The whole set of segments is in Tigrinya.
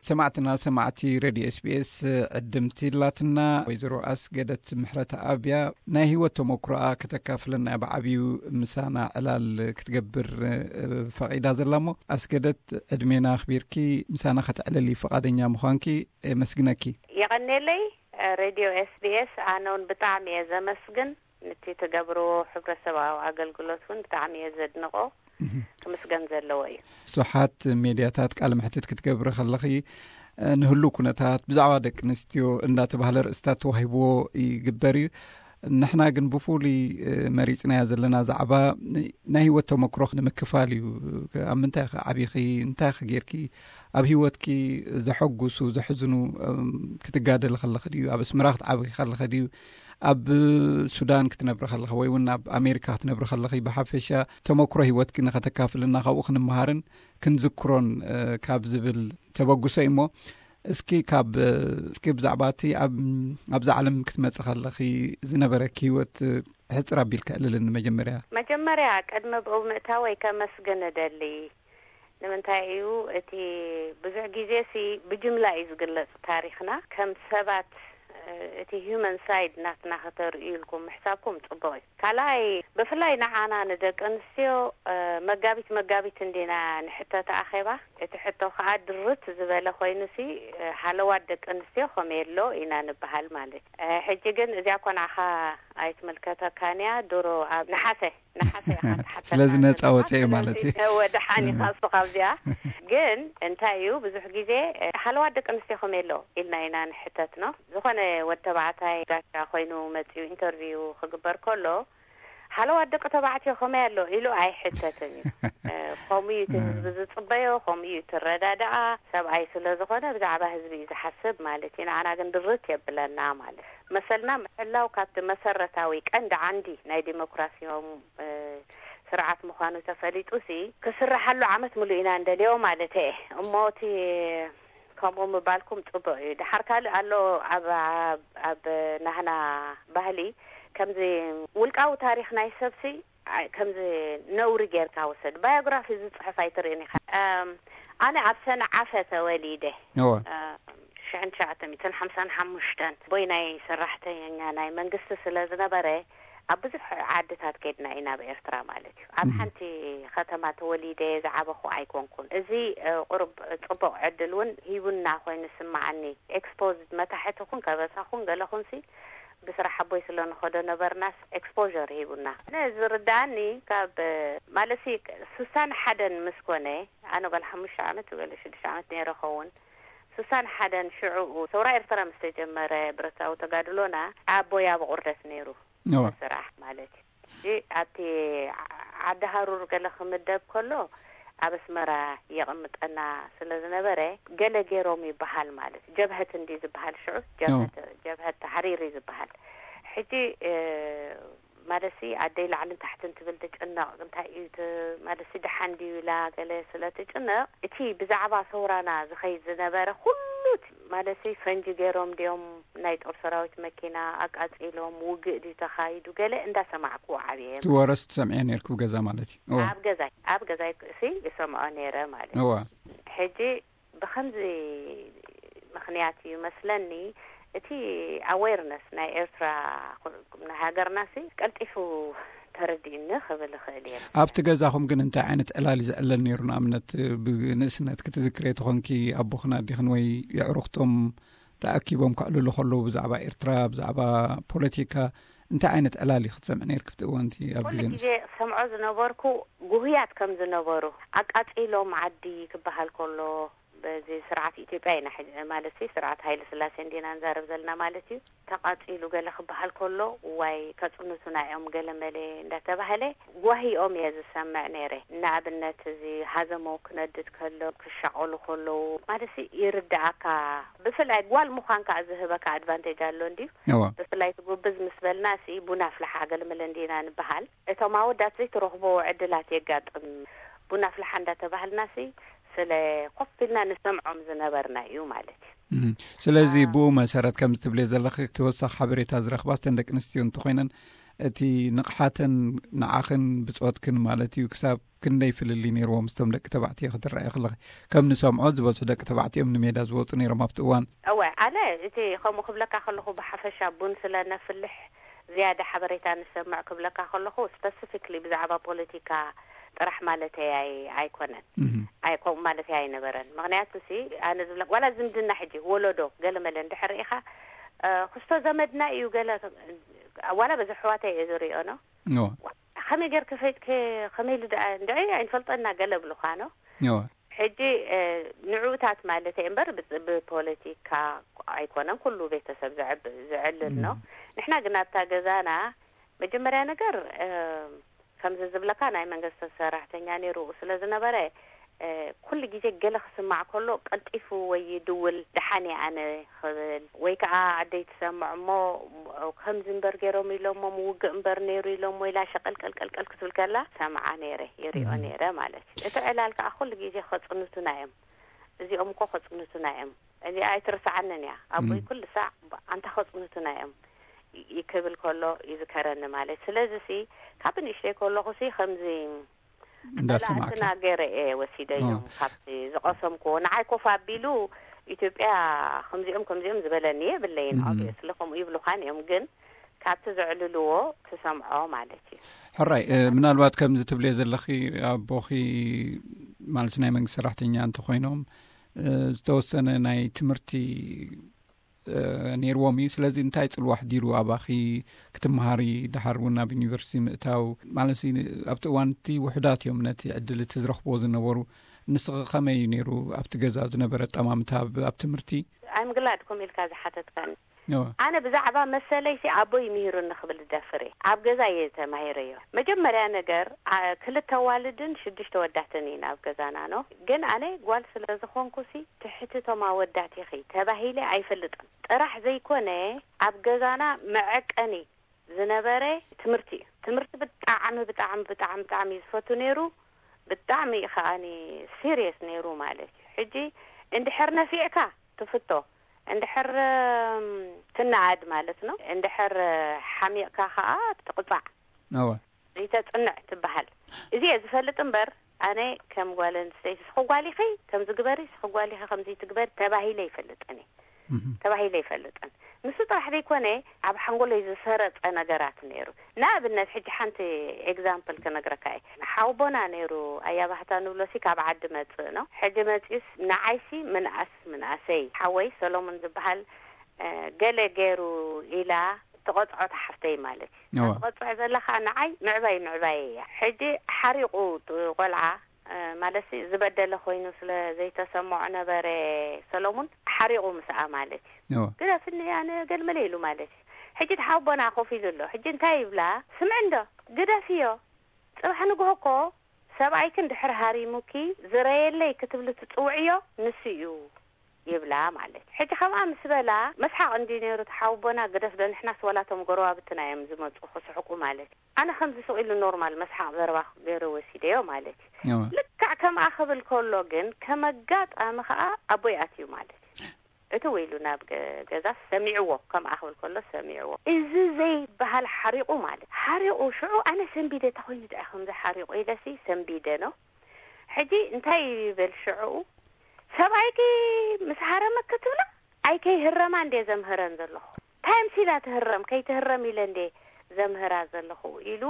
ሰማዕትና ሰማዕቲ ሬድዮ ኤስቢኤስ ዕድምቲ ላትና ወይዘሮ ኣስገደት ምሕረት ኣብያ ናይ ህይወት ተመክሮኣ ከተካፍለና ብዓብዩ ምሳና ዕላል ክትገብር ፈቒዳ ዘላ። እሞ ኣስገደት፣ ዕድሜና ኣኽቢርኪ ምሳና ከተዕልሊ ፍቓደኛ ምዃንኪ የመስግነኪ። የቐኔለይ። ሬድዮ ኤስቢኤስ ኣነ እውን ብጣዕሚ እየ ዘመስግን። ነቲ ትገብርዎ ሕብረተሰባዊ ኣገልግሎት እውን ብጣዕሚ እየ ዘድንቆ። ክምስገን ዘለዎ እዩ። ብዙሓት ሜድያታት ቃለ መሕትት ክትገብሪ ከለኺ ንህሉ ኩነታት ብዛዕባ ደቂ ኣንስትዮ እንዳተባህለ ርእስታት ተዋሂብዎ ይግበር እዩ። ንሕና ግን ብፍሉይ መሪፅናያ ዘለና ዛዕባ ናይ ህይወት ተመክሮ ንምክፋል እዩ። ኣብ ምንታይ ኢኺ ዓቢኺ? እንታይ ኢኺ ጌርኪ? ኣብ ህይወትኪ ዘሐጉሱ ዘሕዝኑ ክትጋደሊ ከለኺ ድዩ? ኣብ ኣስመራ ክትዓብኺ ከለኺ ድዩ? ኣብ ሱዳን ክትነብሪ ከለኺ ወይ እውን ኣብ ኣሜሪካ ክትነብሪ ከለኺ ብሓፈሻ ተመክሮ ህይወትኪ ንኸተካፍልና ካብኡ ክንመሃርን ክንዝክሮን ካብ ዝብል ተበግሶ እዩ። እሞ እስኪ ካብ እስኪ ብዛዕባ እቲ ኣብዛ ዓለም ክትመጽእ ከለኺ ዝነበረኪ ህይወት ሕጽር ኣቢልካ ዕልልን። መጀመርያ መጀመርያ ቅድሚ ብኡ ምእታወይ ከመስግን እደሊ። ንምንታይ እዩ እቲ ብዙሕ ግዜ ሲ ብጅምላ እዩ ዝግለጽ ታሪኽና። ከም ሰባት እቲ ሂውማን ሳይድ ናትና ከተርእዩ ኢልኩም ምሕሳብኩም ጽቡቕ እዩ። ካልኣይ ብፍላይ ንዓና ንደቂ ኣንስትዮ መጋቢት መጋቢት እንዲና ንሕተት ኣኼባ። እቲ ሕቶ ከዓ ድርት ዝበለ ኮይኑ ሲ ሃለዋት ደቂ ኣንስትዮ ከመይ ኣሎ ኢና ንበሃል ማለት። ሕጂ ግን እዚኣ ኮናኻ ኣይትምልከተካን እያ። ድሮ ኣብ ነሓሰ ነሓሰ ኢኻ ትሓተና ስለዚ ነፃ ወፀ ማለት እዩ። ወደሓን ኢኻ እሱ ካብዚኣ። ግን እንታይ እዩ ብዙሕ ግዜ ሃለዋት ደቂ ኣንስትዮ ከመይ ኣሎ ኢልና ኢና ንሕተት ነው። ዝኾነ ወድ ተባዕታይ ጋሻ ኮይኑ መፅኡ ኢንተርቪው ክግበር ከሎ ሃለዋት ደቂ ተባዕትዮ ከመይ ኣሎ ኢሉ ኣይሕተትን እዩ። ከምኡ እዩ እቲ ህዝቢ ዝፅበዮ፣ ከምኡ እዩ እቲ ረዳድኣ። ሰብኣይ ስለ ዝኾነ ብዛዕባ ህዝቢ እዩ ዝሓስብ ማለት እዩ። ንዓና ግን ድርት የብለና ማለት እዩ። መሰልና ምሕላው ካብቲ መሰረታዊ ቀንዲ ዓንዲ ናይ ዲሞክራሲያዊ ስርዓት ምዃኑ ተፈሊጡ ሲ ክስራሓሉ ዓመት ሙሉእ ኢና እንደልዮ ማለት እየ። እሞ እቲ ከምኡ ምባልኩም ጽቡቕ እዩ። ድሓር ካልእ ኣሎ ኣብ ኣብ ናህና ባህሊ ከምዚ ውልቃዊ ታሪኽ ናይ ሰብሲ ከምዚ ነውሪ ጌርካ ውሰድ። ባዮግራፊ ዝጽሕፍ ኣይትርእን ኢኻ። ኣነ ኣብ ሰንዓፈ ተወሊደ። ሽሕን ትሽዓተ ሚእትን ሓምሳን ሓሙሽተን ቦይ ናይ ሰራሕተኛ ናይ መንግስቲ ስለ ዝነበረ ኣብ ብዙሕ ዓድታት ከድና ኢና ኣብ ኤርትራ ማለት እዩ። ኣብ ሓንቲ ከተማ ተወሊደ ዝዓበኹ ኣይኮንኩን። እዚ ቁሩብ ጽቡቕ ዕድል እውን ሂቡና ኮይኑ ስማዓኒ። ኤክስፖዝ መታሕቲ ኩን ከበሳ ኩን ገለ ኩንሲ ብስራሕ ኣቦይ ስለ ንኸዶ ነበርናስ ኤክስፖር ሂቡና። ኣነ ዝርዳኣኒ ካብ ማለሲ ሱሳን ሓደን ምስ ኮነ ኣነ ጓል ሓሙሽተ ዓመት ገለ ሽዱሽተ ዓመት ነይረ ኸውን። ሱሳን ሓደን ሽዑኡ ሰውራ ኤርትራ ምስ ተጀመረ ብረታዊ ተጋድሎና ኣቦይ ኣብ ቁርደት ነይሩ ስራሕ ማለት እዩ። ኣብቲ ዓዲ ሃሩር ገለ ክምደብ ከሎ ኣብ ኣስመራ የቐምጠና ስለ ዝነበረ ገለ ገይሮም ይበሃል ማለት ጀብሀት እንዲ ዝበሃል ሽዑ ጀብሀት ተሓሪር እዩ ዝበሃል። ሕጂ ማለሲ ኣደይ ላዕልን ታሕትን ትብል ትጭነቕ። እንታይ እዩ ማለሲ ደሓን ድዩ ኢላ ገለ ስለ ትጭነቕ እቲ ብዛዕባ ሰውራና ዝኸይድ ዝነበረ ኩሉ ማለሲ ፈንጂ ገይሮም ድዮም ናይ ጦር ሰራዊት መኪና ኣቃጺሎም ውግእ ድዩ ተኻይዱ ገለ እንዳሰማዕኩ ዓብየ። እቲ ወረስ ትሰምዕዮ ነርኩ ገዛ ማለት እዩ። ኣብ ገዛይ ኣብ ገዛይ ክእሲ ይሰምዖ ነይረ ማለት እዩ። ሕጂ ብኸምዚ ምኽንያት እዩ መስለኒ እቲ ኣዌርነስ ናይ ኤርትራ ናይ ሃገርና ሲ ቀልጢፉ ተረዲእኒ ክብል ይኽእል እየ። ኣብቲ ገዛኹም ግን እንታይ ዓይነት ዕላል እዩ ዝዕለል ነይሩ? ንኣብነት ብንእስነት ክትዝክረ ተኾንኪ ኣቦኽን ኣዲኽን ወይ የዕሩኽቶም ተኣኪቦም ከዕልሉ ከለዉ ብዛዕባ ኤርትራ ብዛዕባ ፖለቲካ እንታይ ዓይነት ዕላል እዩ ክትሰምዕ ነይርክ ኣብቲ እዋንቲ ኣብ ኩሉ ግዜ ግዜ ክሰምዖ ዝነበርኩ ጉህያት ከም ዝነበሩ ኣቃጺሎም ዓዲ ክበሃል ከሎ በዚ ስርዓት ኢትዮጵያ ኢና ማለት ስርዓት ሃይለ ስላሴ እንዲና ንዛረብ ዘለና ማለት እዩ። ተቃጺሉ ገለ ክበሃል ከሎ ዋይ ከጽንቱና እዮም ገለ መለ እንዳተባህለ ጓሂኦም እየ ዝሰምዕ ነይረ። ንኣብነት እዚ ሃዘሞ ክነድድ ከሎ ክሻቀሉ ከለዉ ማለት ይርዳኣካ። ብፍላይ ጓል ምዃን ከዓ ዝህበካ ኣድቫንቴጅ ኣሎ እንዲዩ። ብፍላይ ትጉብዝ ምስ በልና ሲ ቡና ፍልሓ ገለ መለ እንዲና ንበሃል። እቶም ኣወዳት ዘይትረኽቦ ዕድላት የጋጥም። ቡና ፍልሓ እንዳተባህልና ሲ ስለ ኮፍ ኢልና ንሰምዖም ዝነበርና እዩ ማለት እዩ። ስለዚ ብኡ መሰረት ከም ትብልዮ ዘለኺ ተወሳኺ ሓበሬታ ዝረኽባ እተን ደቂ ኣንስትዮ እንተኮይነን እቲ ንቕሓተን ንዓኽን ብጾትክን ማለት እዩ፣ ክሳብ ክንደይ ፍልልይ ነይርዎ ምስቶም ደቂ ተባዕትዮ ክትረኣየ ከለኺ? ከም ንሰምዖ ዝበዝሑ ደቂ ተባዕትዮ እዮም ንሜዳ ዝወጹ ነይሮም ኣብቲ እዋን። እወ፣ ኣነ እቲ ከምኡ ክብለካ ከለኹ ብሓፈሻ ቡን ስለ ነፍልሕ ዝያዳ ሓበሬታ ንሰምዕ ክብለካ ከለኹ፣ ስፐሲፊክሊ ብዛዕባ ፖለቲካ ጥራሕ ማለተይ ኣይ-፣ ኣይኮነን። እህ። ኣይ-፣ ከምኡ ማለተይ ኣይነበረን። ምኽንያቱ ሲ፣ ኣነ ዝብለካ፣ ዋላ ዝምድና ሕጂ ወለዶ ገለመለ እንድሕር ኢኻ፣ እ፣ ክስቶ ዘመድና እዩ ገለ፣ ዋላ በዚ ኣሕዋተይ እየ ዝሪኦ ነው። እወ። ከመይ ጌርኪ ፈይጥኪ፣ ከመይ ኢሉ ደኣ፣ እንድዒ ኣይንፈልጦና ገለ ብሉኻ ነው። እወ። ሕጂ፣ እ፣ ንዕኡታት ማለተይ እምበር፣ ብ-፣ ብፖለቲካ ኣይኮነን ኩሉ ቤተሰብ ዘዕብ-፣ ዘዕልል ነው። እም። ንሕና ግን ኣብታ ገዛና መጀመርያ ነገር፣ እ፣ ከምዚ ዝብለካ ናይ መንግስቲ ሰራሕተኛ ነይሩ ስለ ዝነበረ፣ እ፣ ኩሉ ግዜ ገለ ክስማዕ ከሎ ቀልጢፉ ወይ ይድውል፣ "ደሓን እየ ኣነ" ክብል፣ ወይ ከዓ ኣደይ ትሰምዕ እሞ፣ "ከምዚ እምበር ገይሮም ኢሎሞ፣ ምውግእ እምበር ነይሩ ኢሎሞ" ኢላ ሸቀልቀልቀልቀል ክትብል ከላ ሰምዓ ነይረ፣ ይሪኦ እም። ነይረ ማለት እዩ። እቲ ዕላል ከዓ ኩሉ ግዜ ከጽንቱና እዮም። "እዚኦም እኮ ከጽንቱና እዮም፣ እዚኣ ኣይትርስዓንን እያ፣ ኣቦይ እም። ኩሉ ሳዕ ኣንታ ከጽንቱና እዮም" ይ-፣ ክብል ከሎ ይዝከረኒ ማለት። ስለዚ ሲ፣ ካብ ንእሽተይ ከለኹ ሲ፣ ከምዚ እንዳሰማዕካ። መላእትና ገይረ እየ ወሲደዮም። ኦ። ካብቲ ዝቐሰምክዎ፣ ንዓይ ኮፍ ኣቢሉ፣ "ኢትዮጵያ ከምዚኦም ከምዚኦም" ዝበለኒ የብለይን። እም። ኦብቪየስሊ ከምኡ ይብሉኻን እዮም፣ ግን ካብቲ ዘዕልልዎ ትሰምዖ ማለት እዩ። ሕራይ፣ እ፣ ምናልባት ከምዚ ትብልዮ ዘለኺ፣ ኣቦኺ ማለት ናይ መንግስቲ ሰራሕተኛ እንተኾይኖም፣ እ፣ ዝተወሰነ ናይ ትምህርቲ፣ እ፣ ነይርዎም እዩ። ስለዚ እንታይ ጽልዋ ኣሕዲሩ ኣባኺ ክትመሃሪ፣ ደሓር እውን ናብ ዩኒቨርሲቲ ምእታው? ማለት ሲ፣ ኣብቲ እዋን እቲ ውሑዳት እዮም ነቲ ዕድል እቲ ዝረኽብዎ ዝነበሩ። ንስኺ ከመይ እዩ ነይሩ ኣብቲ ገዛ ዝነበረ ኣጠማምታ ኣብ፣ ኣብ ትምህርቲ? I'm glad ከምኡ ኢልካ ዝሓተትካኒ። እወ። ኣነ ብዛዕባ መሰለይሲ ኣቦይ ምሂሩኒ ክብል ዝደፍር እየ። ኣብ ገዛ እየ ተማሂረዮ። መጀመርያ ነገር፣ ኣ-፣ ክልተ ኣዋልድን ሽዱሽተ ኣወዳትን ኢና ኣብ ገዛና፣ ኖ። ግን ኣነ ጓል ስለ ዝኾንኩሲ፣ ትሕቲ እቶም ኣወዳት ኢኺ ተባሂለ ኣይፈልጥን። ጥራሕ ዘይኮነ፣ ኣብ ገዛና መዐቀኒ ዝነበረ ትምህርቲ እዩ። ትምህርቲ ብጣዕሚ፣ ብጣዕሚ፣ ብጣዕሚ፣ ብጣዕሚ እዩ ዝፈቱ ነይሩ። ብጣዕሚ እዩ ከኣኒ ሲሪየስ ነይሩ ማለት እዩ። ሕጂ እንድሕር ነፊዕካ ትፍቶ፣ እንድሕር፣ እም፣ ትነኣድ ማለት ነው። እንድሕር ሓሚቕካ ከኣ ትቕጻዕ። እወ። ዘይተጽንዕ ትበሃል። እዚ እየ ዝፈልጥ እምበር፣ ኣነ ከም ጓል ኣንስተይቲ፣ "ስኺ ጓል ኢኺ ከምዚ ግበሪ፣ ስኺ ጓል ኢኺ ከምዚ ትግበሪ" ተባሂለ ይፈልጥን እየ። እህ። ተባሂለ ይፈልጥን። ንሱ ጥራሕ ዘይኮነ፣ ኣብ ሓንጎለይ ዝሰረጸ ነገራት ነይሩ። ንኣብነት፣ ሕጂ ሓንቲ ኤግዛምፕል ክነግረካ እየ። ሓውቦና ነይሩ፣ ኣያ ባህታ ንብሎሲ ካብ ዓዲ መጽእ ነው። ሕጂ መጺኡስ ንዓይሲ ምንኣስ ምንኣሰይ፣ ሓወይ ሰሎሞን ዝበሃል፣ እ፣ ገለ ገይሩ ኢላ ትቐጽዖ፣ ሓፍተይ ማለት እዩ። እዋ። ትቐጽዖ ዘላ ኸኣ ንዓይ ምዕባይ ምዕባይ እያ። ሕጂ ሓሪቑ ጥ-፣ ቆልዓ፣ እ፣ ማለትሲ ዝበደለ ኮይኑ ስለ ዘይተሰምዖ ነበረ ሰሎሙን፣ ሓሪቑ ምስኣ ማለት እዩ። እዋ። ግደፍኒ ኣነ ገልመለ ኢሉ ማለት እዩ። ሕጂ እቲ ሓቦና ኮፍ ኢሉ ኣሎ። ሕጂ እንታይ ይብላ? "ስምዒ እንዶ፣ ግደፍዮ። ጽባሕ ንግሆ እኮ ሰብኣይኪ እንድሕር ሃሪሙኪ ዝረየለይ ክትብሊ ትጽውዕዮ ንሱ እዩ" ይብላ ማለት። ሕጂ ከምኣ ምስ በላ መስሓቕ እንዲ ነይሩ፣ ተሓውቦና ግደፍ ዶ፣ ንሕናስ ዋላቶም ጎረባብትና እዮም ዝመጹ ክስሕቁ ማለት። ኣነ ከምዚ ስቕ ኢሉ ኖርማል መስሓቕ ዘረባ ገይረ ወሲደዮ ማለት። እዋ። ልክዕ ከምኣ ክብል ከሎ ግን ከመጋጣሚ ከኣ ኣቦይ ኣትዩ ማለት። እቲ ውኢሉ ናብ ገ-፣ ገዛ ሰሚዕዎ፣ ከምኣ ክብል ከሎ ሰሚዕዎ። እዚ ዘይበሃል ሓሪቑ ማለት። ሓሪቑ ሽዑ ኣነ ሰንቢደ፣ "እንታይ ኮይኑ ደኣ ከምዚ ሓሪቑ?" ኢለሲ ሰንቢደ ነው። ሕጂ እንታይ ይበል ሽዑ? "ሰብኣይኪ ምስ ሃረመ ክትብላ፣ ኣይ ከይህረማ እንዴ ዘምህረን ዘለኹ? እንታይ ምሲላ ትህረም? ከይትህረም ኢለ እንዴ ዘምህራ ዘለኹ?" ኢሉ፣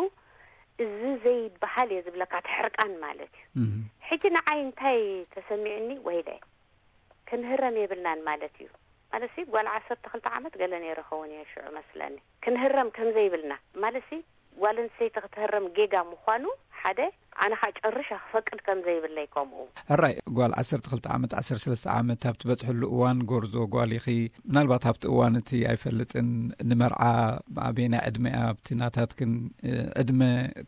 እዚ ዘይበሃል እየ ዝብለካ፣ እቲ ሕርቃን ማለት እዩ። እህ። ሕጂ ንዓይ እንታይ ተሰሚዑኒ? ወይለ፣ ክንህረም የብልናን ማለት እዩ። ማለትሲ ጓል ዓሰርተ ክልተ ዓመት ገለ ነይረ ኸውን እየ ሽዑ መስለኒ። ክንህረም ከም ዘይብልና፣ ማለትሲ ጓል ኣንስተይቲ ክትህረም ጌጋ ምዃኑ ሓደ፣ ኣነ ኸኣ ጨርሻ ክፈቅድ ከም ዘይብለይ ከምኡ። ሕራይ፣ ጓል ዓሰርተ ክልተ ዓመት፣ ዓሰርተ ሰለስተ ዓመት ኣብ ትበጽሕሉ እዋን ጎርዞ ጓል ኢኺ። ምናልባት ኣብቲ እዋን እቲ ኣይፈልጥን፣ ንመርዓ ኣበየናይ ዕድመ እያ ኣብቲ ናታትክን፣ እ፣ ዕድመ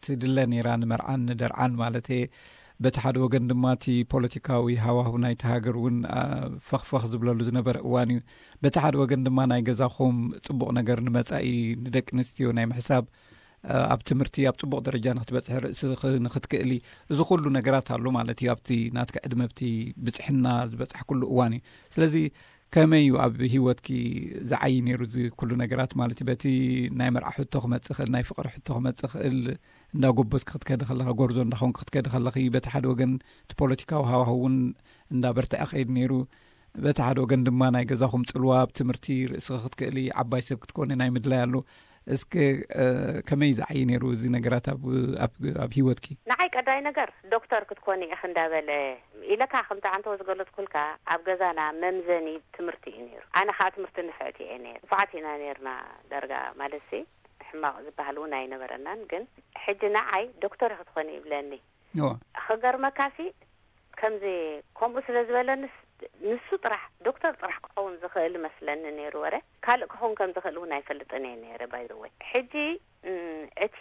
ትድለ ነይራ ንመርዓን ንደርዓን ማለት እየ። በቲ ሓደ ወገን ድማ እቲ ፖለቲካዊ ሃዋሁ ናይቲ ሃገር እውን፣ አ፣ ፈኽፈኽ ዝብለሉ ዝነበረ እዋን እዩ። በቲ ሓደ ወገን ድማ ናይ ገዛኹም ጽቡቕ ነገር ንመጻኢ ንደቂ ኣንስትዮ ናይ ምሕሳብ፣ አ፣ ኣብ ትምህርቲ ኣብ ጽቡቕ ደረጃ ንክትበጽሒ ርእስኺ ንክትክእሊ፣ እዚ ኩሉ ነገራት ኣሎ ማለት እዩ። ኣብቲ ናትኪ ዕድመ፣ ኣብቲ ብጽሕና ዝበጽሕክሉ እዋን እዩ። ስለዚ ከመይ እዩ ኣብ ህይወትኪ ዝዓይ ነይሩ እዚ ኩሉ ነገራት ማለት እዩ? በቲ ናይ መርዓ ሕቶ ክመጽእ ክእል፣ ናይ ፍቕሪ ሕቶ ክመጽእ ክእል፣ እንዳ ጎበዝኪ ክትከዲ ከለኻ፣ ጎርዞ እንዳ ኾንኪ ክትከዲ ከለኺ፣ በቲ ሓደ ወገን እቲ ፖለቲካዊ ሃዋህው እውን እንዳ በርትዐ ከይድ ነይሩ፣ በቲ ሓደ ወገን ድማ ናይ ገዛኹም ጽልዋ ኣብ ትምህርቲ ርእስኺ ክትክእሊ ዓባይ ሰብ ክትኮኒ ናይ ምድላይ ኣሎ። እስከ ከመይ ዝዓይ ነይሩ እዚ ነገራት ኣብ ኣብ ኣብ ህይወትኪ? ንዓይ ቀዳይ ነገር ዶክተር ክትኮኒ ኢኺ እንዳበለ ኢለካ፣ ከምቲ ዓንተወ ዝገለጽኩልካ፣ ኣብ ገዛና መምዘኒ ትምህርቲ እዩ ነይሩ። ኣነ ከዓ ትምህርቲ ንፍዕቲ እየ ነይር። ንፉዓት ኢና ነይርና። ደርጋ ማለት ሲ ሕማቕ ዝበሃል እውን ኣይነበረናን። ግን ሕጂ ንዓይ ዶክተር ኢኺ ትኾኒ ይብለኒ። ክገርመካ ሲ ከምዚ ከምኡ ስለ ዝበለንስ፣ ንሱ ጥራሕ ዶክተር ጥራሕ ክኸውን ዝኽእል መስለኒ ነይሩ። ወረ ካልእ ክኸውን ከም ዝኽእል እውን ኣይፈልጥን እየ ነይረ። ባይዘወይ ሕጂ እቲ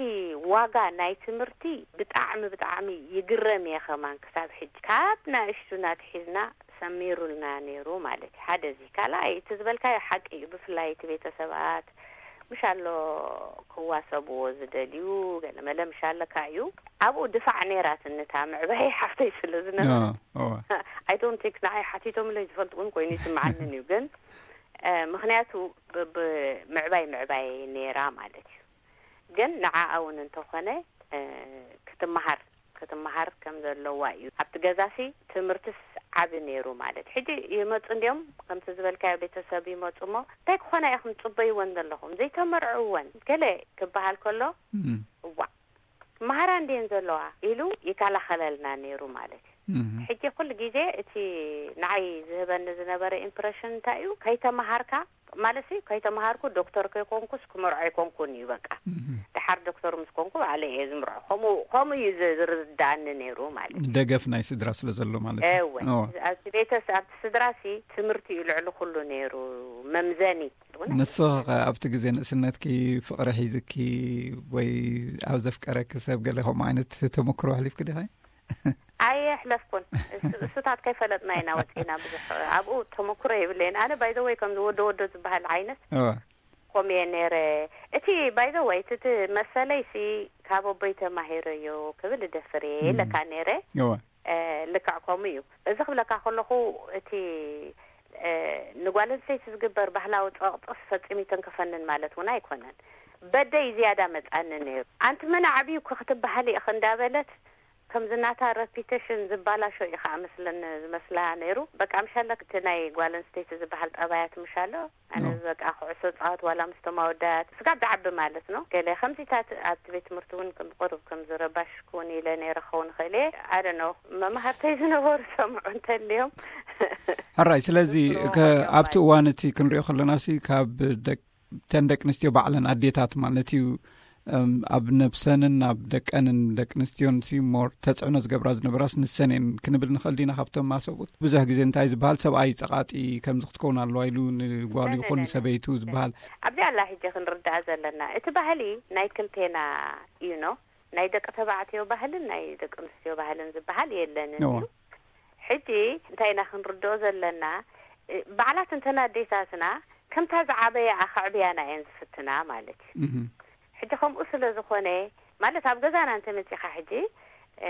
ዋጋ ናይ ትምህርቲ ብጣዕሚ ብጣዕሚ ይግረም እየ። ከማን ክሳብ ሕጂ ካብ ናእሽቱና ትሒዝና ሰሚሩልና ነይሩ ማለት እዩ። ሓደ እዚ ካልኣይ እቲ ዝበልካዮ ሓቂ እዩ። ብፍላይ እቲ ቤተሰባት ምሽ ኣሎ ክዋሰብዎ ዝደልዩ ገለመለ ምሽ ኣለካ እዩ። ኣብኡ ድፋዕ ነይራትንታ ምዕባይ ሓፍተይ ስለ ዝነበረ፣ I don't think ንዓይ ሓቲቶምለይ ዝፈልጡ እውን ኮይኑ ይስምዓንን እዩ። ግን ምክንያቱ ምዕባይ ምዕባይ ነይራ ማለት እዩ። ግን ንዓኣ እውን እንተኾነ ክትመሃር ክትመሃር ከም ዘለዋ እዩ። ኣብቲ ገዛሲ ትምህርትስ ዓቢ ነይሩ ማለት። ሕጂ ይመጹ እንዲዮም፣ ከምቲ ዝበልካዮ ቤተሰብ ይመጹ እሞ፣ እንታይ ክኾና ኢኹም ጽበይወን ዘለኹም? ዘይተመርዕወን ገለ ክበሃል ከሎ፣ እዋእ፣ መሃራ እንዲየን ዘለዋ ኢሉ ይከላኸለልና ነይሩ ማለት እዩ። ሕጂ ኩሉ ግዜ እቲ ንዓይ ዝህበኒ ዝነበረ ኢምፕረሽን እንታይ እዩ? ከይተመሃርካ ማለት ሲ ከይተመሃርኩ ዶክተር ከይኮንኩስ ክመርዖ ኣይኮንኩን እዩ በቃ። ድሓር ዶክተር ምስ ኮንኩ ባዕለ እየ ዝምርዖ። ከምኡ ከምኡ እዩ ዝ- ዝርዳእኒ ነይሩ ማለት እዩ። ደገፍ ናይ ስድራ ስለ ዘሎ ማለት እዩ። እወ፣ ኣብቲ ቤተስ ኣብቲ ስድራ ሲ ትምህርቲ እዩ ልዕሊ ኩሉ ነይሩ መምዘኒ። ንስኺ ኸ ኣብቲ ግዜ ንእስነትኪ ፍቕሪ ሒዝኪ ወይ ኣብ ዘፍቀረኪ ሰብ ገለ ከምኡ ዓይነት ተመክሮ ኣሕሊፍኪ ዲኺ? ኣየሕለፍኩን። እሱ- እሱታት ከይፈለጥና ኢና ወፂና። ብዙሕ ኣብኡ ተመክሮ የብለይን። ኣነ ባይዘወይ ከምዚ ወዶ ወዶ ዝበሃል ዓይነት እወ። ኮምየ ነይረ። እቲ ባይዘወይ እቲ መሰለይ ሲ ካብ ኣቦይ ተማሂረዮ ክብል እደፍር እየ እም። ኢለካ ነይረ። እወ። ልክዕ ከምኡ እዩ። እዚ ክብለካ ከለኹ እቲ ንጓል ኣንስተይቲ ዝግበር ባህላዊ ፀቕጥስ ፈፂሙ ይተንከፈንን ማለት እውን ኣይኮነን። በደይ ዝያዳ መፃኒ ነይሩ። ኣንቲ መን ዓብዩ ክትበሃል ኢኽ እንዳበለት ከምዚ ናታ ረፒተሽን ዝባላሾ እዩ ከዓ መስለኒ ዝመስላ ነይሩ። በቃ ምሻለ እቲ ናይ ጓል ኣንስተይቲ ዝበሃል ጠባያት ምሻሎ ኣነ ኖ። በቃ ኩዕሶ ፃወት ዋላ ምስ ተማወዳት ስጋብ ዝዓቢ ማለት ነው። ገለ ከምዚታት ኣብቲ ቤት ትምህርቲ እውን ከም ቁሩብ ከም ዝረባሽ ክውን ኢለ ነይረ ክኸውን ይኽእል እየ። ኣደ ነው መማህርተይ ዝነበሩ ሰምዑ እንተልዮም ሕራይ ስለዚ ዝስምዑ ከ- እዮም ኣብቲ ማለት እዋን እቲ ክንሪኦ ከለና ሲ ካብ ደቅ ተን ደቂ ኣንስትዮ ባዕለን ኣዴታት ማለት እዩ። እም፣ ኣብ ነብሰንን ኣብ ደቀንን ደቂ ኣንስትዮን ሲ ሞር ተፅዕኖ ዝገብራ ዝነበራስ ንሰን እየን ክንብል ንኽእል ዲና? ካብቶም ማሰቡት ብዙሕ ግዜ እንታይ ዝበሃል ሰብኣይ ፀቓጢ ከምዚ ክትከውን ኣለዋ ኢሉ ንጓሉ ይኹን ንሰበይቱ ዝበሃል። ኣብዚ ኣላ ሕጂ ክንርዳእ ዘለና እቲ ባህሊ ናይ ክልቴና እዩ ኖ ናይ ደቂ ተባዕትዮ ባህልን ናይ ደቂ ኣንስትዮ ባህልን ዝበሃል የለንን እዎ። እዩ። ሕጂ እንታይ ኢና ክንርድኦ ዘለና? እ፣ ባዕላት እንተና ኣዴታትና ከምታ ዝዓበያ ኣኸዕብያና እየን ዝፍትና ማለት እዩ። እህ። ሕጂ ከምኡ ስለ ዝኾነ ማለት ኣብ ገዛና እንተመፂኻ ሕጂ እ፣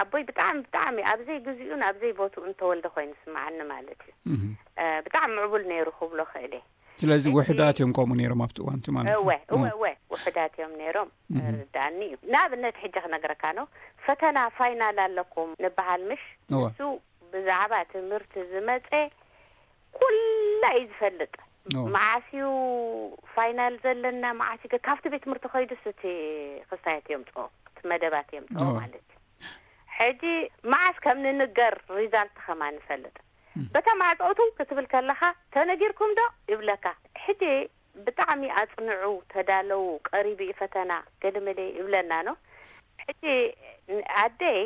ኣቦይ ብጣዕሚ ብጣዕሚ ኣብዘይ ግዜኡን ኣብዘይ ቦትኡን ተወልደ ኮይኑ ስምዓኒ ማለት እዩ። እህ። እ፣ ብጣዕሚ ምዕቡል ነይሩ ክብሎ ክእል እየ። ስለዚ ሕጂ ውሕዳት እዮም ከምኡ ነይሮም ኣብቲ እዋንቲ ማለት እዩ። እወ እወ እወ ውሕዳት እዮም ነይሮም። እህ። ርዳእኒ እዩ። ንኣብነት ሕጂ ክነግረካ ነው። ፈተና ፋይናል ኣለኩም ንበሃል ምሽ? እወ። ንሱ ብዛዕባ ትምህርቲ ዝመፀ ኩላ እዩ ዝፈልጥ። እወ። መዓስ እዩ ፋይናል ዘለና መዓስ እዩ ገ- ካብቲ ቤት ትምህርቲ ከይዱስ እቲ ክስታያት እዮም ፅኦ እቲ መደባት እዮም ፅኦ እወ። ማለት እዩ። ሕጂ መዓስ ከም ንንገር ሪዛልት ከማ ንፈልጥ እም። በታ ማዕፀውቱ ክትብል ከለኻ ተነጊርኩም ዶ ይብለካ። ሕጂ ብጣዕሚ ኣፅንዑ ተዳለዉ ቀሪቡ እዩ ፈተና ገለመለ ይብለና ኖ። ሕጂ ኣደይ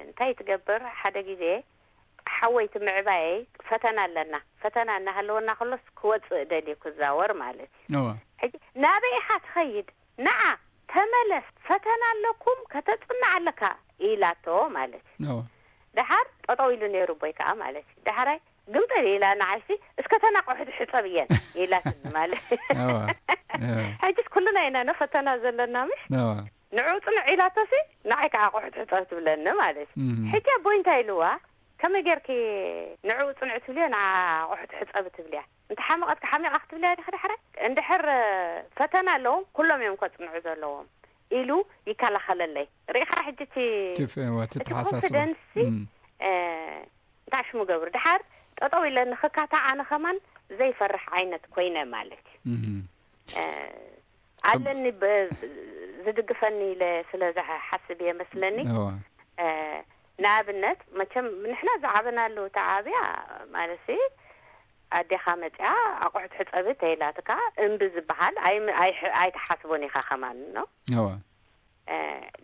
እንታይ ትገብር ሓደ ግዜ ሓወይቲ ምዕባየይ ፈተና ኣለና ፈተና እናሃለወና ከሎስ ክወፅእ ደልዩ ክዛወር ማለት እዩ። እወ። ሕጂ ናበይ ኢኻ ትኸይድ ንዓ ተመለስ ፈተና ኣለኩም ከተፅንዕ ኣለካ ኢላቶ ማለት እዩ። እወ። ደሓር ጠጠው ኢሉ ነይሩ ኣቦይ ከዓ ማለት እዩ። ደሓራይ ግምጥል ኢላ ንዓይሲ እስከ ተናቆሕቲ ሕፀብ እየን ኢላትኒ ማለት እዩ። እወ። እወ። ሕጅስ ኩልና ኢና ኖ ፈተና ዘለና ምሽ እወ። ንዑ ፅንዕ ኢላቶሲ ንዓይ ከዓ ኣቑሑት ሕፀብ ትብለኒ ማለት እዩ። እም። ሕጂ ኣቦይ እንታይ ኢልዋ ከመይ ጌርኪ ንዕኡ ጽንዑ ትብልዮ፣ ንዓ ኣቑሑት ሕጸቢ ትብልያ? እንተ ሓመቐትኪ ሓሚቓ ክትብልያ ዲኺ? ድሕረ እንድሕር ፈተና ኣለዎም፣ ኩሎም እዮም ከጽንዑ ዘለዎም ኢሉ ይከላኸለለይ። ርኢኻ ሕጂ እቲ እቲ ፍ-፣ እዋ፣ እቲ እቲ ተሓሳስባ። ኮንፊደንስ ሲ፣ እም። እ፣ እንታይ ሽሙ ገብሩ፣ ድሓር ጠጠው ኢለ ንኽካታዕ ኣነ ከማን ዘይፈርሕ ዓይነት ኮይነ ማለት እዩ። እም። እ፣ ኣለኒ ብ-፣ ዝድግፈኒ ኢለ ስለ ዝሓስብ እየ መስለኒ። እዋ። እ፣ ንኣብነት መቸም ንሕና ዝዓበናሉ ተዓብያ ማለት ሲ፣ ኣዴኻ መጽያ ኣቑሑት ሕጸቢ ተይላትካ እምቢ ዝበሃል ኣይ-፣ ኣይ-፣ ኣይትሓስቦን ኢኻ ከማን ነው። እዋ። እ፣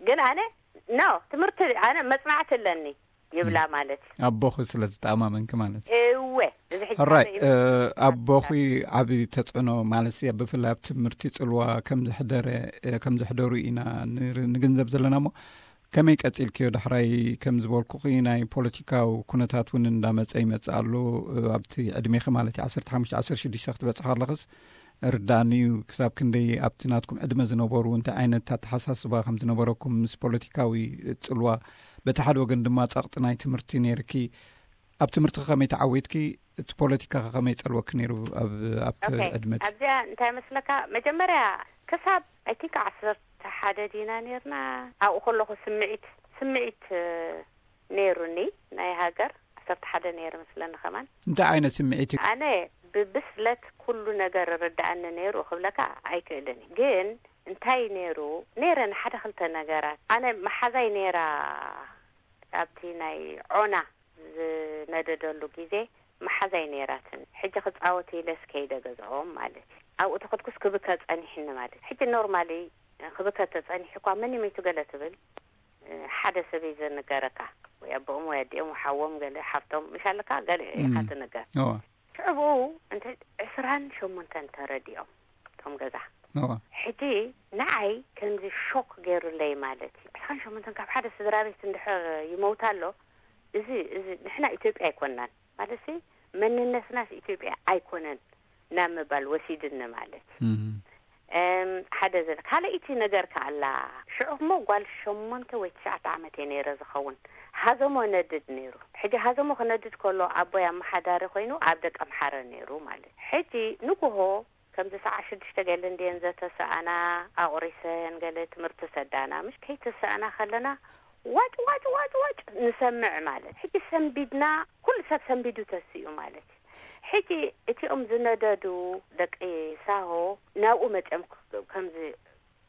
ግን ኣነ ኖ ትምህርቲ ኣነ መጽናዕቲ ኣለኒ ይብላ እም። ማለት እዩ። ኣቦኺ ስለ ዝተኣማመንኪ ማለት እዩ። እወ፣ እዚ ሕጂ ኣራይ፣ ኣነ እ፣ ኣቦኺ ዓቢ ተጽዕኖ ማለት እዩ፣ ብፍላይ ኣብ ትምህርቲ ጽልዋ ከም ዘሕደረ፣ እ፣ ከም ዘሕደሩ ኢና ንር-፣ ንግንዘብ ዘለና እሞ፣ ከመይ ቀጺልክዮ? ዳሕራይ ከም ዝበልኩኺ ናይ ፖለቲካዊ ኩነታት እውን እንዳመጸ ይመጽእ ኣሎ፣ እ፣ ኣብቲ ዕድሜኺ ማለት እዩ፣ ዓሰርተ ሓሙሽተ ዓሰርተ ሽዱሽተ ክትበጽሒ ከለኽስ ርዳእኒ እዩ። ክሳብ ክንደይ ኣብቲ ናትኩም ዕድመ ዝነበሩ እንታይ ዓይነት ኣተሓሳስባ ከም ዝነበረኩም፣ ምስ ፖለቲካዊ ጽልዋ፣ በቲ ሓደ ወገን ድማ ጸቕጢ ናይ ትምህርቲ ነይርኪ። ኣብ ትምህርቲ ከመይ ተዓዊትኪ? እቲ ፖለቲካ ከ ከመይ ጸልወኪ ነይሩ ኣብ፣ ኣብቲ ኦኬ። ዕድመ እቲ? ኣብዚኣ እንታይ መስለካ? መጀመርያ ክሳብ፣ ኣይ ቲንክ፣ ዓሰርተ ሓደ ዲና ነይርና። ኣብኡ ከለኹ ስምዒት፣ ስምዒት፣ እ፣ ነይሩኒ ናይ ሃገር። ዓሰርተ ሓደ ነይሩ መስለኒ ከማን። እንታይ ዓይነት ስምዒት እዩ? ኣነ ብብስለት ኩሉ ነገር ርድኣኒ ነይሩ ክብለካ ኣይክእልን እዩ። ግን እንታይ ነይሩ? ነይረ ንሓደ ክልተ ነገራት። ኣነ መሓዛይ ነይራ ኣብቲ ናይ ዖና ዝነደደሉ ግዜ መሓዛይ ነይራትን። ሕጂ ክጻወት ኢለስ ከይደ ገዝኦም ማለት እዩ። ኣብኡ ተኸድኩስ ክብከ ጸኒሕኒ ማለት እዩ። ሕጂ ኖርማሊ ክብከ ተጸኒሑ እኳ መን ይመይቱ ገለ ትብል፣ ሓደ ሰብ እዩ ዘነገረካ፣ ወይ ኣቦኦም ወይ ኣዲኦም ወይ ሓዎም ገለ ሓፍቶም ምሽ ኣለካ ገለ ኢኻ እም። ትነገር። እዋ። ሽዑ ብኡ እንተ ዕስራን ሸሞንተን ተረዲኦም እቶም ገዛ። እዋ። ሕጂ ንዓይ ከምዚ ሾክ ገይሩለይ ማለት እዩ። ዕስራን ሸሞንተን ካብ ሓደ ስድራ ቤት እንድሕር ይመውት ኣሎ፣ እዚ፣ እዚ ንሕና ኢትዮጵያ ኣይኮናን። ማለትሲ መንነትናስ ኢትዮጵያ ኣይኮነን ናብ ምባል ወሲድኒ ማለት። እም። እም፣ ሓደ ዘለ-፣ ካልኣይቲ ነገር ከኣ ኣላ። ሽዑ እሞ ጓል ሸሞንተ ወይ ትሽዓተ ዓመት እየ ነይረ ዝኸውን። ሃዘሞ ነድድ ነይሩ። ሕጂ ሃዘሞ ክነድድ ከሎ ኣቦይ ኣመሓዳሪ ኮይኑ ኣብ ደቀምሓረ ነይሩ ማለት። ሕጂ ንጉሆ ከምዚ ሰዓት ሽዱሽተ ገለ እንድየን ዘተሰኣና፣ ኣቑሪሰን ገለ ትምህርቲ ሰዳና። ምሽ ከይተሰኣና ከለና ዋጭ፣ ዋጭ፣ ዋጭ፣ ዋጭ ንሰምዕ ማለት። ሕጂ ሰንቢድና፣ ኩሉ ሰብ ሰንቢዱ ተሲኡ ማለት እዩ። ሕጂ እቲኦም ዝነደዱ ደቂ ሳሆ ናብኡ መጺኦም ክ-፣ ከምዚ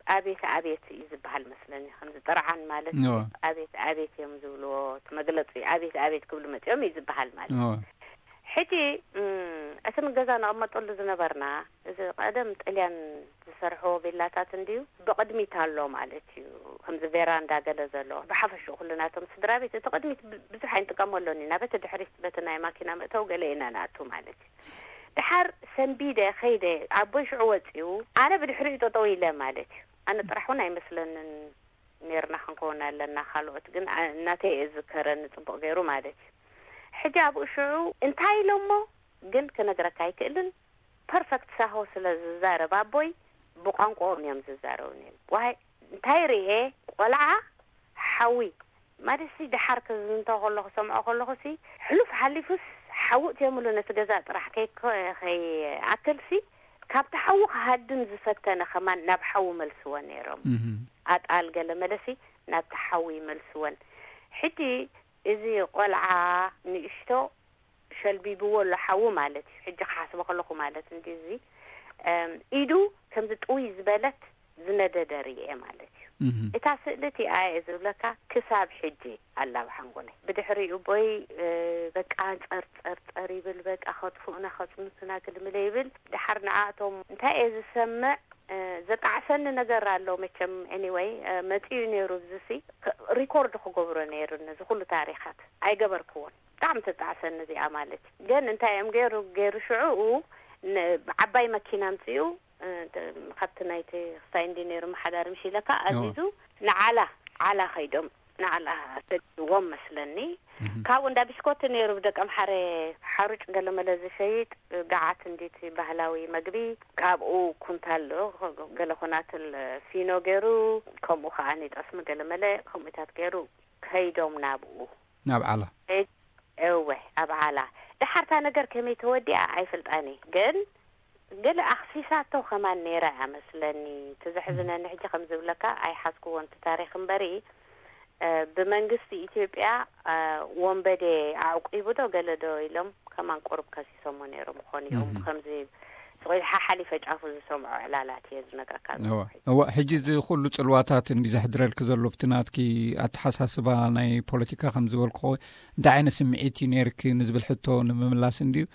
ኣቤት ኣቤት እዩ ዝበሃል መስለኒ፣ ከምዚ ጥርዓን ማለት እዩ። እዋ። ኣቤት ኣቤት እዮም ዝብልዎ፣ እቲ መግለጺ ኣቤት ኣቤት ክብሉ መጺኦም እዩ ዝበሃል ማለት እዩ። እዋ። ሕጂ፣ እም፣ እቲ ንገዛ ንቕመጠሉ ዝነበርና፣ እዚ ቀደም ጥልያን ዝሰርሕዎ ቪላታት እንድዩ፣ ብቕድሚት ኣሎ ማለት እዩ። ከምዚ ቬራንዳ ገለ ዘሎ፣ ብሓፈሽኡ ኩሉ ናቶም ስድራ ቤት፣ እቲ ቅድሚት ብ-፣ ብዙሕ ኣይንጥቀመሎን ኢና። በቲ ድሕሪት፣ በቲ ናይ ማኪና መእተዊ ገለ ኢና ንኣቱ ማለት እዩ። ድሓር ሰንቢደ ኸይደ፣ ኣቦይ ሽዑ ወጺኡ፣ ኣነ ብድሕሪኡ ጠጠው ኢለ ማለት እዩ። ኣነ ጥራሕ እውን ኣይመስለንን ኔርና ክንከውን ኣለና፣ ካልኦት ግን ኣ-፣ እናተይ እየ ዝዝከረኒ ጽቡቕ ገይሩ ማለት እዩ። ሕጂ ኣብኡ ሽዑ እንታይ ኢሎሞ ግን ክነግረካ ኣይክእልን። ፐርፈክት ሳሆ ስለ ዝዛረብ ኣቦይ ብቋንቋኦም እዮም ዝዛረቡ ነይሩ። ዋይ እንታይ ርኤ፣ ቆልዓ ሓዊ ማለትሲ፣ ድሓር ክዝንቶ ከሎ ክሰምዖ ከለኹሲ፣ ሕሉፍ ሓሊፉስ ሓዊ እትዮምሉ ነቲ ገዛ ጥራሕ ከይኮ-፣ ከይኣክልሲ፣ ካብቲ ሓዊ ክሃድም ዝፈተነ ከማን ናብ ሓዊ መልስዎ ነይሮም። እም። ኣጣል ገለ መለሲ ናብቲ ሓዊ ይመልስወን። ሕጂ እዚ ቆልዓ ንእሽቶ ሸልቢብዎ ኣሎ ሓዊ ማለት እዩ። ሕጂ ክሓስቦ ከለኹ ማለት እንዲ እዚ፣ እም፣ ኢዱ ከምዚ ጥውይ ዝበለት ዝነደደ ርእየ ማለት እዩ። እም። እታ ስእሊ እቲኣ እየ ዝብለካ ክሳብ ሕጂ ኣላ ኣብ ሓንጎለይ። ብድሕሪኡ ቦይ፣ እ፣ በቃ ጸር ጸር ጸር ይብል፣ በቃ ከጥፍኡና ከጽንቱና ግልምለ ይብል። ድሓር ንዓኣቶም እንታይ እየ ዝሰምዕ፣ እ፣ ዘጣዕሰኒ ነገር ኣሎ መቸም። ኤኒወይ፣ እ፣ መጺኡ ነይሩ፣ እዚሲ ክ-፣ ሪኮርድ ክገብሮ ነይሩ ነዚ ኩሉ ታሪኻት። ኣይገበርክዎን። ብጣዕሚ ተጣዕሰኒ እዚኣ ማለት እዩ። ግን እንታይ እዮም ገይሩ፣ ገይሩ ሽዑኡ ን-፣ ዓባይ መኪና ኣምጺኡ፣ እ፣ ተ-፣ ካብቲ ናይቲ ክስታይ እንዲ ነይሩ መሓዳሪ ምሽ ኢለካ፣ ኦ። ኣዚዙ ንዓላ፣ ዓላ ኸይዶም፣ ንዓላ ሰዲዎም መስለኒ። እህ። ካብኡ እንዳ ብሽኮቲ ነይሩ ብደቀምሓረ ሓሩጭ ገለመለ ዝሸይጥ፣ ገዓት እንዲቲ ባህላዊ መግቢ፣ ካብኡ ኩንታል ገለ ኮናትል ፊኖ ገይሩ፣ ከምኡ ኸዓ ንጠስሚ ገለመለ ከምኡታት ገይሩ ከይዶም ናብኡ። ናብ ዓላ። ከይድ-፣ እወ፣ ኣብ ዓላ። ደሓርታ ነገር ከመይ ተወዲኣ ኣይፍልጣን እየ፣ ግን ገለ ኣኽሲሳቶ ከማን ነይራ እያ መስለኒ። እቲ ዘሕዝነኒ ሕጂ ከም ዝብለካ ኣይሓዝክዎን እቲ ታሪኽ እምበሪ፣ እ፣ ብመንግስቲ ኢትዮጵያ፣ እ፣ ወንበዴ ኣዕቂቡ ዶ ገለ ዶ ኢሎም ከማን ቁሩብ ከሲሶሞ ነይሮም ይኾኑ እዮም። እህ። ከምዚ ስቕ ኢሉ ሓሓሊፈ ጫፉ ዝሰምዖ ዕላላት እየ ዝነግረካ ዘለኹ። እዋ፣ ሕጂ እዚ ኩሉ ጽልዋታትን እዩ ዘሕድረልኪ ዘሎ፣ ብቲ ናትኪ ኣተሓሳስባ ናይ ፖለቲካ ከም ዝበልኩ፣ እንታይ ዓይነት ስምዒት እዩ ነይርኪ ንዝብል ሕቶ ንምምላስ እንድዩ።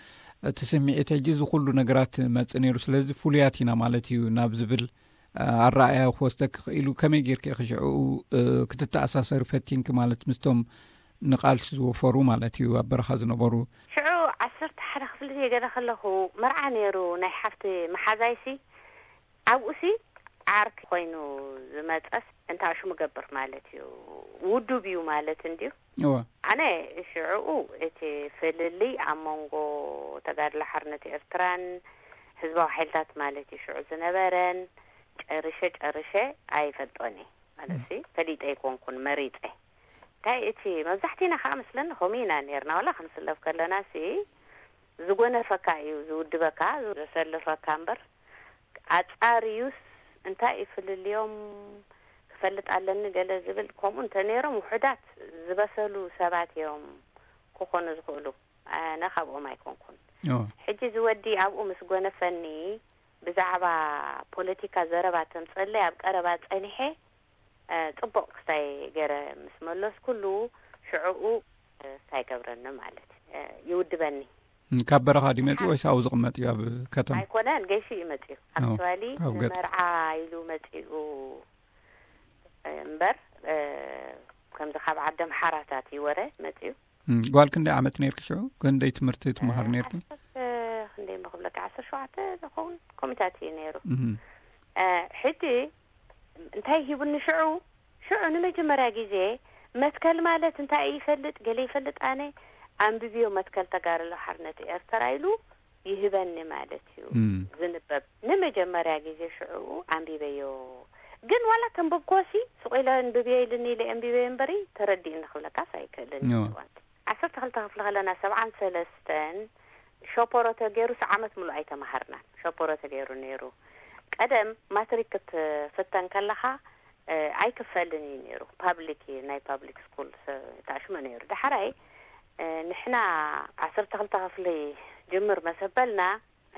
እቲ ስምዒት ሕጂ እዚ ኩሉ ነገራት መጽእ ነይሩ፣ ስለዚ ፍሉያት ኢና ማለት እዩ ናብ ዝብል፣ እ፣ ኣረኣእያ ክወስደኪ ክኢሉ። ከመይ ጌርኪ ኢኺ ሽዕኡ፣ እ፣ ክትተኣሳሰሪ ፈቲንኪ ማለት ምስቶም ንቓልሲ ዝወፈሩ ማለት እዩ ኣብ በረኻ ዝነበሩ? ሽዑ ዓሰርተ ሓደ ክፍሊ ገለ ከለኹ መርዓ ነይሩ ናይ ሓፍቲ መሓዛይሲ፣ ኣብኡሲ ዓርኪ ኮይኑ ዝመጸስ እንታይ ሽሙ ገብር ማለት እዩ፣ ውዱብ እዩ ማለት እንድዩ። እወ። ኣነ ሽዑ እቲ ፍልልይ ኣብ መንጎ ተጋድሎ ሓርነት ኤርትራን ህዝባዊ ሓይልታት ማለት እዩ ሽዑ ዝነበረን ጨርሸ ጨርሸ ኣይፈልጦን እየ። ማለት ሲ ፈሊጠ ኣይኮንኩን፣ መሪጸ። እንታይ እቲ መብዛሕቲና ከዓ መስለኒ ከምኡ ኢና ነርና። ዋላ ክንስለፍ ከለና ሲ ዝጎነፈካ እዩ ዝውድበካ፣ ዘሰልፈካ እምበር፣ ኣጻርዩስ እንታይ እዩ ፍልልዮም ክፈልጥ ኣለኒ ገለ ዝብል፣ ከምኡ እንተ ነይሮም ውሑዳት ዝበሰሉ ሰባት እዮም ክኾኑ ዝኽእሉ። ኣነ ካብኦም ኣይኮንኩን። እወ። ሕጂ ዝወዲ ኣብኡ ምስ ጎነፈኒ ብዛዕባ ፖለቲካ ዘረባ ተምጸለይ ኣብ ቀረባ ጸኒሐ፣ እ፣ ጽቡቕ ክስታይ ገረ ምስ መለስኩሉ ሽዕኡ፣ እ፣ እንታይ ገብረኒ ማለት፣ እ፣ ይውድበኒ። እም፣ ካብ በረኻ ድዩ መጺኡ ወይስ ኣብኡ ዝቕመጥ እዩ ኣብ ከተማ? ኣይኮነን፣ ገይሹ እዩ መጺኡ። ኦ፣ ኣክቹዋሊ ካብ ገጠር። ንመርዓ ኢሉ መጺኡ እምበር፣ እ፣ ከምዚ ካብ ዓዲ ኣምሓራታት እዩ ወረ መጺኡ። እም፣ ጓል ክንደይ ዓመት ነርኪ ሽዑ? ክንደይ ትምህርቲ ትመሃር እ፣ ነርኪ? ዓሰርተ፣ ክንደይ እሞ ክብለካ፣ ዓሰርተ ሸውዓተ ዝኸውን ኮሚታት እዩ ነይሩ። እም። እ፣ ሕጂ እንታይ ሂቡኒ ሽዑ? ሽዑ ንመጀመርያ ግዜ መትከል ማለት እንታይ እዩ ይፈልጥ፣ ገለ ይፈልጥ ኣነ፣ ኣንብብዮ መትከል ተጋድሎ ሓርነት ኤርትራ ኢሉ ይህበኒ ማለት እዩ። እም። ዝንበብ ንመጀመርያ ግዜ ሽዑ ኣንቢበዮ። ግን ዋላ ተንበብኮሲ ስቕ ኢለ ኣንብብዮ ኢልኒ ኢለ ኣንቢበዮ እምበሪ ተረዲእኒ ክብለካስ ኣይክእልን እዮ። እዋንቲ። ዓሰርተ ክልተ ክፍሊ ከለና ሰብዓን ሰለስተን ሸፖሮ ተገይሩስ ዓመት ሙሉእ ኣይተማሃርናን። ሸፖሮ ተገይሩ ነይሩ። ቀደም ማትሪክ ክትፍተን ከለኻ፣ እ፣ ኣይክፈልን እዩ ነይሩ። ፓብሊክ እዩ፣ ናይ ፓብሊክ ስኩል ስ-፣ ታሽሙ ነይሩ። ዳሕራይ፣ እ፣ ንሕና ዓሰርተ ክልተ ክፍሊ ጅምር መሰበልና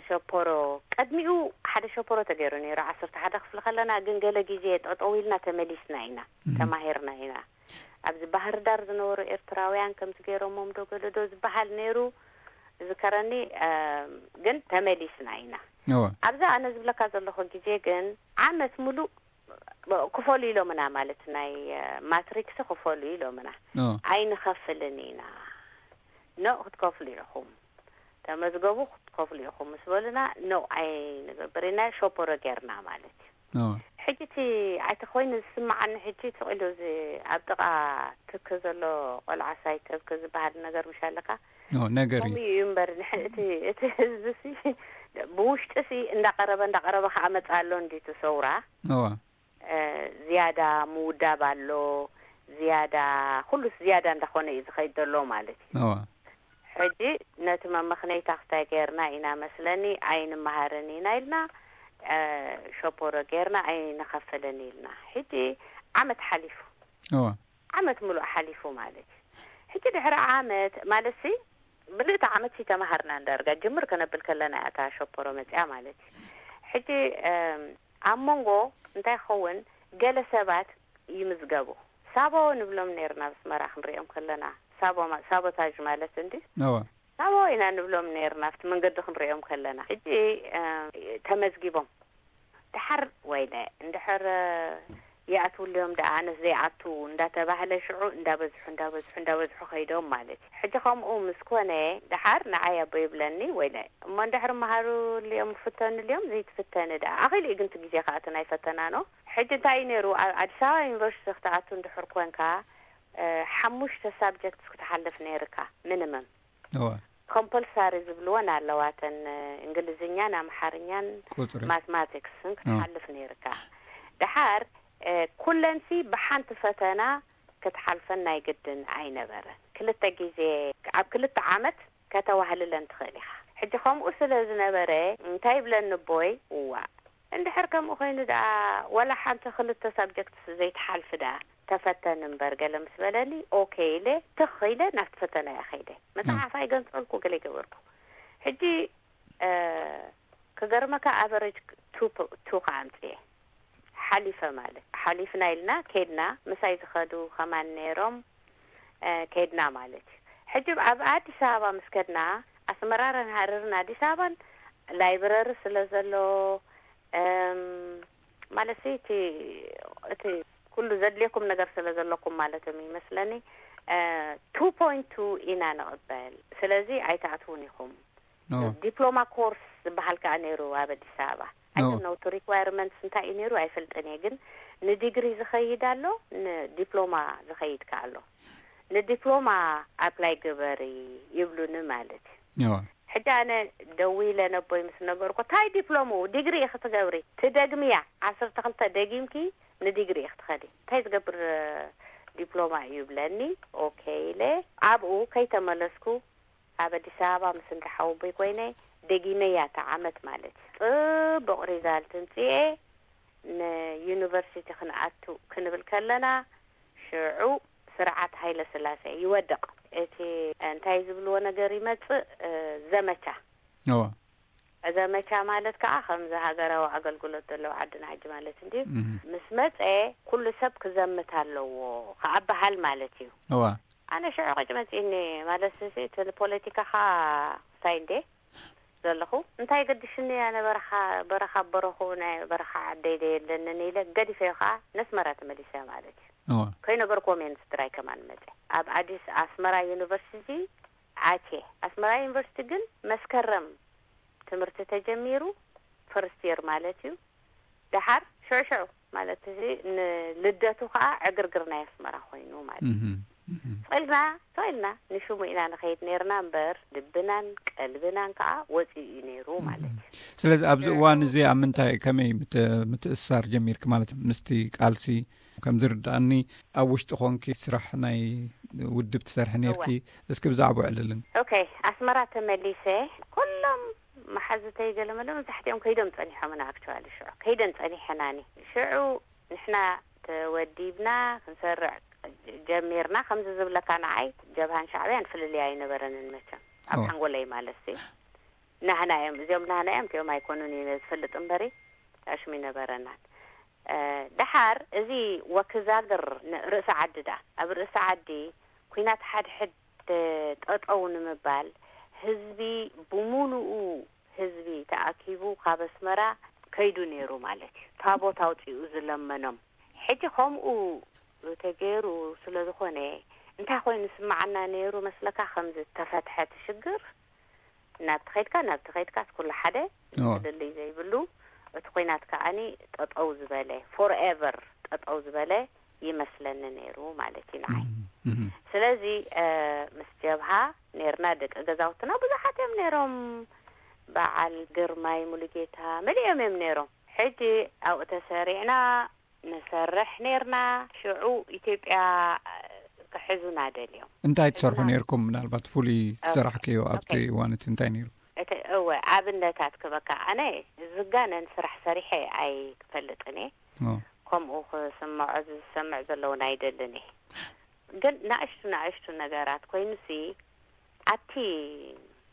ሸፖሮ፣ ቀድሚኡ ሓደ ሸፖሮ ተገይሩ ነይሩ። ዓሰርተ ሓደ ክፍሊ ከለና ግን ገለ ግዜ ጠጠው ኢልና ተመሊስና ኢና፣ እም። ተማሂርና ኢና። ኣብዚ ባህር ዳር ዝነበሩ ኤርትራውያን ከምዚ ገይሮሞም ዶ ገለ ዶ ዝበሃል ነይሩ ዝከረኒ፣ እ፣ ግን ተመሊስና ኢና። እወ። ኣብዛ ኣነ ዝብለካ ዘለኹ ግዜ ግን ዓመት ሙሉእ ክፈሉ ኢሎምና፣ ማለት ናይ፣ እ፣ ማትሪክስ ክፈሉ ኢሎምና። ኦ። ኣይንኸፍልን ኢና። ኖ፣ ክትከፍሉ ኢኹም። ተመዝገቡ፣ ክትከፍሉ ኢኹም ምስ በሉና፣ ኖ፣ ኣይንገብር ኢና፣ ሸፖሮ ጌርና ማለት እዩ። ኦ። ሕጂ እቲ፣ ኣቲ ኮይኑ ዝስምዓኒ ሕጂ፣ ስቕ ኢሉ እዚ ኣብ ጥቓ ትክ ዘሎ ቆልዓ ሳይተብክ ዝበሃል ነገር ምሽ ኣለካ? ኦ፣ ነገር እዩ። ከምኡ እዩ እምበር፣ ንሕ-፣ እቲ፣ እቲ ህዝቢ ሲ፣ ብውሽጢ ሲ እንዳቐረበ፣ እንዳቐረበ ከኣ መጽእ ኣሎ እንድዩ እቲ ሰውራ። እዋ። እ፣ ዝያዳ ምውዳብ ኣሎ፣ ዝያዳ፣ ኩሉስ ዝያዳ እንዳኾነ እዩ ዝኸይድ ዘሎ ማለት እዩ። እዋ። ሕጂ ነቲ መመኽነይታ ክስታይ ገይርና ኢና መስለኒ፣ ኣይንመሃርን ኢና ኢልና፣ እ፣ ሸፖሮ ገይርና ኣይንኸፍልን ኢልና። ሕጂ ዓመት ሓሊፉ። እዋ። ዓመት ሙሉእ ሓሊፉ ማለት እዩ። ሕጂ ድሕሪ ዓመት ማለት ሲ፣ ብልእቲ ዓመት ሲ ተማሃርና እንዳርጋ ጅምር ከነብል ከለና እያ እታ ሸፖሮ መጽያ ማለት እዩ። ሕጂ፣ እም፣ ኣብ መንጎ እንታይ ክኸውን፣ ገለ ሰባት ይምዝገቡ። ሳቦ ንብሎም ነይርና ኣብ ኣስመራ ክንሪኦም ከለና። ሳቦ ማ-፣ ሳቦታጅ ማለት እንዲ። እዋ። ሳቦ ኢና ንብሎም ነይርና ኣብቲ መንገዲ ክንሪኦም ከለና። ሕጂ፣ እ፣ ተመዝጊቦም። ድሓር ወይለ፣ እንድሕር ይኣትውሉ እዮም ደኣ፣ ኣነስ ዘይኣቱ እንዳተባህለ ሽዑ እንዳበዝሑ፣ እንዳበዝሑ፣ እንዳበዝሑ ከይዶም ማለት እዩ። ሕጂ ከምኡ ምስ ኮነ፣ ድሓር ንዓይ ኣቦ ይብለኒ፣ ወይለ፣ እሞ እንድሕር መሃሩሉ እዮም፣ ፍተኑሉ እዮም፣ ዘይትፍተኒ ደኣ። ኣኺሉ እዩ ግን እቲ ግዜ ከኣ እቲ ናይ ፈተና ነው። ሕጂ እንታይ እዩ ነይሩ፣ ኣብ ኣዲስ ኣበባ ዩኒቨርሲቲ ክትኣቱ እንድሕር ኮንካ፣ እ፣ ሓሙሽተ ሳብጀክትስ ክትሓልፍ ነይርካ፣ ሚኒመም። እወ። ኮምፐልሳሪ ዝብልወን ኣለዋ፣ እተን እንግሊዝኛን ኣምሓርኛን ቁጽሪ። ማትማቲክስን እወ። ክትሓልፍ ነይርካ። ደሓር፣ እ፣ ኩለንሲ ብሓንቲ ፈተና ክትሓልፈን ናይ ግድን ኣይነበረን። ክልተ ግዜ ኣብ ክልተ ዓመት ከተዋህልለን ትኽእል ኢኻ። ሕጂ ከምኡ ስለ ዝነበረ እንታይ ይብለኒ ኣቦይ፣ እዋ እንድሕር ከምኡ ኮይኑ ደኣ ዋላ ሓንቲ ክልተ ሳብጀክት ዘይትሓልፊ ደኣ ተፈተኒ እምበር ገለ ምስ በለኒ፣ ኦኬ ኢለ ትኽ ኢለ ናብቲ ፈተና እየ ከይደ። መጽሓፍ ኣይገንጸልኩ፣ ገለ ይገበርኩ። ሕጂ እ፣ ክገርመካ ኣቨሬጅ ቱ ፕ-፣ ቱ ከኣ ኣምጽኤ። ሓሊፈ ማለት ሓሊፍና ኢልና ከድና፣ ምሳይ ዝኸዱ ከማን ነይሮም፣ እ፣ ከድና ማለት እዩ። ሕጂ ኣብ ኣዲስ ኣበባ ምስ ከድና፣ ኣስመራን ሃረርን ኣዲስ ኣበባን ላይብረሪ ስለ ዘሎ፣ እም፣ ማለት እቲ፣ እቲ ኩሉ ዘድልየኩም ነገር ስለ ዘለኩም ማለት እዩ ይመስለኒ። እ፣ ቱ ፖይንት ቱ ኢና ንቕበል። ስለዚ ኣይትኣትዉን ኢኹም። ኖ። ዲፕሎማ ኮርስ ዝበሃል ከኣ ነይሩ ኣብ ኣዲስ ኣበባ። ኖ። ኣይ ዶንት ኖ እቲ ሪኳየርመንትስ እንታይ እዩ ነይሩ ኣይፈልጥን እየ፣ ግን ንዲግሪ ዝኸይድ ኣሎ፣ ንዲፕሎማ ዝኸይድ ከኣ ኣሎ። ንዲፕሎማ ኣፕላይ ግበሪ ይብሉኒ ማለት እዩ። ኖ። ሕጂ ኣነ ደዊለ ነቦይ ምስ ነገርኩ፣ "ታይ ዲፕሎምኡ? ዲግሪ ኢኺ ትገብሪ፣ ትደግምያ፣ ዓሰርተ ክልተ ደጊምኪ ንዲግሪ ኢኺ ትኸዲ፣ እንታይ ዝገብር ዲፕሎማ እዩ?" ይብለኒ። ኦኬ ኢለ ኣብኡ ከይተመለስኩ ኣብ ኣዲስ ኣበባ ምስ እንዳ ሓወቦይ ኮይነ ደጊመያ እታ ዓመት ማለት እዩ። ጽቡቕ ሪዛልት እንጽኤ ንዩኒቨርሲቲ ክንኣቱ ክንብል ከለና ሽዑ ስርዓት ሃይለ ስላሴ ይወድቕ። እቲ እንታይ ዝብልዎ ነገር ይመጽእ፣ እ፣ ዘመቻ። እዋ። ዘመቻ ማለት ከኣ ከምዚ ሃገራዊ ኣገልግሎት ዘለዎ ዓድና ሕጂ ማለት እንድዩ። እህ። ምስ መጸ ኩሉ ሰብ ክዘምት ኣለዎ ከኣ በሃል ማለት እዩ። እዋ። ኣነ ሽዑ ቅጭ መጺእኒ ማለት እዚ እቲ ንፖለቲካኻ ሳይ እንዴ ዘለኹ እንታይ ገድሽኒ ኣነ በረኻ፣ በረኻ በረኹ ናይ በረኻ ዓደይ ዶ የለንን ኢለ ገዲፈዮ ከኣ ነስመራ ተመሊሰ ማለት እዩ። እዋ። ከይነገርክዎም እየ ንስድራይ ከማን መጸ። ኣብ ኣዲስ ኣስመራ ዩኒቨርሲቲ ኣትየ። ኣስመራ ዩኒቨርሲቲ ግን መስከረም ትምህርቲ ተጀሚሩ ፈርስት የር ማለት እዩ። ደሓር ሽዑ ሽዑ ማለት እዚ ንልደቱ ከኣ ዕግርግር ናይ ኣስመራ ኮይኑ ማለት እዩ። እህ፣ እህ። ስቕ ኢልና፣ ስቕ ኢልና ንሽሙ ኢና ንኸይድ ነይርና እምበር ልብናን ቀልብናን ከኣ ወጺኡ እዩ ነይሩ ማለት እዩ። ስለዚ ኣብዚ እዋን እዚ ኣብ ምንታይ፣ ከመይ ምት-፣ ምትእስሳር ጀሚርኪ ማለት ምስቲ ቃልሲ? ከም ዝርድኣኒ ኣብ ውሽጢ ኾንኪ ስራሕ ናይ ውድብ ትሰርሒ ነይርኪ። እወ። እስኪ ብዛዕባኡ ዕልልን። ኦኬ፣ ኣስመራ ተመሊሰ ኩሎም መሓዙተይ ገለመለ መብዛሕትኦም ከይዶም ጸኒሖምና። ኣክቹዋሊ ሽዑ ከይደን ጸኒሐናኒ። ሽዑ ንሕና ተወዲብና ክንሰርዕ ጀሚርና። ከምዚ ዝብለካ ንዓይ ጀብሃን ሻዕብያን ፍልልይ ኣይነበረንን መቸም። ኣብ እወ። ሓንጎለይ ማለት እዩ። ናህና እዮም፣ እዚኦም ናህና እዮም፣ እቲኦም ኣይኮኑን እዩ ዝፈልጥ እምበሪ፣ ኣሽም ይነበረናን። እ፣ ደሓር እዚ ወክዛግር ን-፣ ርእሲ ዓዲ ደኣ፣ ኣብ ርእሲ ዓዲ ኲናት ሓድሕድ ጠጠው ንምባል ህዝቢ ብምሉኡ ህዝቢ ተኣኪቡ ካብ ኣስመራ ከይዱ ነይሩ ማለት እዩ። ታቦት ኣውጺኡ ዝለመኖም። ሕጂ ከምኡ ተገይሩ ስለ ዝኾነ እንታይ ኮይኑ ስምዓና ነይሩ መስለካ? ከም ዝተፈትሐ እቲ ሽግር ናብቲ ኸይድካ፣ ናብቲ ኸይድካስ ኩሉ ሓደ፣ እወ። ፍልልይ ዘይብሉ፣ እቲ ኲናት ከኣኒ ጠጠው ዝበለ፣ ፎርኤቨር ጠጠው ዝበለ ይመስለኒ ነይሩ ማለት እዩ ንዓይ። እህ፣ እህ። ስለዚ፣ እ፣ ምስ ጀብሃ ነይርና፣ ደቂ ገዛውትና ብዙሓት እዮም ነይሮም። በዓል ግርማይ ሙሉጌታ መሊኦም እዮም ነይሮም። ሕጂ ኣብኡ ተሰሪዕና፣ ንሰርሕ ኔርና። ሽዑ ኢትዮጵያ ክሕዙና ደልዮም። እንታይ ትሰርሑ ሕዙና። ኔርኩም? ምናልባት ፍሉይ ኦኬ፣ ዝሰራሕክዮ ኣብቲ ኦኬ። እዋን እቲ እንታይ ኔሩ? እቲ፣ እወ፣ ኣብነታት ክበካ፣ ኣነ ዝጋነን ስራሕ ሰሪሐ ኣይፈልጥን እየ። ኦ። ከምኡ ክስምዖ ዝሰምዕ ዘለውን ኣይደልን እየ። ግን ናእሽቱ ናእሽቱ ነገራት ኮይኑሲ፣ ኣብቲ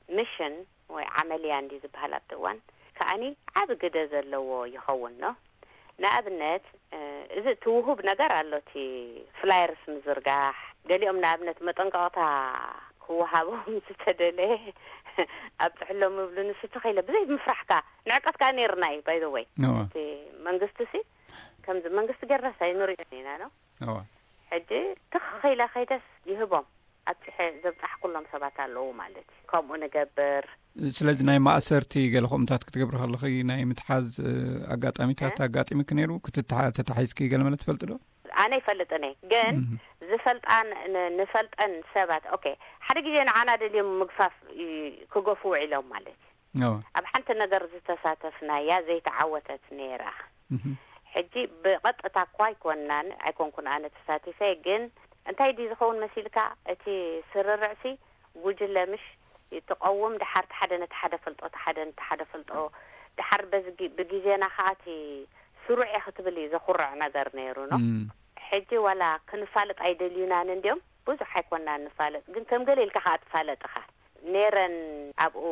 ሚሽን ወይ ዓመልያ እንዲ ዝበሃል ኣብቲ እዋን ከኣኒ ዓቢ ግደ ዘለዎ ይኸውን ኖ። ንኣብነት፣ እ፣ እዚ እቲ ውሁብ ነገር ኣሎ፣ እቲ ፍላየርስ ምዝርጋሕ፣ ገሊኦም ንኣብነት መጠንቀቕታ ክወሃቦም ዝተደለየ ኣብጽሕሎም ይብሉ፣ ንሱ ተኸኢለ ብዘይ ምፍራሕ ከኣ ንዕቀት ከኣ ነይርና እዩ፣ ባይ ዘ ወይ። እወ። እቲ መንግስቲ ሲ፣ ከምዚ መንግስቲ ጌርናስ ኣይንሪኦን ኢና ኖ። እወ። ሕጂ ትኽ ኢለ ከይደስ ይህቦም። ኣብጽሐ ዘብጻሕኩሎም ሰባት ኣለዉ ማለት እዩ። ከምኡ ንገብር። ስለዚ ናይ ማእሰርቲ ገለ ከምኡታት ክትገብሪ ከለኺ ናይ ምትሓዝ፣ እ፣ ኣጋጣሚታት እ? ኣጋጢምኪ ነይሩ? ክትትሓ-፣ ተታሒዝኪ ገለ መለ ትፈልጢ ዶ? ኣነ ይፈልጥን እየ፣ ግን እህ። ዝፈልጣን ን-፣ ንፈልጠን ሰባት፣ ኦኬ፣ ሓደ ግዜ ንዓና ደልዮም ምግፋፍ ይ-፣ ክገፉ ውዒሎም ማለት እዩ። እወ። ኣብ ሓንቲ ነገር ዝተሳተፍናያ ዘይተዓወተት ነይራ። እህ። ሕጂ ብቐጥታ እኳ ኣይኮናን፣ ኣይኮንኩን ኣነ ተሳቲፈ፣ ግን እንታይ ድዩ ዝኸውን መሲልካ? እቲ ስርርዕሲ ጉጅለ ምሽ ትቐውም፣ ድሓር እቲ ሓደ ነቲ ሓደ ፈልጦ፣ እቲ ሓደ ነቲ ሓደ ፈልጦ፣ ድሓር በዚ ጊ-፣ ብግዜና ኸኣ እቲ ስሩዕ እየ ክትብል እዩ ዘኹርዕ ነገር ነይሩ ነው። እም። ሕጂ ዋላ ክንፋለጥ ኣይደልዩናን እንድዮም፣ ብዙሕ ኣይኮንናን ንፋለጥ፣ ግን ከም ገለ ኢልካ ኸኣ ትፋለጥ ኢኻ። ነይረን ኣብኡ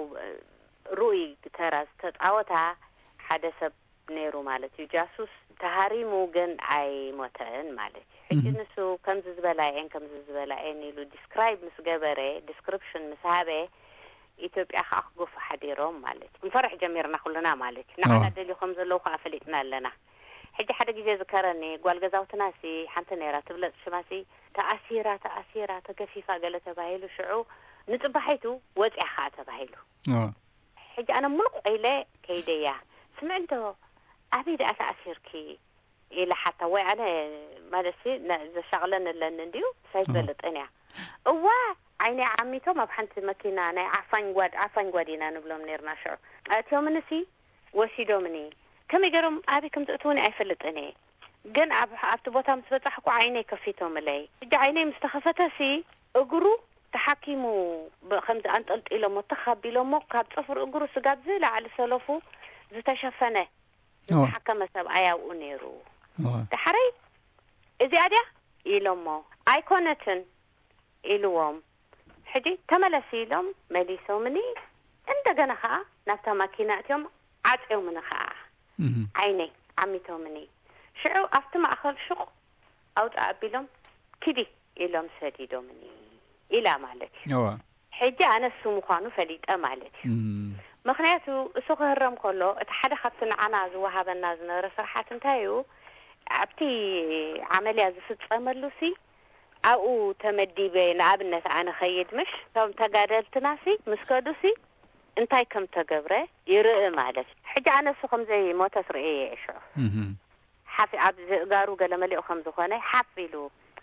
ርኡይ ተራ ዝተጻወታ ሓደ ሰብ ነይሩ ማለት እዩ። ጃሱስ ተሃሪሙ ግን ኣይሞተን ማለት እዩ። ሕጂ እም። ንሱ ከምዚ ዝበላ እየን፣ ከምዚ ዝበላ እየን ኢሉ ዲስክራይብ ምስ ገበረ፣ ዲስክሪፕሽን ምስ ሃበ፣ ኢትዮጵያ ኸኣ ክገፉ ሓዲሮም ማለት እዩ። ክንፈርሕ ጀሚርና ኩልና ማለት እዩ። ንዓና ኣዎ። ደልዩ ከም ዘለዉ ኸኣ ፈሊጥና ኣለና። ሕጂ ሓደ ግዜ ዝከረኒ፣ ጓል ገዛውትና ሲ ሓንቲ ነይራ፣ ትብለጽ ሽማ ሲ፣ ተኣሲራ፣ ተኣሲራ፣ ተገፊፋ ገለ ተባሂሉ፣ ሽዑ ንጽባሒቱ ወጽያ ኸኣ ተባሂሉ። ኣዎ። ሕጂ ኣነ ሙሉቕ ኢለ ከይደያ፣ ስምዒ እንዶ ኣበይ ደኣ ተኣሲርኪ? ኢለ ሓታ፣ ወይ ኣነ ማለት ሲ፣ ነ-፣ ዘሻቕለን ኣለኒ እንድዩ፣ ሳይትፈልጥን እያ። እዋ፣ ዓይነይ ዓሚቶም ኣብ ሓንቲ መኪና፣ ናይ ዓፋኝ ጓድ፣ ዓፋኝ ጓድ ኢና ንብሎም ነይርና ሽዑ። ኣእትዮምኒ ሲ፣ ወሲዶምኒ። ከመይ ገይሮም ኣበይ ከም ዘእትውኒ ኣይፈልጥን እየ። ግን ኣብ፣ ኣብቲ ቦታ ምስ በጻሕኩ ዓይነይ ከፊቶምለይ። ሕጂ ዓይነይ ምስ ተኸፈተ ሲ፣ እግሩ ተሓኪሙ ብ-፣ ከምዚ ኣንጠልጢሎሞ፣ ተኽ ኣቢሎሞ፣ ካብ ጽፍሪ እግሩ ስጋብ ዝለዓሊ ሰለፉ ዝተሸፈነ፣ እዋ። ዝተሓከመ ሰብኣይ ኣብኡ ነይሩ። እዋ። ዳሕረይ፣ "እዚኣ ድያ?" ኢሎሞ። "ኣይኮነትን" ኢልዎም። ሕጂ "ተመለሲ" ኢሎም መሊሶምኒ። እንደገና ኸኣ ናብታ ማኪና እትዮም ዓጽዮምኒ ኸኣ። እህ። ዓይነይ ዓሚቶምኒ። ሽዑ ኣብቲ ማእከል ሹቕ ኣውጽእ ኣቢሎም "ኪዲ" ኢሎም ሰዲዶምኒ ኢላ ማለት እዩ። እዋ። ሕጂ ኣነ እሱ ምዃኑ ፈሊጠ ማለት እዩ። እም። ምኽንያቱ እሱ ክህረም ከሎ፣ እቲ ሓደ ካብቲ ንዓና ዝወሃበና ዝነበረ ስራሓት እንታይ እዩ? ኣብቲ ዓመልያ ዝፍጸመሉ ሲ፣ ኣብኡ ተመዲበ፣ ንኣብነት ኣነ ኸይድ ምሽ፣ እቶም ተጋደልትና ሲ፣ ምስ ከዱ ሲ፣ እንታይ ከም ተገብረ ይርኢ ማለት እዩ። ሕጂ ኣነ እሱ ከም ዘይሞተ ትርእየ እየ ሽዑ። እህ። ሓፍ-፣ ኣብ ዝእጋሩ ገለ መሊኡ ከም ዝኾነ ሓፍ ኢሉ፣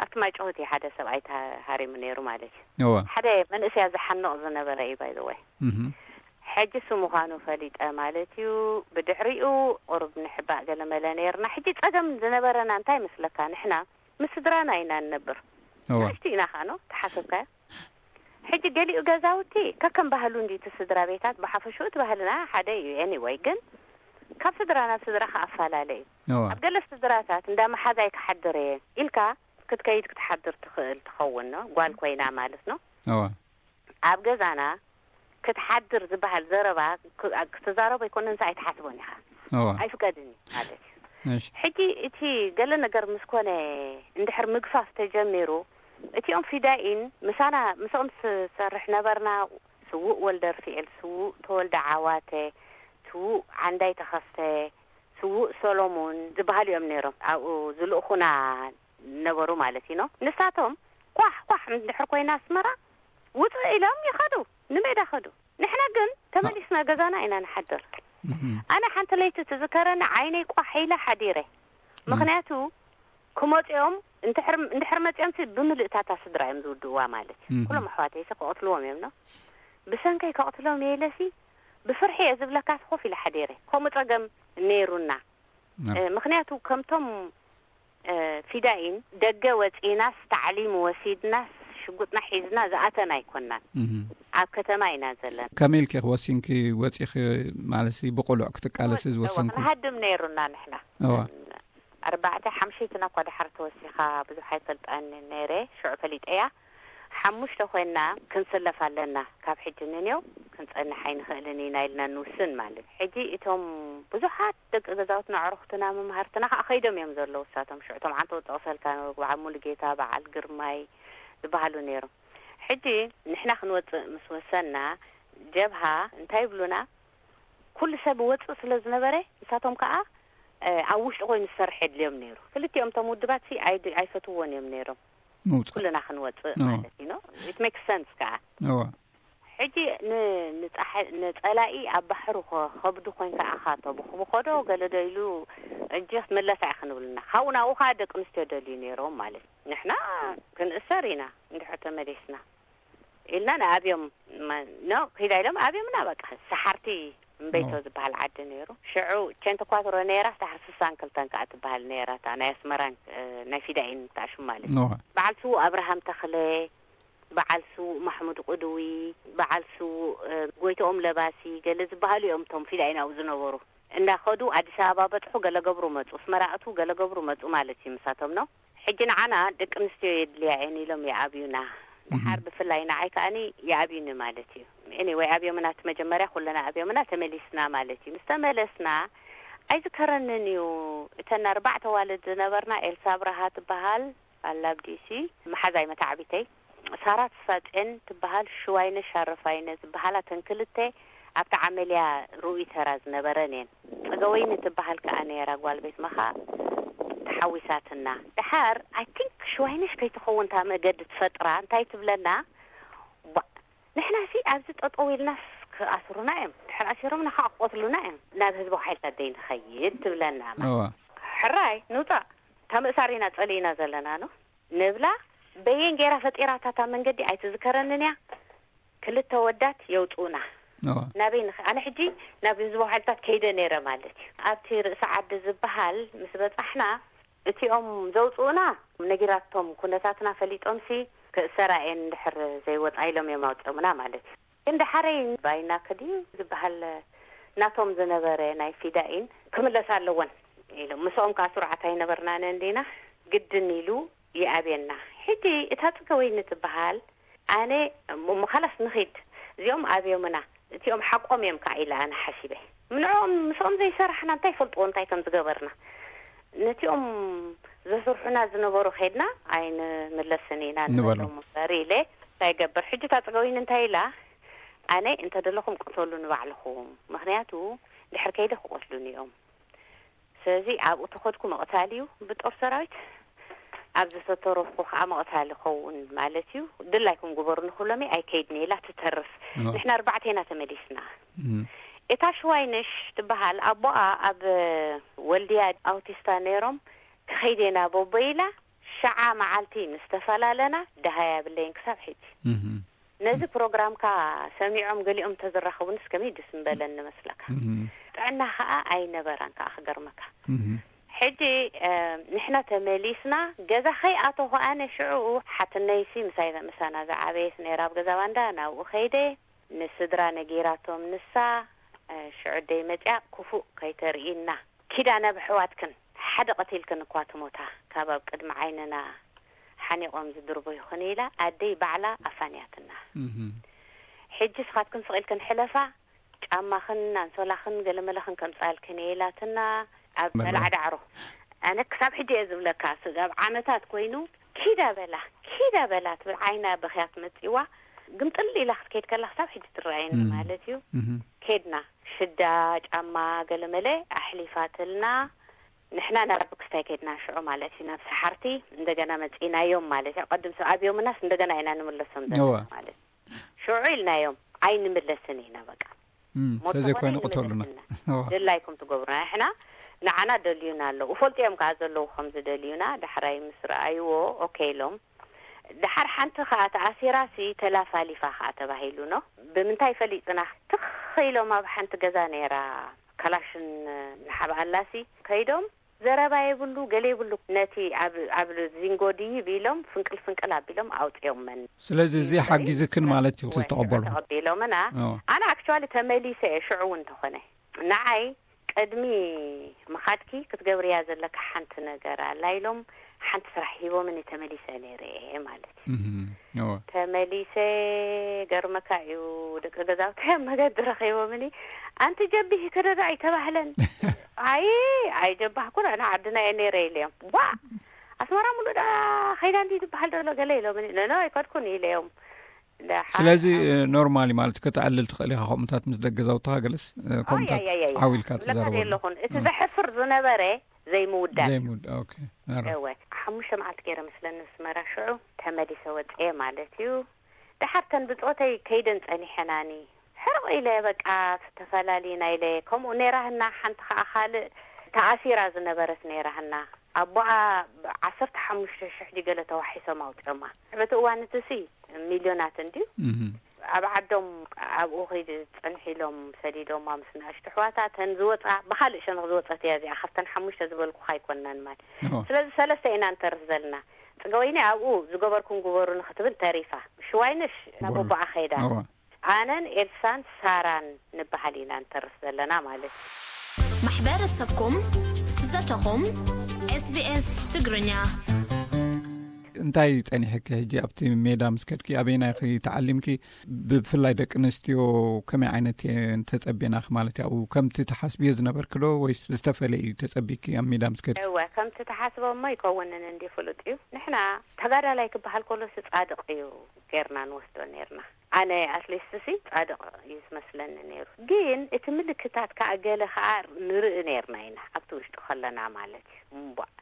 ኣብቲ ማይ ጭሁት እዩ ሓደ ሰብኣይ ተሃሪሙ ነይሩ ማለት እዩ። እወ። ሓደ መንእሰያ ዝሓንቕ ዝነበረ እዩ፣ ባይ ዘ ወይ። እህ። ሕጂ እሱ ምዃኑ ፈሊጠ ማለት እዩ። ብድሕሪኡ ቁሩብ ንሕባእ ገለ መለ ነይርና። ሕጂ ጸገም ዝነበረና እንታይ ይመስለካ? ንሕና ምስ ስድራና ኢና እንነብር። እወ። ንእሽቱ ኢና ኸኣ፣ ኖ? ተሓሰብካዮ? ሕጂ ገሊኡ ገዛውቲ ከከም ባህሉ እንድዩ፣ እቲ ስድራ ቤታት ብሓፈሽኡ እቲ ባህልና ሓደ እዩ። ኤኒወይ፣ ግን ካብ ስድራ ናብ ስድራ ከኣ ኣፈላለ እዩ። እወ። ኣብ ገለ ስድራታት እንዳ መሓዛይ ክሓድር እየ ኢልካ ክትከይድ ክትሓድር ትኽእል ትኸውን፣ ኖ? ጓል ኮይና ማለት፣ ኖ? እወ። ኣብ ገዛና ክትሓድር ዝበሃል ዘረባ ክ-፣ ክትዛረቦ ኣይኮነን፣ ንሳ ኣይትሓስቦን ኢኻ። እወ። ኣይፍቀድን እዩ ማለት እዩ። እሺ። ሕጂ እቲ ገለ ነገር ምስ ኮነ፣ እንድሕር ምግፋፍ ተጀሚሩ፣ እቲኦም ፊዳኢን ምሳና፣ ምስኦም ዝሰርሕ ነበርና፣ ስዉእ ወልደርፍኤል፣ ስዉእ ተወልደ ዓዋተ፣ ስዉእ ዓንዳይ ተኸስተ፣ ስዉእ ሰሎሙን ዝበሃሉ እዮም ነይሮም። ኣብኡ ዝልእኹና ነበሩ ማለት እዩ፣ ኖ? ንሳቶም ኳሕ ኳሕ እንድሕር ኮይና ኣስመራ፣ ውፅእ ኢሎም ይኸዱ፣ ንሜዳ ኸዱ። ንሕና ግን ተመሊስና ገዛና ኢና ንሓድር። እህ። ኣነ ሓንቲ ለይቲ ትዝከረኒ፣ ዓይነይ ቋሕ ኢለ ሓዲረ። እህ። ምኽንያቱ ክመፅኦም፣ እንድሕር፣ እንድሕር መፅኦም ሲ፣ ብምልእታታ ስድራ እዮም ዝውድእዋ ማለት እዩ። እህ። ኩሎም ኣሕዋተይ ሲ ክቐትልዎም እዮም፣ ኖ? ብሰንከይ ከቕትሎም እየ ኢለ ሲ፣ ብፍርሒ እየ ዝብለካ ሲ፣ ኮፍ ኢለ ሓዲረ። ከምኡ ፀገም ነይሩና። ናት። እ፣ ምኽንያቱ ከምቶም፣ እ፣ ፊዳኢን ደገ ወጺእናስ፣ ታዕሊም ወሲድናስ፣ ሽጉጥና ሒዝና ዝኣተና ኣይኮናን። እህ። ኣብ ከተማ ኢና ዘለና። ከመይ ኢልኪ ወሲንኪ ወጺኺ፣ ማለትሲ ብቕሉዕ ክትቃለሲ እወ፣ ዝወሰንኩ? እወ፣ ክንሃድም ነይሩና ንሕና። እወ። ኣርባዕተ ሓምሸይትና እኳ ድሓር ተወሲኻ ብዙሕ ኣይፈልጣን ነይረ፣ ሽዑ ፈሊጠያ። ሓሙሽተ ኮይና ክንስለፍ ኣለና፣ ካብ ሕጂ ንኔው ክንጸንሕ ኣይንኽእልን ኢና ኢልና ንውስን ማለት። ሕጂ እቶም ብዙሓት ደቂ ገዛውትና፣ ኣዕሩኽትና፣ መምሃርትና ከኣ ከይዶም እዮም ዘለዉ። እሳቶም ሽዑ እቶም ዓንተው ጠቕሰልካ ነበሩ፣ በዓል ሙሉጌታ፣ በዓል ግርማይ ዝበሃሉ ነይሮም። ሕጂ ንሕና ክንወጽእ ምስ ወሰንና፣ ጀብሃ እንታይ ይብሉና? ኩሉ ሰብ ወጽእ ስለ ዝነበረ፣ ንሳቶም ከኣ፣ እ፣ ኣብ ውሽጢ ኮይኑ ዝሰርሕ የድልዮም ነይሩ። ክልቲኦም እቶም ውድባት ሲ ኣይድ-፣ ኣይፈትውዎን እዮም ነይሮም። ምውጻእ። ኩልና ክንወጽእ እዎ። ማለት እዩ፣ ኖ? It makes sense ከኣ። እዎ። ሕጂ ን-፣ ንጸሓ-፣ ንጸላኢ ኣብ ባሕሩ ከ-፣ ከብዱ ኮይንካ ኣኻ ተብኹብኾ ዶ ገለ ዶ ኢሉ፣ እጂ ክትምለሳ ኢኺ ንብሉና። ካብኡ ናብኡ ከኣ ደቂ ኣንስትዮ ደልዩ ነይሮም ማለት እዩ። ንሕና ክንእሰር ኢና እንድሕር ተመሊስና። ኢልና ንኣብዮም፣ መ-፣ ኖ፣ ኪዳ ኢሎም ኣብዮምና፣ በቃ፣ ሰሓርቲ እምበይቶ ዝበሃል ዓዲ ነይሩ። ሽዑ ቼንተ ኳትሮ ነይራ፣ ድሓር ስሳን ክልተን ከኣ ትበሃል ነይራ፣ እታ ናይ ኣስመራን ናይ ፊዳኢን እታ ሽም ማለት እዩ። በዓል ስዉእ ኣብርሃም ተኽለ፣ በዓል ስዉእ ማሕሙድ ቁድዊ፣ በዓል ስዉእ ጎይትኦም ለባሲ፣ ገለ ዝበሃሉ እዮም እቶም ፊዳኢን ኣብኡ ዝነበሩ። እንዳኸዱ ኣዲስ ኣበባ በጽሑ፣ ገለ ገብሩ መጹ፣ ኣስመራ እትዉ፣ ገለ ገብሩ መጹ ማለት እዩ ምሳቶም ነው። ሕጂ ንዓና ደቂ ኣንስትዮ የድልያ እየን ኢሎም ይኣብዩና። ድሓር ብፍላይ ንዓይ ከኣኒ ይኣብዩኒ ማለት እዩ። ኤኒወይ ኣብዮምና፣ እቲ መጀመርያ ኩለና ኣብዮምና፣ ተመሊስና ማለት እዩ። ምስ ተመለስና ኣይዝከረንን እዩ። እተን ኣርባዕተ ዋልድ ዝነበርና፣ ኤልሳ ኣብርሃ ትበሃል፣ ኣላብ ዲሲ፣ መሓዛይ መታዕቢተይ፣ ሳራ ተስፋጽዮን ትበሃል፣ ሽዋይነ ሻረፋይነ ዝበሃላ፣ እተን ክልተ ኣብቲ ዓመልያ ርኡይ ተራ ዝነበረን እየን። ጸገወይኒ ትበሃል ከኣ ነይራ ጓል ቤት መኻ፣ ተሓዊሳትና። ድሓር፣ ኣይ ቲንክ ሽዋይነሽ ከይትኸውን እታ መገዲ ትፈጥራ፣ እንታይ ትብለና? ባ-፣ ንሕናሲ ኣብዚ ጠጠው ኢልናስ ክኣስሩና እዮም፣ ድሕር ኣሲሮምና ከዓ ክቆትሉና እዮም፣ ናብ ህዝባዊ ሓይልታት ዘይንኸይድ ትብለና። እዋ። ሕራይ ንውፃእ፣ እታ ምእሳር ኢና ጸሊእና ዘለና ነው ንብላ። በየን ገይራ ፈጢራታ እታ መንገዲ ኣይትዝከረንን እያ። ክልተ ወዳት የውፅኡና። እዋ። ናበይ ንኸ-፣ ኣነ ሕጂ ናብ ህዝባዊ ሓይልታት ከይደ ነይረ ማለት እዩ። ኣብቲ ርእሲ ዓዲ ዝበሃል ምስ በጻሕና፣ እቲኦም ዘውፅኡና ነጊራቶም ኩነታትና ፈሊጦምሲ፣ ክእሰራ እየን እንድሕር ዘይወፃ ኢሎም እዮም ኣውፅኦምና ማለት እዩ። ግን ደሓረይ ባይና ከድዩ ዝበሃል ናቶም ዝነበረ ናይ ፊዳኢን ክምለሳ ኣለወን ኢሎም፣ ምስኦም ከዓ ስሩዓት ኣይነበርናን እንዲና፣ ግድን ኢሉ ይኣብየና። ሕጂ እታ ጽገወይኒ ትበሃል፣ ኣነ እሞ፣ እሞ፣ ኻላስ ንኺድ፣ እዚኦም ኣብዮምና፣ እቲኦም ሓቆም እዮም ከዓ ኢለ ኣነ ሓሲበ። ምንዕኦም፣ ምስኦም ዘይሰራሕና እንታይ ይፈልጥዎ እንታይ ከም ዝገበርና? ነቲኦም ዘስርሑና ዝነበሩ ኸይድና ኣይንምለስን ኢና ንበሎም። ንበሎም እምበር ኢለ እንታይ ይገብር? ሕጂ እታ ጽገወይኒ እንታይ ኢላ? ኣነ እንተደለኹም ቅተሉ ንባዕልኹም፣ ምኽንያቱ ድሕር ከይደ ክቆትሉኒ እዮም። ስለዚ ኣብኡ ተኸድኩ ምቕታል እዩ ብጦር ሰራዊት፣ ኣብ ዝተረፍኩ ከዓ ምቕታል ይኸውን ማለት እዩ። ድላይኩም ግበሩ ንኽብሎም እየ፣ ኣይከይድን እየ ኢላ ትተርፍ። ኦ። ንሕና ኣርባዕተ ኢና ተመሊስና። እም። እታ ሽዋይነሽ ትበሃል ኣቦኣ ኣብ ወልድያ ኣውቲስታ ነይሮም፣ ክኸይድ እየ ናብ ኣቦይ ኢላ፣ ሸዓ መዓልቲ ምስ ተፈላለና ደሃይ ኣብለይን ክሳብ ሕጂ። እም። ነዚ ፕሮግራምካ ሰሚዖም ገሊኦም እንተዝራኸቡንስ ከመይ ደስ ምበለኒ መስለካ። እም። ጥዕና ኸኣ ኣይነበራን ከኣ ክገርመካ። እም። ሕጂ፣ እ፣ ንሕና ተመሊስና ገዛ ከይኣተኹ ኣነ ሽዑ ሓትነይሲ ምሳይ፣ ምሳና ዝዓበየት ነይራ ኣብ ገዛ ባንዳ፣ ናብኡ ከይደ ንስድራ ነጊራቶም። ንሳ፣ እ፣ ሽዑ ደይ መጽያ ክፉእ ከይተርእይና ኪዳ ናብ ኣሕዋትክን፣ ሓደ ቀቲልክን እኳ ትሞታ፣ ካብ ኣብ ቅድሚ ዓይንና ሓኒቖም ዝድርበዩኽን ኢላ ኣደይ ባዕላ ኣፋንያትና። እም። ሕጂ ስኻትክን ስቕ ኢልክን ሕለፋ፣ ጫማኽን ኣንሶላኽን ገለመለኽን ከምጻልክን እየ ኢላትና ኣብ መርዓ። መልዓ ዳዕሮ። ኣነ ክሳብ ሕጂ እየ ዝብለካ፣ ስጋብ ዓመታት ኮይኑ፣ "ኪዳ በላ፣ ኪዳ በላ" ትብል ዓይና በኽያት መጺዋ፣ ግምጥል ኢላ ክትከይድ ከላ ክሳብ ሕጂ ትረኣየኒ እም። ማለት እዩ። እም። ከድና፣ ሽዳ፣ ጫማ፣ ገለመለ ኣሕሊፋትልና። ንሕና ናብ ክስታይ ከድና ሽዑ ማለት እዩ፣ ናብ ሰሓርቲ እንደገና መጺእናዮም ማለት እዩ። ቀድም ሰብ ኣብዮምናስ እንደገና ኢና ንምለሶም ዘለና እዋ። ማለት እዩ። ሽዑ ኢልናዮም፣ "ኣይንምለስን ኢና በቃ። እም፣ ሞት ተዘይኮይኑ ተኾነ ቅተሉና። ኣይንምለስን ኢና። እዋ። ድላይኩም ትገብሩና። ንሕና፣ ንዓና ደልዩና ኣለዉ። እፈልጡ እዮም ከኣ ዘለዉ ከም ዝደልዩና። ዳሕራይ ምስ ረኣይዎ፣ ኦኬ ኢሎም። ደሓር ሓንቲ ከኣ ተኣሲራሲ ተላፋሊፋ ከኣ ተባሂሉ ነው። ብምንታይ ፈሊጥና? ትኽ ኢሎም ኣብ ሓንቲ ገዛ ነይራ ካላሽን ንሓብኣላሲ ከይዶም ዘረባ የብሉ፣ ገለ የብሉ። ነቲ ኣብ፣ ኣብ ዚንጎ ድይብ ኢሎም ፍንቅል ፍንቅል ኣቢሎም ኣውጽኦመን። ስለዚ እዚ ሓጊዝክን ማለት እዩ፣ እወ፣ ዝተቐበሉ። ተቐቢሎምና። እወ። ኣነ ኣክቹዋሊ ተመሊሰ እየ፣ ሽዑ እውን እንተኾነ። ንዓይ ቅድሚ ምኻድኪ ክትገብርያ ዘለካ ሓንቲ ነገር ኣላ ኢሎም ሓንቲ ስራሕ ሂቦምኒ ተመሊሰ ነይረ እየ ማለት እዩ። እህም፣ እወ። ተመሊሰ፣ ገርመካ እዩ፣ ደቂ ገዛውቲ ኣብ መገዲ ረኺቦምኒ፣ "ኣንቲ ጀቢሂ ክደዶ ኣይተባህለን?" "ኣይ፣ ኣይጀባህኩን፣ ኣነ ዓድና እየ ነይረ" ኢለዮም። "ዋ፣ ኣስመራ ሙሉእ ዳ ኸይዳ እንዲ ትበሃል ዘሎ ገለ?" ኢሎምኒ። "ኖ፣ ኖ፣ ኣይከድኩን" ኢለዮም። ደሓር ስለዚ፣ ኣብ እ፣ ኖርማሊ ማለት ከተዕልል ትኽእል ኢኻ፣ ከምኡታት ምስ ደቂ ገዛውትኻ ገለስ፣ እ፣ ከምኡታት ኣይ፣ ኣይ፣ ኣይ፣ ኣይ። ዓው ኢልካ ዝብለካ ትዛረበሉ። ዘለኹን፣ እቲ እ። ዘሕፍር ዝነበረ ዘይምውዳእ እዩ። ዘይምውዳእ፣ ኦኬ። ኣረ። እወ፣ ሓሙሽተ መዓልቲ ገይረ መስለኒ ኣስመራ ሽዑ ተመሊሰ ወፅየ ማለት እዩ። ደሓር ተን ብፆተይ ከይደን ፀኒሐናኒ። ሕርቕ ኢለ በቃ ተፈላሊና ኢለ፣ ከምኡ ነይራህና ሓንቲ ኸዓ ካልእ ተኣሲራ ዝነበረት ነይራህና። ኣቦኣ ዓሰርተ ሓሙሽተ ሽሕ ድዩ ገለ ተዋሒሶም ኣውፅኦማ። በቲ እዋን እቲ ሲ ሚልዮናት እንድዩ። እህ። ኣብ ዓዶም ኣብኡ ከይዲ ጸንሕ ኢሎም ሰዲዶማ ምስ ንኣሽቱ ኣሕዋታ። እተን ዝወጻ ብኻልእ ሸነኽ ዝወጸት እያ እዚኣ፣ ካብተን ሓሙሽተ ዝበልኩኻ ኣይኮናን ማለት። እዎ። ስለዚ ሰለስተ ኢና ንተርፍ ዘለና። ጽገወይኒ ኣብኡ ዝገበርኩም ግበሩ ንክትብል ተሪፋ። ሽዋይነሽ ናብ ጎሎ። ኣቦኣ ከይዳ። እዎ። ኣነን ኤልሳን ሳራን ንበሃል ኢና ንተርፍ ዘለና ማለት እዩ። ማሕበረሰብኩም፣ ዘተኹም፣ SBS ትግርኛ። እንታይ ጸኒሕኪ ሕጂ ኣብቲ ሜዳ ምስ ከድኪ? ኣበይና ኢኺ ተዓሊምኪ? ብፍላይ ደቂ ኣንስትዮ ከመይ ዓይነት እየን ተጸቤናኺ ማለት እዩ? ኣብኡ ከምቲ ተሓስብዮ ዝነበርኪ ዶ ወይስ ዝተፈለየ እዩ ተጸቢኪ ኣብ ሜዳ ምስ ከድኪ? እወ፣ ከምቲ ተሓስቦ እሞ ይከውንን እንዲ ፍሉጥ እዩ። ንሕና ተጋዳላይ ክበሃል ከሎ ሲ ጻድቕ እዩ ጌርና ንወስዶ ኔርና። ኣነ ኣትሊስት ሲ ጻድቕ እዩ ዝመስለኒ ነይሩ። ግን እቲ ምልክታት ከኣ ገለ ከኣ ንርኢ ኔርና ኢና ኣብቲ ውሽጢ ከለና ማለት እዩ። እምቧእ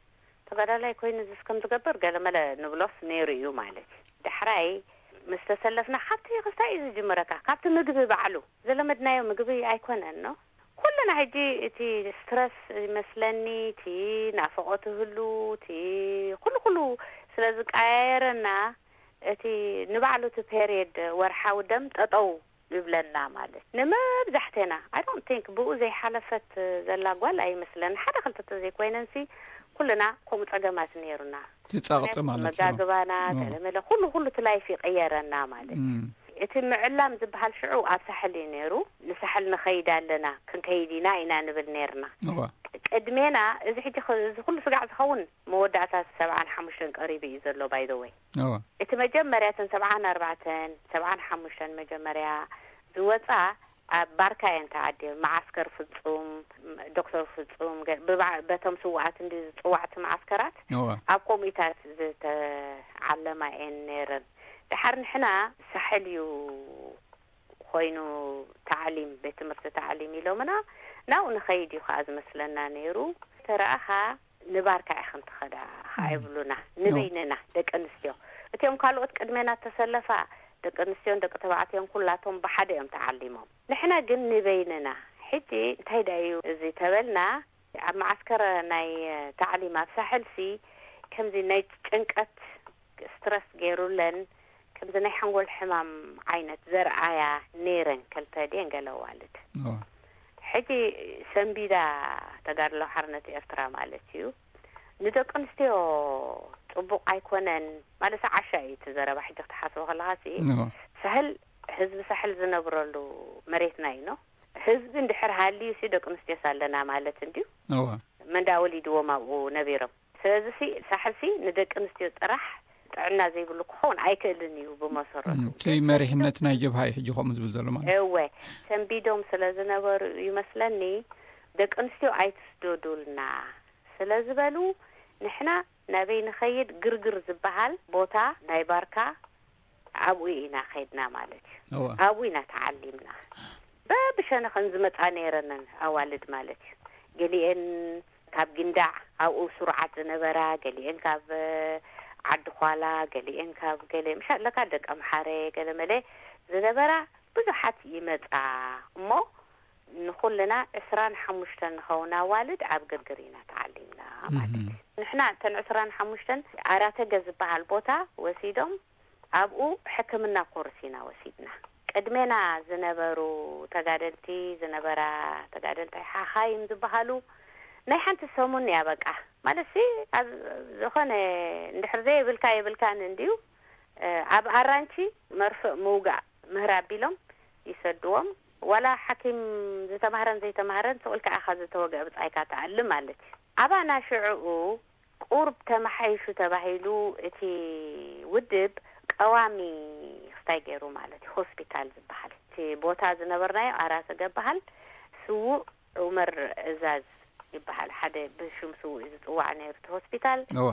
ተጋዳላይ ኮይኑ ዝስ ከም ዝገብር ገለ መለ ንብሎስ ነይሩ እዩ ማለት እዩ። ዳሕራይ ምስ ተሰለፍና ካብቲ ክስታይ እዩ ዝጅምረካ፣ ካብቲ ምግቢ ባዕሉ። ዘለመድናዮ ምግቢ ኣይኮነን ኖ። ኩልና ሕጂ እቲ ስትረስ ይመስለኒ፣ እቲ ናፍቖት ህሉ፣ እቲ ኩሉ ኩሉ ስለ ዝቀያየረና፣ እቲ ንባዕሉ እቲ ፔሪየድ ወርሓዊ ደም ጠጠው ይብለና ማለት። ንመብዛሕቴና፣ I don't think ብኡ ዘይሓለፈት ዘላ ጓል ኣይመስለን። ሓደ ክልተ ተዘይኮይነንሲ ኩልና ከምኡ ጸገማት ነይሩና። ትጻቕጢ ማለት እዩ። መጋግባና፣ ኦ። ገለመለ፣ ኩሉ ኩሉ እቲ ላይፍ ይቀየረና ማለት። እም። እቲ ምዕላም ዝበሃል ሽዑ ኣብ ሳሕል እዩ ነይሩ። ንሳሕል ንኸይድ ኣለና፣ ክንከይድ ኢና ኢና ንብል ነይርና። እዋ። ቅድሜና፣ እዚ ሕጂ ኸ-፣ እዚ ኩሉ ስጋዕ ዝኸውን መወዳእታ ሰብዓን ሓሙሽተን ቀሪቡ እዩ ዘሎ፣ by the way። እዋ። እቲ መጀመርያ፣ እተን ሰብዓን ኣርባዕተን፣ ሰብዓን ሓሙሽተን መጀመርያ ዝወጻ ኣብ ባርካ እየን ተዓድየን። መዓስከር ፍጹም፣ ዶክተር ፍጹም፣ ገ-፣ ብባ-፣ በቶም ስውኣት እንዲ ዝጽዋዕቲ መዓስከራት፣ እዋ። ኣብ ኮሚታት ዝተዓለማ እየን ነይረን። ድሓር ንሕና ሳሕል እዩ ኮይኑ ታዕሊም፣ ቤት ትምህርቲ ታዕሊም ኢሎምና፣ ናብኡ ንኸይድ እዩ ከዓ ዝመስለና ነይሩ። ተረኣኻ ንባርካ ኢኽን ትኸዳ ከዓ ይብሉና፣ ንበይንና ደቂ ኣንስትዮ። እቲኦም ካልኦት ቅድሜና ተሰለፋ ደቂ ኣንስትዮን ደቂ ተባዕትዮን ኩላቶም ብሓደ እዮም ተዓሊሞም። ንሕና ግን ንበይንና። ሕጂ እንታይ ደኣ እዩ እዚ ተበልና፣ ኣብ መዓስከር ናይ ታዕሊም ኣብ ሳሕልሲ ከምዚ ናይ ጭንቀት ስትረስ ገይሩለን፣ ከምዚ ናይ ሓንጎል ሕማም ዓይነት ዘርኣያ ነይረን፣ ከልተ ድየን ገለ ኣዋልድ። እዋ። ሕጂ ሰንቢዳ ተጋድሎ ሓርነት ኤርትራ ማለት እዩ። ንደቂ ኣንስትዮ ጽቡቕ ኣይኮነን ማለት ዓሻ እዩ እቲ ዘረባ። ሕጂ ክትሓስቦ ከለኻ ሲ እዋ። ሳሕል፣ ህዝቢ ሳሕል ዝነብረሉ መሬትና እዩ ኖ። ህዝቢ እንድሕር ሃልዩ ሲ ደቂ ኣንስትዮስ ኣለና ማለት እንድዩ። እዋ። መንዳ ወሊድዎም ኣብኡ ነቢሮም። ስለዚ ሲ ሳሕል ሲ ንደቂ ኣንስትዮ ጥራሕ ጥዕና ዘይብሉ ክኸውን ኣይክእልን እዩ ብመሰረቱ። እም፣ እቲ መሪሕነት ናይ ጀብሃ እዩ ሕጂ ከምኡ ዝብል ዘሎ ማለት። እወ፣ ሰንቢዶም ስለ ዝነበሩ ይመስለኒ፣ ደቂ ኣንስትዮ ኣይትስደዱልና ስለ ዝበሉ፣ ንሕና ናበይ ንኸይድ፣ ግርግር ዝበሃል ቦታ ናይ ባርካ ኣብኡ ኢና ኸይድና ማለት እዩ። እዋ። ኣብኡ ኢና ተዓሊምና። በብሸነኸን ዝመጻ ነይረነን ኣዋልድ ማለት እዩ። ገሊኤን ካብ ጊንዳዕ ኣብኡ ስሩዓት ዝነበራ፣ ገሊኤን ካብ ዓዲ ኳላ፣ ገሊኤን ካብ ገለ፣ ምሻ ኣለካ ደቂ ኣምሓረ፣ ገለ መለ ዝነበራ ብዙሓት ይመጻ እሞ፣ ንኹልና ዕስራን ሓሙሽተን ንኸውን ኣዋልድ ኣብ ግርግር ኢና ተዓሊምና ማለት እዩ። ንሕና እተን ዕስራን ሓሙሽተን ኣራተገ ዝበሃል ቦታ ወሲዶም ኣብኡ ሕክምና ኮርስ ኢና ወሲድና። ቅድሜና ዝነበሩ ተጋደልቲ፣ ዝነበራ ተጋደልቲ ሓኻይም ዝበሃሉ ናይ ሓንቲ ሰሙን እያ በቃ። ማለት ሲ ኣብ ዝኾነ እንድሕር ዘየብልካ የብልካን እንድዩ፣ እ፣ ኣብ ኣራንቺ መርፍእ ምውጋእ ምህር ኣቢሎም ይሰድዎም። ዋላ ሓኪም ዝተማህረን ዘይተማህረን ስቕ ኢልካ ኢኻ ዝተወግአ ብጻይካ ትኣሊ ማለት እዩ። ኣባና ሽዕኡ ቁሩብ ተመሓይሹ ተባሂሉ እቲ ውድብ ቀዋሚ ክስታይ ገይሩ ማለት እዩ። ሆስፒታል ዝበሃል እቲ ቦታ ዝነበርናዮ ኣራሰገ በሃል ስዉእ ዑመር እዛዝ ይበሃል። ሓደ ብሽም ስዉእ እዩ ዝጽዋዕ ነይሩ እቲ ሆስፒታል። እዋ።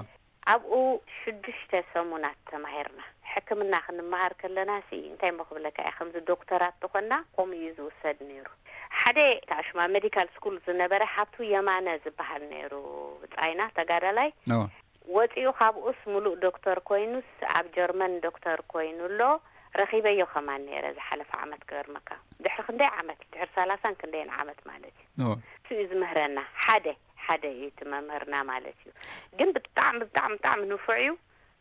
ኣብኡ ሽዱሽተ ሰሙናት ተማሂርና። ሕክምና ክንመሃር ከለና ሲ እንታይ እሞ ክብለካ እየ፣ ከምዚ ዶክተራት ተኾና ከምኡ እዩ ዝውሰድ ነይሩ። ሓደ ታሽማ ሜዲካል ስኩል ዝነበረ ሃብቱ የማነ ዝበሃል ነይሩ ብጻይና ተጋዳላይ። እዋ። ወጺኡ ካብኡስ ምሉእ ዶክተር ኮይኑስ ኣብ ጀርመን ዶክተር ኮይኑ ኣሎ። ረኺበዮ ከማን ነይረ ዝሓለፈ ዓመት ክገርመካ። ድሕሪ ክንደይ ዓመት? ድሕሪ ሰላሳን ክንደይን ዓመት ማለት እዩ። እዋ። እሱ እዩ ዝምህረና። ሓደ፣ ሓደ እዩ እቲ መምህርና ማለት እዩ። ግን ብጣዕሚ፣ ብጣዕሚ፣ ብጣዕሚ ንፉዕ እዩ።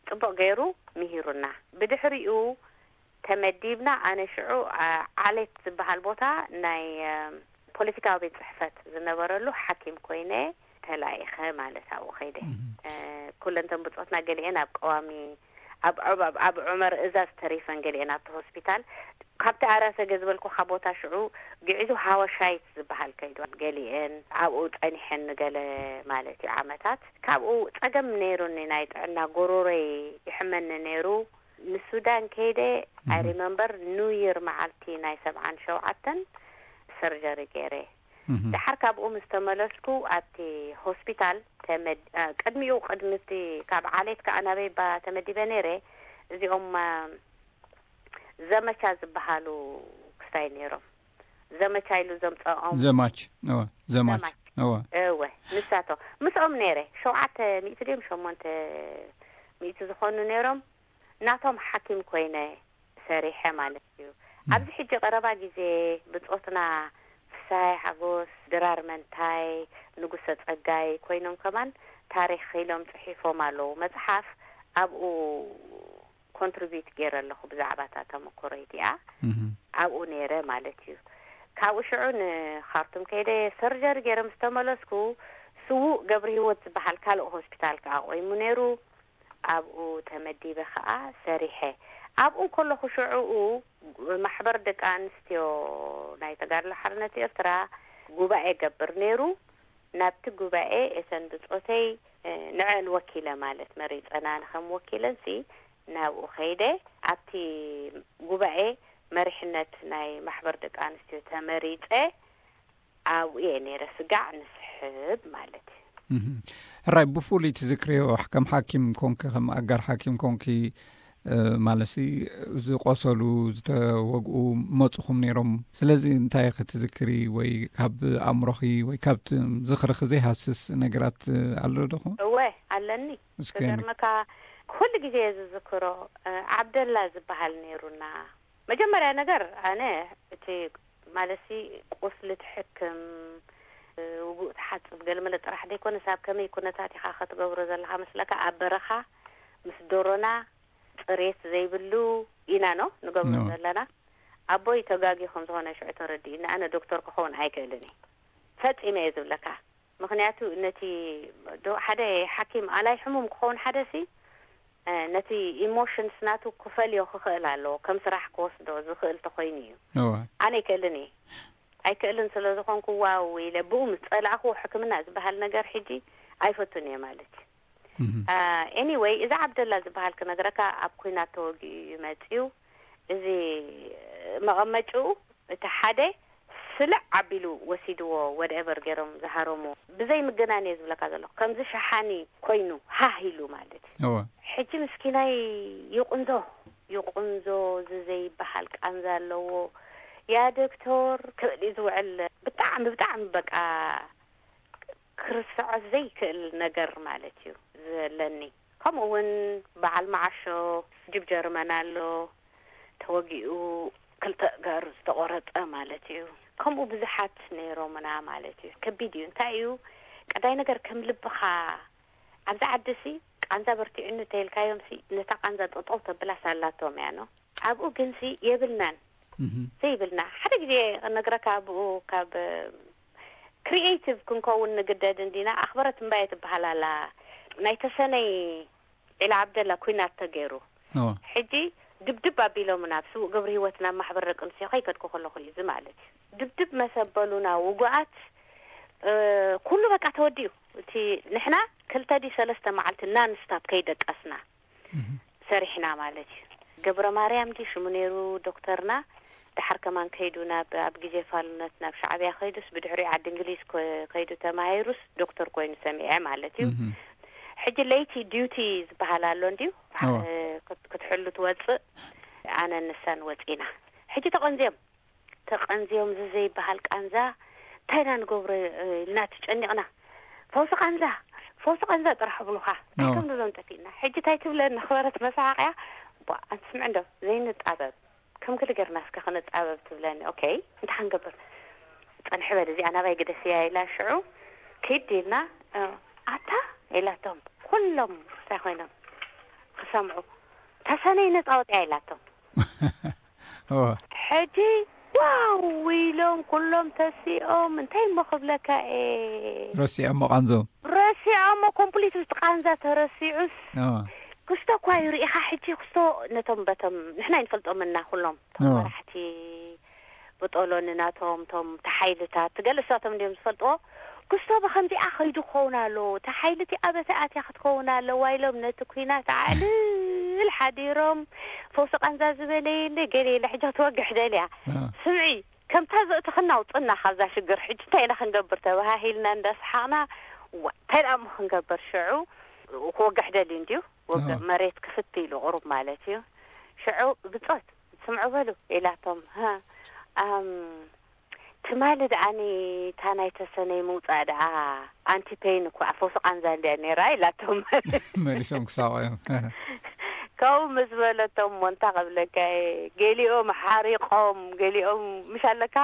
ጽቡቕ ገይሩ ምሂሩና። ብድሕሪኡ ተመዲብና። ኣነ ሽዑ ዓሌት ዝበሃል ቦታ ናይ ፖለቲካዊ ቤት ጽሕፈት ዝነበረሉ ሓኪም ኮይነ ተላኢኸ ማለት ኣብኡ ከይደ። ኩለንተን ብጾትና ገሊአን ኣብ ቀዋሚ ኣብ ኣብ ዑመር እዛዝ ተሪፈን፣ ገሊአን ኣብቲ ሆስፒታል። ካብቲ ኣራሰገ ዝበልኩኻ ቦታ ሽዑ ግዕዙ ሃወሻይት ዝበሃል ከይዱ፣ ገሊአን ኣብኡ ጸኒሐን ንገለ ማለት እዩ ዓመታት። ካብኡ ጸገም ነይሩኒ፣ ናይ ጥዕና ጎሮሮይ ይሕመኒ ነይሩ። ንሱዳን ከይደ ኣይ ሪመምበር ኒው ይር መዓልቲ ናይ ሰብዓን ሸውዓተን ሰርጀሪ ገይረ። ደሓር ካብኡ ምስ ተመለስኩ ኣብቲ ሆስፒታል ተመድ- አ፣ ቅድሚኡ ቅድሚ እቲ ካብ ዓሌት ከኣ ናበይ ባ ተመዲበ ነይረ። እዚኦም አ፣ ዘመቻ ዝበሃሉ ክስታይ ነይሮም። ዘመቻ ኢሉ ዘምፀኦም ዘማች እወ ዘማች እወ እወ ንሳቶም ምስኦም ነይረ። ሸውዓተ ሚእቲ ድዮም ሸሞንተ ሚእቲ ዝኾኑ ነይሮም። ናቶም ሓኪም ኮይነ ሰሪሐ ማለት እዩ። ኣብዚ ሕጂ ቀረባ ግዜ ብጾትና ፍስሃይ ሓጎስ፣ ድራር መንታይ፣ ንጉሰ ጸጋይ ኮይኖም ከማን ታሪኽ ኢሎም ጽሒፎም ኣለዉ። መጽሓፍ ኣብኡ ኮንትሪቢዩት ገይረ ኣለኹ ብዛዕባ እታ ተመክሮ እቲኣ ኣብኡ ነይረ ማለት እዩ። ካብኡ ሽዑ ንኻርቱም ከይደ ሰርጀሪ ገይረ ምስ ተመለስኩ ስዉእ ገብረ ህይወት ዝበሃል ካልእ ሆስፒታል ከዓ ቆይሙ ነይሩ። ኣብኡ ተመዲበ ኸዓ ሰሪሐ። ኣብኡ እንከለኹ ሽዑኡ ማሕበር ደቂ ኣንስትዮ ናይ ተጋድሎ ሓርነት ኤርትራ ጉባኤ ገብር ነይሩ። ናብቲ ጉባኤ እተን ብጾተይ ንዐን ወኪለ ማለት መሪጸና ንኸም ወኪለንሲ ናብኡ ኸይደ ኣብቲ ጉባኤ መሪሕነት ናይ ማሕበር ደቂ ኣንስትዮ ተመሪጸ። ኣብኡ እየ ነይረ ስጋዕ ንስሕብ ማለት እዩ። ሕራይ ብፍሉይ ትዝክርዮ ከም ሓኪም ኮንኪ ከም ኣጋር ሓኪም ኮንኪ ማለትሲ ዝቆሰሉ ዝተወግኡ መፁኹም ነይሮም። ስለዚ እንታይ ክትዝክሪ ወይ ካብ ኣእምሮኺ ወይ ካብ ዝኽርኺ ዘይሃስስ ነገራት ኣሎ ዶኹ? እወ ኣለኒ። እስኪ ገርመካ ኩሉ ግዜ ዝዝክሮ ዓብደላ ዝበሃል ነይሩና። መጀመርያ ነገር ኣነ እቲ ማለትሲ ቁስሊ ትሕክም ውጉእ ትሓጽብ ገለመለ ጥራሕ ዘይኮነስ ኣብ ከመይ ኩነታት ኢኻ ክትገብሮ ዘለኻ መስለካ ኣብ በረኻ ምስ ዶሮና ጽሬት ዘይብሉ ኢና ኖ ንገብሮ ዘለና። ኣቦይ ተጋጊ ከም ዝኾነ ሽዑ ተረዲእኒ። ኣነ ዶክተር ክኸውን ኣይክእልን እየ ፈጺመ እየ ዝብለካ። ምኽንያቱ ነቲ ሓደ ሓኪም ኣላይ ሕሙም ክኸውን ሓደ ሲ ነቲ ኢሞሽንስ ናቱ ክፈልዮ ክኽእል ኣለዎ። ከም ስራሕ ክወስዶ ዝኽእል ተኮይኑ እዩ። ኣነ ኣይክእልን እየ። ኣይክእልን ስለ ዝኾንኩ ዋው ኢለ ብኡ ምስ ጸላእኹ ሕክምና ዝበሃል ነገር ሕጂ ኣይፈቱን እየ ማለት እዩ። ኤኒወይ እዚ ዓብደላ ዝበሃል ክነግረካ ኣብ ኩናት ተወጊኡ እዩ መፅዩ። እዚ መቐመጭኡ እቲ ሓደ ስልዕ ኣቢሉ ወሲድዎ ወደኤቨር ገይሮም ዝሃረሙ ብዘይ ምግናን እየ ዝብለካ ዘለኹ። ከምዚ ሸሓኒ ኮይኑ ሃህ ኢሉ ማለት እዩ። ሕጂ ምስኪናይ ይቁንዞ ይቁንዞ እዚ ዘይበሃል ቃንዛ ኣለዎ። ያ ዶክተር ክብል እዩ ዝውዕል። ብጣዕሚ ብጣዕሚ በቃ ክርስዖ ዘይክእል ነገር ማለት እዩ ዘለኒ። ከምኡ እውን በዓል መዓሾ ጅብ ጀርመን ኣሎ ተወጊኡ ክልተ እጋሩ ዝተቆረፀ ማለት እዩ። ከምኡ ብዙሓት ነይሮምና ማለት እዩ። ከቢድ እዩ። እንታይ እዩ ቀዳይ ነገር ከም ልብኻ ኣብዚ ዓዲ ሲ ቃንዛ በርቲዑኒ እንተይልካዮም ሲ ነታ ቃንዛ ጠጠው ተብላ ሳላቶም እያ ኖ። ኣብኡ ግን ሲ የብልናን ዘይብልና ሓደ ግዜ ክነግረካ ኣብኡ ካብ ክሪኤቲቭ ክንከውን ንግደድ እንዲና። ኣኽበረት እምባየ ትበሃል ኣላ ናይ ተሰነይ ዒላ ዓብደላ ኩናት ተገይሩ ሕጂ ድብድብ ኣቢሎምና ብስዉእ ገብረ ህይወት ናብ ማሕበር ደቂ ኣንስትዮ ከይከድኩ ከለኹ እዩ እዚ ማለት እዩ። ድብድብ መሰበሉና ውጉኣት ኩሉ በቃ ተወዲኡ። እቲ ንሕና ክልተ ድዩ ሰለስተ መዓልቲ ናንስታፕ ከይደቀስና ሰሪሕና ማለት እዩ። ገብረ ማርያም ድዩ ሽሙ ነይሩ ዶክተርና። ድሓር ከማን ከይዱ ናብ ኣብ ግዜ ፋልነት ናብ ሻዕብያ ከይዱስ ብድሕሪኡ ዓዲ እንግሊዝ ከይዱ ተማሂሩስ ዶክተር ኮይኑ ሰሚዐ ማለት እዩ። ሕጂ ለይቲ ዲዩቲ ዝበሃል ኣሎ እንድዩ ክትሕሉ ትወፅእ። ኣነ ንሳን ወፂና ሕጂ ተቐንዝዮም ተቐንዝዮም እዚ ዘይበሃል ቃንዛ እንታይ ኢና ንገብሮ ኢልና ተጨኒቕና። ፈውሲ ቃንዛ ፈውሲ ቃንዛ ጥራሕ ብሉኻ እንታይ ከም ንብሎም ጠፊእና። ሕጂ እንታይ ትብለኒ ክበረት መሳሓቕያ ኣንቲ ስምዕ እንዶ ዘይንጣበብ ከም ክሊ ገርና እስከ ክንጣበብ ትብለኒ። ኦኬ እንታይ ክንገብር ጸንሒ በል እዚኣ ናባይ ግደፍያ ኢላ ሽዑ ኪድ ኢልና ኣታ ኢላቶም ኩሎም እንታይ ኮይኖም ክሰምዑ ተሰነይ ነጻ ወጽያ ኢላቶም። እወ። ሕጂ ዋው ኢሎም ኩሎም ተሲኦም፣ እንታይ እሞ ክብለካ እየ። ረሲዖሞ ቃንዞም። ረሲዖሞ ኮምፕሊት፣ እቲ ቃንዛ ተረሲዑስ። እወ። ክስቶ እኳ ይርኢኻ። ሕጂ ክስቶ ነቶም በቶም ንሕና ይንፈልጦምና ኩሎም፣ እቶም እወ። መራሕቲ ብጦሎኒ ናቶም፣ ቶም ተሓይልታት ትገልጽ ናቶም እንዲዮም ዝፈልጥዎ። ክስቶ ብኸምዚኣ ኸይዱ ክኸውን ኣለዎ፣ ተሓይልቲ ኣበተ ኣትያ ክትከውን ኣለዋ ኢሎም ነቲ ኩናት ኣዕልል ሓዲሮም። ፈውሲ ቃንዛ ዝበለ የለ፣ ገለ የለ፣ ሕጂ ትወግሕ ደልያ። እወ። ስምዒ፣ ከምታ ዘእትኽና ውፅና ካብዛ ሽግር። ሕጂ እንታይ ኢና ክንገብር ተባሃሂልና እንዳሰሓቕና፣ ዋ፣ እንታይ ደኣ እሞ ክንገብር ሽዑ? ክወግሕ ደልዩ እንድዩ፣ ወግሕ እወ። መሬት ክፍት ኢሉ ቁሩብ ማለት እዩ። ሽዑ ብጾት፣ ስምዑ በሉ ኢላቶም። ሃ፣ ኣም፣ ትማሊ ደኣኒ እታ ናይ ተሰነይ ምውጻእ ደኣ ኣንቲ ፔይን እኮ፣ ፈውሲ ቃንዛ እንድያ ነይራ ኢላቶም። መሊሶም ክሳቆ እዮም። ካብኡ ምስ በለቶም እሞ እንታ ክብለካ እየ፣ ገሊኦም ሓሪቆም፣ ገሊኦም ምሽ ኣለካ፣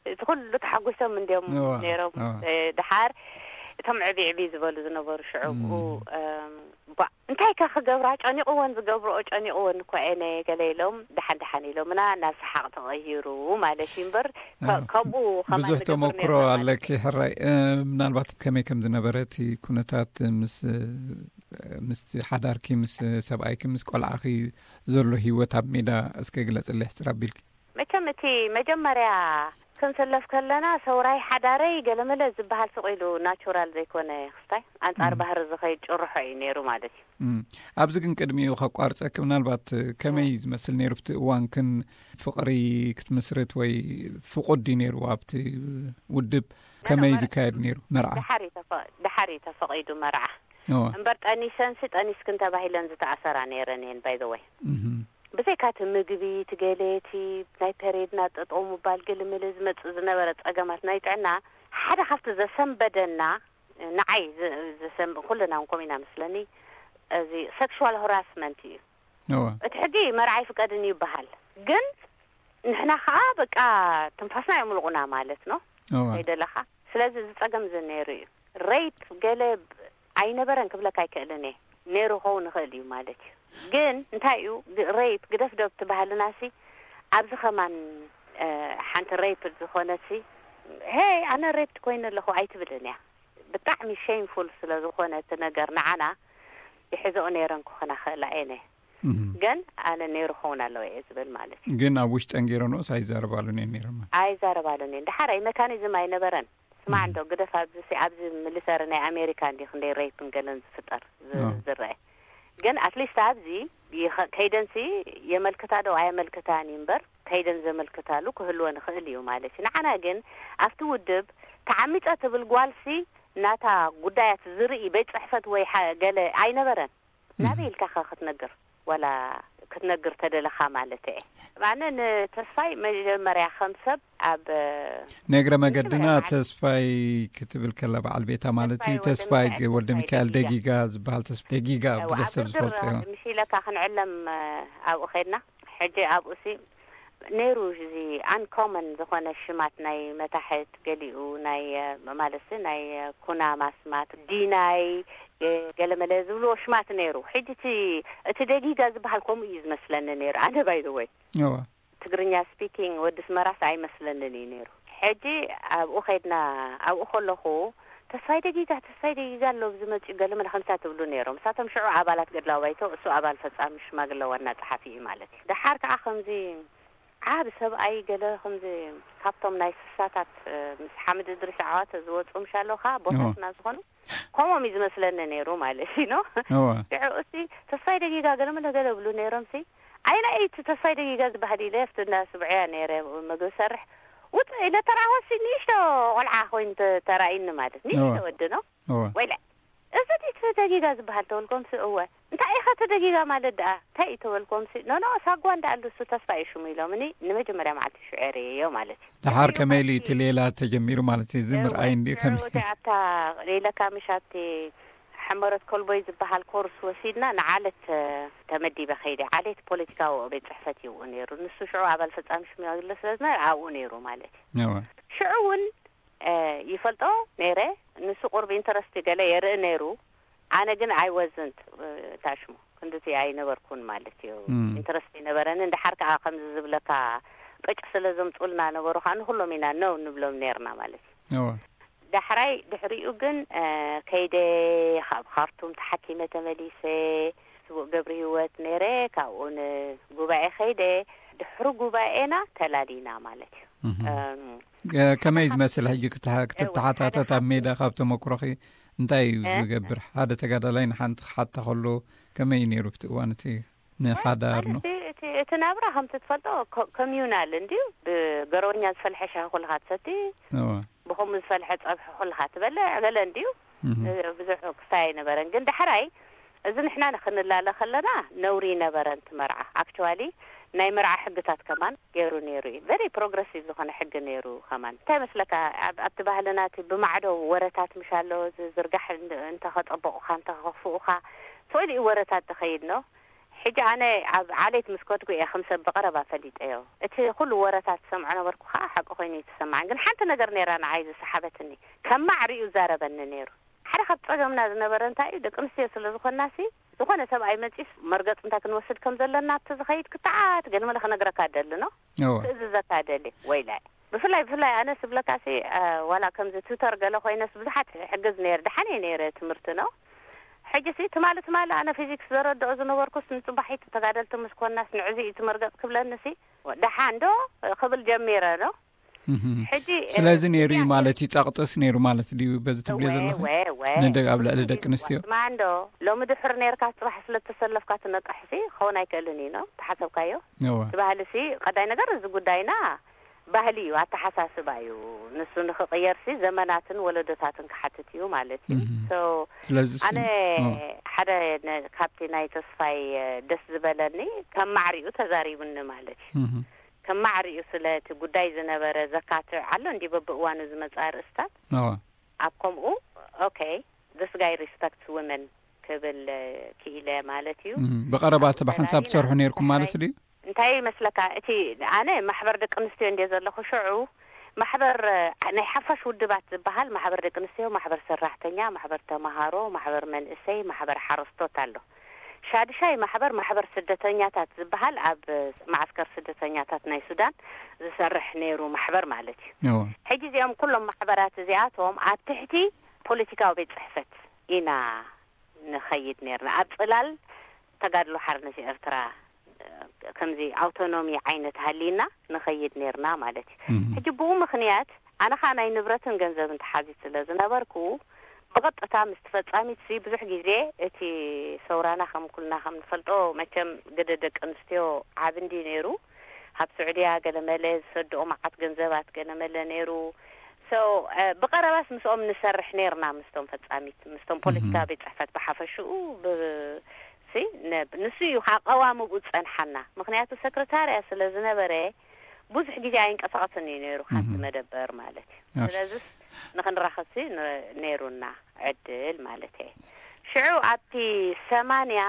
እቲ ኩሉ ተሓጒሶም እንድዮም እዋ፣ ነይሮም። እዋ። እ፣ ድሓር እቶም ዕቢ ዕቢ ዝበሉ ዝነበሩ ሽዑ እም። ብኡ፣ እም፣ ባ፣ እንታይ ከ ክገብራ ጨኒቕወን፣ ዝገብርኦ ጨኒቕወን እኮ እየን ገለ ኢሎም፣ ደሓን ደሓን ኢሎምና፣ ናብ ሰሓቕ ተቐይሩ ማለት እዩ እምበር፣ ከ-፣ እዋ። ከምኡ ከማን ብዙሕ ንገብር ተመክሮ ነይርና ማለት ኣለኪ ሕራይ። እ፣ ምናልባት ከመይ ከም ዝነበረ እቲ ኩነታት ምስ፣ እ፣ ምስቲ ሓዳርኪ፣ ምስ ሰብኣይኪ፣ ምስ ቆልዓኺ ዘሎ ህይወት ኣብ ሜዳ እስከ ግለጽለይ ሕጽር ኣቢልኪ። መቸም እቲ መጀመርያ ክንስለፍ ከለና፣ ሰውራይ ሓዳረይ ገለመለ ዝበሃል ስቕ ኢሉ ናቹራል ዘይኮነ ክስታይ፣ ኣንጻር እም። ባህሪ ዝኸይድ ጭርሖ እዩ ነይሩ ማለት እዩ። እም። ኣብዚ ግን ቅድሚኡ ከቋርጸኪ፣ ምናልባት ከመይ እዩ ዝመስል ነይሩ ኣብቲ እዋን? ክን ፍቕሪ ክትምስርት ወይ ፍቑድ ድዩ ነይሩ ኣብቲ ውድብ? ከመይ እዩ ዝካየድ ነይሩ መርዓ? ድሓር እዩ ተፈ-፣ ድሓር እዩ ተፈቒዱ መርዓ። እዋ። እምበር ጠኒሰንሲ ጠኒስክን ተባሂለን ዝተኣሰራ ነይረን እየን፣ ባይ ዘ ወይ። እህም። ብዘይካ እቲ ምግቢ፣ እቲ ገለ፣ እቲ ናይ ፔሬድና ጠጠው ምባል፣ ግልምል ዝመጽእ ዝነበረ ጸገማት ናይ ጥዕና፣ ሓደ ካብቲ ዘሰንበደና፣ ንዓይ ዝ-፣ ዘሰንብ-፣ ኩልና እውን ከምኡ ኢና መስለኒ፣ እዚ ሴክሹዋል ሃራስመንት እዩ። እዋ። እቲ ሕጊ መርዓ ይፍቀድን ይበሃል፣ ግን ንሕና ከዓ በቃ ትንፋስና የምልቑና ማለት ነው። እዋ። ከይደለኻ። ስለዚ እዚ ጸገም እዚ ነይሩ እዩ። ሬፕ ገለ ብ-፣ ኣይነበረን ክብለካ ኣይክእልን እየ። ነይሩ ክኸውን ይኽእል እዩ ማለት እዩ። ግን እንታይ እዩ ግ-፣ ሬፕ ግደፍ ዶ እቲ ባህልና ሲ፣ ኣብዚ ከማን፣ እ፣ ሓንቲ ሬፕ ዝኾነት ሲ፣ ሄይ ኣነ ሬፕ ኮይነ ኣለኹ ኣይትብልን እያ። ብጣዕሚ ሼምፉል ስለ ዝኾነ እቲ ነገር ንዓና ይሕዝኦ ነይረን ክኾና ክእላ እየን እየ። እህም። ግን ኣነ ነይሩ ክኸውን ኣለዎ እየ ዝብል ማለት እዩ። ግን ኣብ ውሽጠን ገይረንኦስ ኣይዛረባሉን እየን ነይረን ማለት? ኣይዛረባሉን እየን። ድሓር ኣይ መካኒዝም ኣይነበረን። ስማዕ እም። እንዶ ግደፍ ኣብዚ ሲ-፣ ኣብዚ ሚሊተሪ ናይ ኣሜሪካ እንዲ ክንደይ ሬፕን ገለን ዝፍጠር ዝ-፣ ኦ። ዝረአ። ግን ኣትሊስት ኣብዚ ይኸ-፣ ከይደንሲ የመልክታ ዶ ኣየመልክታን እዩ እምበር፣ ከይደን ዘመልክታሉ ክህልወን ይኽእል እዩ ማለት እዩ። ንዓና ግን ኣብቲ ውድብ ተዓሚጸ ትብል ጓልሲ ናታ ጉዳያት ዝርኢ ቤት ጽሕፈት ወይ ሓ-፣ ገለ ኣይነበረን። እም። ናበይ ኢልካ ኸ ክትነግር? ዋላ ክትነግር ተደለኻ ማለት እየ። ኣነ ንተስፋይ መጀመርያ ከም ሰብ ኣብ ነግረ መገድና መጀመርያ ተስፋይ ክትብል ከላ በዓል ቤታ ማለት እዩ። ተስፋይ ተስፋይ ወልደ ግ-፣ ወልደ ሚካኤል ሚካኤል ደጊጋ። ደጊጋ ዝበሃል ተስፋ ደጊጋ እዋ፣ ብዙሕ ኣብ ሰብ ድርድር ዝፈልጦ እዩ። ምሽ ኢለካ ክንዕለም፣ እ፣ ኣብኡ ኸድና። ሕጂ ኣብኡ ሲ ነይሩ እዚ ኣንኮመን ዝኾነ ሽማት ናይ መታሕት ገሊኡ ናይ፣ እ፣ ማለት ሲ ናይ፣ እ፣ ኩናማ ስማት ዲናይ፣ እ፣ ገለመለ ዝብልዎ ሽማት ነይሩ። ሕጂ እቲ፣ እቲ ደጊጋ ዝበሃል ከምኡ እዩ ዝመስለኒ ነይሩ። ኣነ ባይ ዘ ወይ እዋ። ትግርኛ ስፒኪንግ ወዲ ስመራስ ኣይመስለንን እዩ ነይሩ። ሕጂ ኣብኡ ኸድና፣ ኣብኡ ከለኹ ተስፋይ ደጊጋ፣ ተስፋይ ደጊጋ ኣሎ፣ ኣብዚ መጺኡ ገለመለ ከምሳ ትብሉ ነይሮም። እሳቶም ሽዑ ኣባላት ገድላዊ ባይቶ፣ እሱ ኣባል ፈጻሚ ሽማግለ ዋና ጸሓፊ እዩ ማለት እዩ። ደሓር ከኣ ከምዚ ዓቢ ሰብኣይ ገለ ከምዚ ካብቶም ናይ ስሳታት፣ እ፣ ምስ ሓምድ እድሪስ ዓዋተ ዝወጹ ምሽ ኣለዉ ከኣ ቦታትና እዎ። ዝኾኑ ከምኦም እዩ ዝመስለኒ ነይሩ ማለት እዩ፣ ኖ? እዎ። ሽዑ እስቲ ተስፋይ ደጊጋ ገለመለ ገለ ብሉ ነይሮም ሲ፣ ኣየናይ እዩ እቲ ተስፋይ ደጊጋ ዝበሃል ኢለ ኣብቲ እንዳ ስብዕያ ነይረ፣ መግቢ ሰርሕ። ውጽእ ኢለ ተራእኹሲ ንእሽቶ ቆልዓ ኮይኑ ተ-፣ ተራእዩኒ ማለት፣ ንእሽቶ እዎ። ወዲ፣ ኖ? እዎ። ወይለ፣ እዚ ድዩ እቲ ደጊጋ ዝበሃል ተበልኮምሲ፣ እወ። እንታይ ኢኻ እቲ ደጊጋ ማለት ደኣ? እንታይ እዩ ተበልኮምሲ፣ ኖ፣ ኖ፣ ሳጓ እንዳ ኣሉ እሱ ተስፋ እዩ ሽሙ ኢሎምኒ፣ ንመጀመርያ መዓልቲ ሽዑ ኤረየዮ ማለት እዩ። ደሓር ከመይ ኢሉ እዩ እቲ ሌላ ተጀሚሩ ማለት እዩ? እዚ ምርኣይ እንዲ ከመይ? እቲ ኣብታ ሌላ ካምሽ ኣብቲ ሕመረት ኮልቦይ ዝበሃል ኮርስ ወሲድና ንዓለት፣ እ፣ ተመዲበ ከይደ። ዓሌት ፖለቲካዊ ቤት ጽሕፈት እዩ ኣብኡ ነይሩ። ንሱ ሽዑ ኣባል ፈጻሚ ሽማግለ ስለ ዝነበረ ኣብኡ ነይሩ ማለት እዩ። እወ። ሽዑ እውን፣ እ፣ ይፈልጦ ነይረ። ንሱ ቁርብ ኢንተረስት ገለ የርኢ ነይሩ። ኣነ ግን ኣይ ወዝንት፣ እ፣ ታሽሙ ክንድቲ ኣይነበርኩን ማለት እዩ። እም። ኢንተረስት ኣይነበረንን። ደሓር ከኣ ከምዚ ዝብለካ ቅጭ ስለ ዘምፁልና ነበሩ፣ ከዓ ንኩሎም ኢና ነው ንብሎም ነርና ማለት እዩ። እወ ዳሕራይ ድሕሪኡ ግን ከይደ፣ ካብ ካርቱም ተሓኪመ ተመሊሰ፣ ስቡእ ገብሪ ህይወት ነይረ። ካብኡ ንጉባኤ ከይደ፣ ድሕሪ ጉባኤና ተላሊና ማለት እዩ። ከመይ ዝመስል ሕጂ ክትሓታት ኣብ ሜዳ ካብ ተመክሮኺ እንታይ እዩ ዝገብር? ሓደ ተጋዳላይ ንሓንቲ ክሓታ ከሎ ከመይ እዩ ነይሩ? እቲ እዋን እቲ ንሓዳር ነው። እቲ ናብራ ከምቲ ትፈልጦ ኮሚዩናል እንድዩ። ብገረወኛ ዝፈልሐ ሻሂ ኩልካ ትሰቲ፣ ብከምኡ ዝፈልሐ ፀብሒ ኩልካ ትበልዕ ገለ እንድዩ። ብዙሕ ክስታይ ኣይነበረን። ግን ዳሕራይ እዚ ንሕና ንክንላለ ከለና ነውሪ ይነበረን። እቲ መርዓ ኣክቹዋሊ ናይ መርዓ ሕግታት ከማን ገይሩ ነይሩ እዩ። ቨሪ ፕሮግረሲቭ ዝኾነ ሕጊ ነይሩ። ከማን እንታይ መስለካ፣ ኣብቲ ባህልና እቲ ብማዕዶ ወረታት ምሽ ኣሎ፣ ዝርጋሕ እንተኸጠበቑኻ እንተኸኽፍኡኻ ትኽእል እዩ ወረታት ትኸይድ ነው። ሕጂ ኣነ ኣብ ዓሌት ምስ ከድኩ እየ ከም ሰብ ብቐረባ ፈሊጠዮ። እቲ ኩሉ ወረታት ዝሰምዖ ነበርኩ፣ ከዓ ሓቂ ኮይኑ ይተሰማዕን። ግን ሓንቲ ነገር ነይራ ንዓይ ዝሰሓበትኒ፣ ከማዕ ሪኡ ዛረበኒ ነይሩ። ሓደ ካብ ፀገምና ዝነበረ እንታይ እዩ፣ ደቂ ኣንስትዮ ስለ ዝኾንና ሲ ዝኾነ ሰብኣይ መፂስ መርገፂ እንታይ ክንወስድ ከም ዘለና ኣብቲ ዝኸይድ ክትዓት ገለ መለ ክነግረካ ደሊ ነው። ክእዝዘካ ደሊ። ወይላይ ብፍላይ ብፍላይ ኣነ ስብለካ ሲ ዋላ ከምዚ ቱተር ገለ ኮይነስ ብዙሓት ሕግዝ ነይር፣ ደሓን እየ ነይረ ትምህርቲ ነው። ሕጂ ሲ ትማሊ ትማሊ ኣነ ፊዚክስ ዘረድኦ ዝነበርኩስ ንፅባሒት ተጋደልቲ ምስ ኮናስ ንዕዚ እዩ ትመርገፅ ክብለኒ ሲ ደሓን ዶ ክብል ጀሚረ ነው። ሕጂ ስለዚ ነይሩ እዩ ማለት እዩ። ጸቕጥስ ነይሩ ማለት ድዩ በዚ ትብልዮ ዘለኹ? ንደቂ ኣብ ልዕሊ ደቂ ኣንስትዮ ማንዶ ሎሚ ድሕር ነርካ ጽባሕ ስለ ተሰለፍካ ትነቅሕሲ ክኸውን ኣይክእልን እዩ ነው ተሓሰብካዮ። እወ ትባህልሲ ቀዳይ ነገር እዚ ጉዳይና ባህሊ እዩ፣ ኣተሓሳስባ እዩ። ንሱ ንክቕየርሲ ዘመናትን ወለዶታትን ክሓትት እዩ ማለት እዩ። እህ። So ስለዚ ስ- ኣነ እወ። ሓደ ነ- ካብቲ ናይ ተስፋይ ደስ ዝበለኒ ከም ማዕሪኡ ተዛሪቡኒ ማለት እዩ። እህ። ከም ማዕሪኡ ስለ እቲ ጉዳይ ዝነበረ ዘካትዕ ኣሎ እንዲ በብእዋኑ ዝመፅእ ኣርእስታት እወ ኣብ ከምኡ okay this guy respects women ክብል ክኢለ ማለት እዩ። እህ። ብቐረባ እቲ ብሓንሳብ ትሰርሑ ነርኩም ማለት ድዩ? እንታይ ይመስለካ እቲ ኣነ ማሕበር ደቂ ኣንስትዮ እንደ ዘለኹ ሽዑ ማሕበር ናይ ሓፋሽ ውድባት ዝበሃል ማሕበር ደቂ ኣንስትዮ፣ ማሕበር ሰራሕተኛ፣ ማሕበር ተማሃሮ፣ ማሕበር መንእሰይ፣ ማሕበር ሓረስቶት ኣሎ። ሻድሻይ ማሕበር ማሕበር ስደተኛታት ዝበሃል ኣብ ማዓስከር ስደተኛታት ናይ ሱዳን ዝሰርሕ ነይሩ ማሕበር ማለት እዩ። ሕጂ እዚኦም ኩሎም ማሕበራት እዚኣቶም ኣብ ትሕቲ ፖለቲካዊ ቤት ፅሕፈት ኢና ንኸይድ ነርና። ኣብ ፅላል ተጋድሎ ሓርነት ኤርትራ ከምዚ ኣውቶኖሚ ዓይነት ሃሊና ንኸይድ ነርና ማለት እዩ። ሕጂ ብኡ ምኽንያት ኣነ ኸዓ ናይ ንብረትን ገንዘብን ተሓዚት ስለ ዝነበርኩ ብቐጥታ ምስ ፈጻሚት ሲ ብዙሕ ግዜ እቲ ሰውራና ከም ኩልና ከም ንፈልጦ መቸም ግደ ደቂ ኣንስትዮ ዓቢ እንዲ ነይሩ። ካብ ስዑድያ ገለመለ ዝሰድኦ መዓት ገንዘባት ገለመለ ነይሩ። So ብቐረባስ ምስኦም ንሰርሕ ነርና ምስቶም ፈጻሚት ምስቶም ፖለቲካ ቤት ጽሕፈት ብሓፈሽኡ ሲ ንሱ እዩ ከዓ ቀዋምኡ ዝጸንሓና። ምክንያቱ ሰክረታርያ ስለ ዝነበረ ብዙሕ ግዜ ኣይንቀሳቐስን እዩ ነይሩ ካብቲ መደበር ማለት እዩ። ስለዚ ንክንራኸብሲ ነይሩና ዕድል ማለት እየ። ሽዑ ኣብቲ ሰማንያ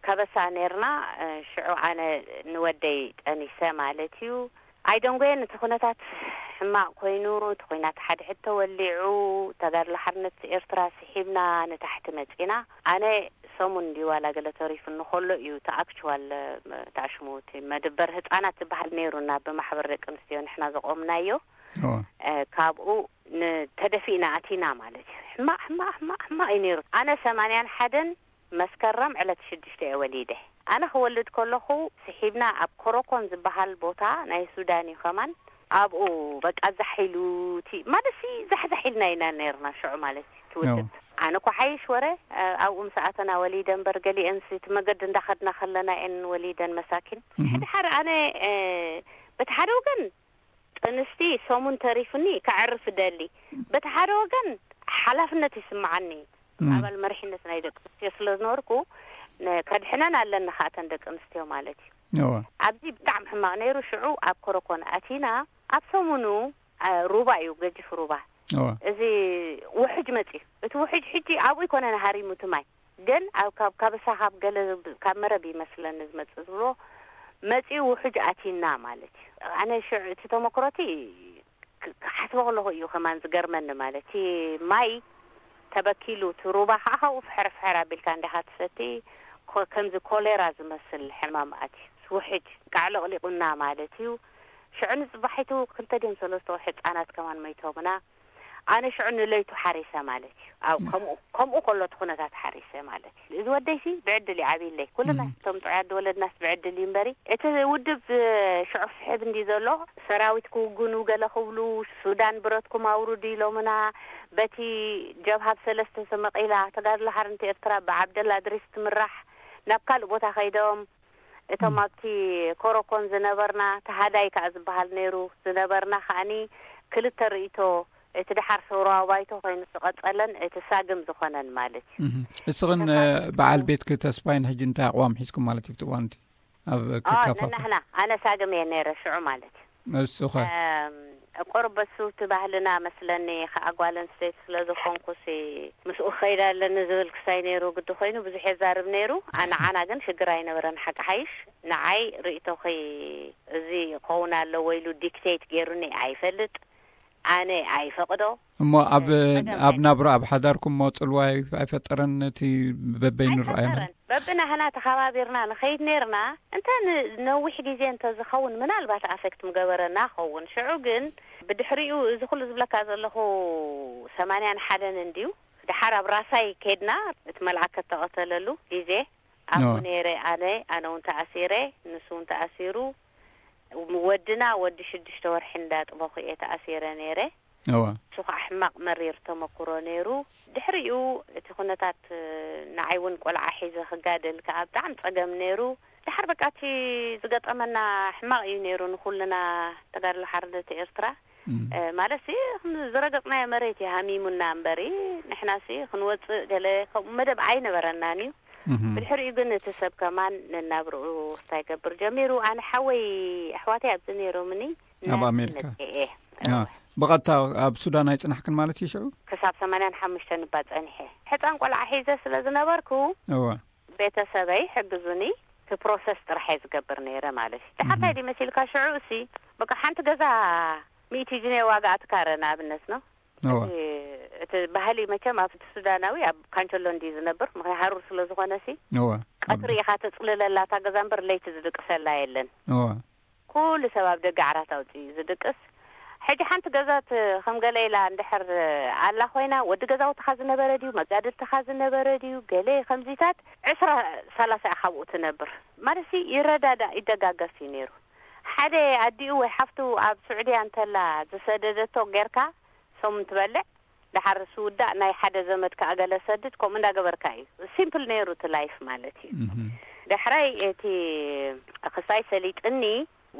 ከበሳ ነርና። ሽዑ ኣነ ንወደይ ጠኒሰ ማለት እዩ። ኣይደንጎየን እቲ ኩነታት ሕማቕ ኮይኑ፣ እቲ ኩናት ሓድሕድ ተወሊዑ፣ ተጋድሎ ሓርነት ኤርትራ ስሒብና ንታሕቲ መጺና። ኣነ ሰሙን ድዩ ዋላ ገለ ተሪፉኒ ከሎ እዩ እቲ ኣክቹዋል ተኣሽሙ እቲ መድበር ህጻናት ዝበሃል ነይሩና ብማሕበር ደቂ ኣንስትዮ ንሕና ዘቆምናዮ። ካብኡ ንተደፊእና ኣቲና ማለት እዩ። ሕማቕ ሕማቕ ሕማቕ ሕማቕ እዩ ነይሩ። ኣነ ሰማንያን ሓደን መስከረም ዕለት ሽዱሽተ እየ ወሊደ። ኣነ ክወልድ ከለኹ ስሒብና ኣብ ኮሮኮን ዝበሃል ቦታ ናይ ሱዳን እዩ ከማን ኣብኡ በቃ ዛሕ ኢሉ እቲ ማለት ሲ ዛሕዛሕ ኢልና ኢና ነርና ሽዑ ማለት እዩ ትውድብ። ኣነ እኮ ሓይሽ ወረ ኣብኡ ምስ ኣተና ወሊደ እምበር ገሊአን ሲ እቲ መገዲ እንዳኸድና ከለና እየን ወሊደን መሳኪን። ሕድሓር ኣነ በቲ ሓደ ወገን ጥንስቲ ሰሙን ተሪፉኒ ከዕርፍ ደሊ። በቲ ሓደ ወገን ሓላፍነት ይስምዓኒ። ኣባል መሪሕነት ናይ ደቂ ኣንስትዮ ስለ ዝነበርኩ ከድሕነን ኣለኒ ከኣተን ደቂ ኣንስትዮ ማለት እዩ። ኣብዚ ብጣዕሚ ሕማቕ ነይሩ። ሽዑ ኣብ ኮረኮን ኣቲና ኣብ ሰሙኑ ሩባ እዩ ገጅፍ ሩባ። እዚ ውሕጅ መፅዩ። እቲ ውሕጅ ሕጂ ኣብኡ ይኮነን ሃሪሙ እቲ ማይ ግን ኣብ ካብ ካበሳ ካብ ገለ ካብ መረብ ይመስለኒ ዝመፅእ ዝብሎ መፂኡ ውሕጅ ኣቲና ማለት እዩ። ኣነ ሽዑ እቲ ተመክሮቲ ክሓስቦ ከለኹ እዩ ከማን ዝገርመኒ ማለት እቲ ማይ ተበኪሉ እቲ ሩባ ከዓ ካብኡ ፍሕር ፍሕር ኣቢልካ እንዲኻ ትሰቲ ከምዚ ኮሌራ ዝመስል ሕማም ኣትዩ ውሕጅ ቃዕለቕሊቑና ማለት እዩ። ሽዑ ንጽባሒቱ ክልተ ድዮም ሰለስተ ሕጻናት ከማን መይቶምና። ኣነ ሽዑ ንለይቱ ሓሪሰ ማለት እዩ። ኣብ ከምኡ ከምኡ ከሎ እቲ ኩነታት ሓሪሰ ማለት እዩ። እዚ ወደይሲ ብዕድል ይዓብይለይ። ኩልና እቶም ጥዑያት ዝወለድናስ ብዕድል እዩ እምበሪ። እቲ ውድብ ሽዑ ስሕብ እንዲ ዘሎ ሰራዊት ክውግኑ ገለ ክብሉ ሱዳን ብረትኩም ኣውርዱ ኢሎምና። በቲ ጀብሃ ብሰለስተ ተመቒላ ተጋድሎ ሓርነት ኤርትራ ብዓብደላ እድሪስ ትምራሕ ናብ ካልእ ቦታ ከይዶም። እቶም ኣብቲ ኮሮኮን ዝነበርና ተሃዳይ ከኣ ዝበሃል ነይሩ ዝነበርና ከኣኒ ክልተ ርእይቶ፣ እቲ ደሓር ሰውራዊ ባይቶ ኮይኑ ዝቐጸለን እቲ ሳግም ዝኾነን ማለት እዩ። እም። እስኽን፣ እተ እ፣ ሳግም በዓል ቤትኪ ተስፋይን ሕጂ እንታይ ኣቕዋም ሒዝኩም ማለት እዩ ኣብቲ እዋን እቲ ኣብ አ፣ ክካፋፈል? ነናህና፣ ኣነ ሳግም እየ ነይረ ሽዑ ማለት እዩ። እሱ ኸ? እም፣ ቁሩብ በሱ እቲ ባህልና መስለኒ ከኣ ጓል ኣንስተይቲ ስለ ዝኾንኩሲ ምስኡ ክኸይድ ኣለኒ ዝብል ክሳይ ነይሩ ግዲ ኮይኑ ብዙሕ የዛርብ ነይሩ። ኣነ ዓና ግን ሽግር ኣይነበረን ሓቂ ሓይሽ። ንዓይ ርእይቶኺ እዚ ክኸውን ኣለዎ ኢሉ ዲክቴት ገይሩኒ ኣይፈልጥ። ኣነ ኣይፈቕዶ። እሞ ኣብ፣ ጸገም ኣብ ናይ ናብራ፣ ኣብ ሓዳርኩም እሞ ጽልዋ ኣይ-፣ ኣይፈጠረን እቲ በበይኑ ረኣዮ ማለት? ኣይፈጠረን። በብናህና ተኸባቢርና ንኸይድ ነይርና። እንተ ን-፣ ነዊሕ ግዜ እንተ ዝኸውን ምናልባት ኣፌክት ምገበረና ኸውን። ሽዑ ግን ብድሕሪኡ እዚ ኩሉ ዝብለካ ዘለኹ ሰማንያን ሓደን እንድዩ። ደሓር ኣብ ራሳይ ከይድና እቲ መልኣከ እተቐተለሉ ግዜ ኣብኡ ኖ። ነይረ ኣነ፣ ኣነ እውን ተኣሲረ፣ ንሱ እውን ተኣሲሩ። ወድና ወዲ ሽዱሽተ ወርሒ እንዳጥበኹ እየ ተኣሲረ ነይረ። እወ። እሱ ኸዓ ሕማቕ መሪር ተመኩሮ ነይሩ። ድሕሪኡ እቲ ኩነታት፣ ንዓይ እውን ቆልዓ ሒዘ ክጋደል ከኣ ብጣዕሚ ጸገም ነይሩ። ድሓር በቃ እቲ ዝገጠመና ሕማቕ እዩ ነይሩ ንኹልና ተጋድሎ ሓርነት ኤርትራ። እም። እ፣ ማለትሲ ዝረገጽናዮ መሬት እዩ ሃሚሙና እምበሪ፣ ንሕናሲ ክንወጽእ ገለ ከምኡ መደብ ኣይነበረናን እዩ። እም። ብድሕሪኡ ግን እቲ ሰብ ከማን ነናብርኡ ክስታይ ገብር ጀሚሩ። ኣነ ሓወይ ኣሕዋተይ ኣብዚ ነይሮምኒ፣ ኣብ ናብዚ ኣሜሪካ? መጺኤ። ያ፣ እወ። ብቐጥታ ኣብ ሱዳን ኣይጽናሕክን ማለት እዩ ሽዑ? ክሳብ ሰማንያን ሓሙሽተን እባ ጸኒሐ። ሕጻን ቆልዓ ሒዘ ስለ ዝነበርኩ፣ እወ። ቤተሰበይ ሕግዙኒ፣ እቲ ፕሮሰስ ጥራሕ እየ ዝገብር ነይረ ማለት እዩ። ደሓር እም። እንታይ ድዩ መሲልካ ሽዑ እሲ፣ በቃ ሓንቲ ገዛ ሚእቲ ጅኔ ዋጋ ኣትካረ ንኣብነት ነው። እወ። እቲ፣ እቲ ባህሊ መቸም ኣብቲ ሱዳናዊ ኣብ ካንቸሎ እንድዩ ዝነብር፣ ምኽንያት ሃሩር ስለ ዝኾነ ሲ፣ እወ። ቀትሪ ኢኻ ተጽልለላ እታ ገዛ እምበር ለይቲ ዝድቅሰላ የለን። እወ። ኩሉ ሰብ ኣብ ደገ ዓራት ኣውጺኡ እዩ ዝድቅስ። ሕጂ ሓንቲ ገዛት ከም ገለ ኢላ እንድሕር ኣላ ኮይና፣ ወዲ ገዛውትኻ ዝነበረ ድዩ፣ መጋድልትኻ ዝነበረ ድዩ፣ ገለ ከምዚታት ዕስራ ሰላሳ ኢኻ ኣብኡ ትነብር። ማለትሲ ይረዳዳእ፣ ይደጋገፍ እዩ ነይሩ። ሓደ ኣዲኡ ወይ ሓፍቱ ኣብ ስዑድያ እንተላ ዝሰደደቶ ጌርካ፣ ሶም እንትበልዕ፣ ደሓር ዝውዳእ ናይ ሓደ ዘመድ ከኣ ገለ ሰድድ፣ ከምኡ እንዳገበርካ እዩ። ሲምፕል ነይሩ እቲ ላይፍ ማለት እዩ። እህ። ዳሕራይ እቲ ክስታይ ሰሊጥኒ፣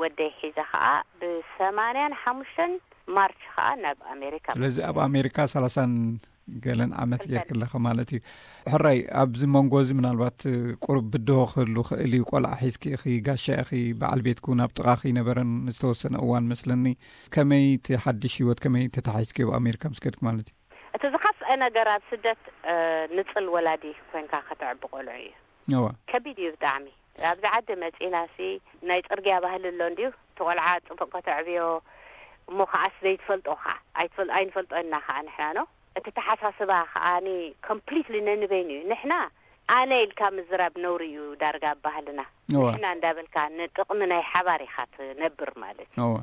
ወደይ ሒዘ ከኣ ብሰማንያን ሓሙሽተን ማርች ከኣ ናብ ኣሜሪካ። ስለዚ ኣብ ኣሜሪካ ሰላሳን ገለን ዓመት ክልተን። ጌርክለኸ ማለት እዩ። ሕራይ፣ ኣብዚ መንጎ እዚ ምናልባት ቁሩብ ብድሆ ክህሉ ክእል እዩ። ቆልዓ ሒዝኪ ኢኺ፣ ጋሻ ኢኺ፣ በዓል ቤትኪ እውን ኣብ ጥቓኺ ኣይነበረን ዝተወሰነ እዋን መስለኒ። ከመይ እቲ ሓድሽ ህይወት፣ ከመይ ተታሒዝክዮ ኣብ ኣሜሪካ ምስ ከድኪ ማለት እዩ? እቲ ዝኸፍአ ነገር ኣብ ስደት፣ እ፣ ንጽል ወላዲ ኮንካ ከተዕቢ ቆልዑ እዩ። እዋ። ከቢድ እዩ ብጣዕሚ። ኣብዚ ዓዲ መጺእናሲ ናይ ጽርግያ ባህሊ ኣሎ እንድዩ። እቲ ቆልዓ ጽቡቕ ከተዕብዮ እሞ ከኣስ ዘይትፈልጦ ኸኣ ኣይትፈል-፣ ኣይንፈልጦ ኢና ኸኣ ንሕና ኖ። እቲ ተሓሳስባ ኸኣ ኒ ኮምፕሊትሊ ነንበይኑ እዩ። ንሕና ኣነ ኢልካ ምዝራብ ነውሪ እዩ ዳርጋ ኣብ ባህልና። እዋ። ንሕና እንዳበልካ ንጥቕሚ ናይ ሓባር ኢኻ ትነብር ማለት እዩ። እዋ።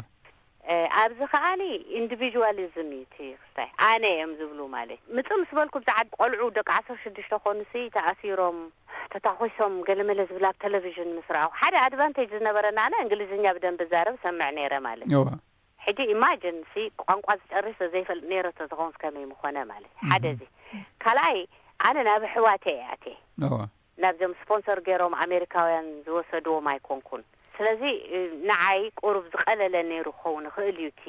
እ፣ ኣብዚ ከኣኒ ኢንዲቪጁዋሊዝም እዩ እቲ ክስታይ። ኣነ እዮም ዝብሉ ማለት። ምጽእ ምስ በልኩ ብዛዕባ ቆልዑ ደቂ ዓሰርተ ሽዱሽተ ኮኑሲ ተኣሲሮም፣ ተታኾሶም፣ ገለመለ ዝብል ኣብ ቴሌቪዥን ምስ ረኣኹ፣ ሓደ ኣድቫንቴጅ ዝነበረና ኣነ እንግሊዝኛ ብደንቢ ዛረብ ሰምዕ ነይረ ማለት። እዋ። ሕጂ ኢማጅን ሲ ቋንቋ ዝጨርስ ዘይፈልጥ ነይረ ተዝኸውን ከመይ ምኾነ ማለት። ሓደ እህ። እዚ። ካልኣይ፣ ኣነ ናብ ኣሕዋተይ እየ ኣትየ። እዋ። ናብዞም ስፖንሰር ገይሮም ኣሜሪካውያን ዝወሰድዎም ኣይኮንኩን። ስለዚ፣ እ፣ ንዓይ ቁሩብ ዝቐለለ ነይሩ ክኸውን ይኽእል እዩ እቲ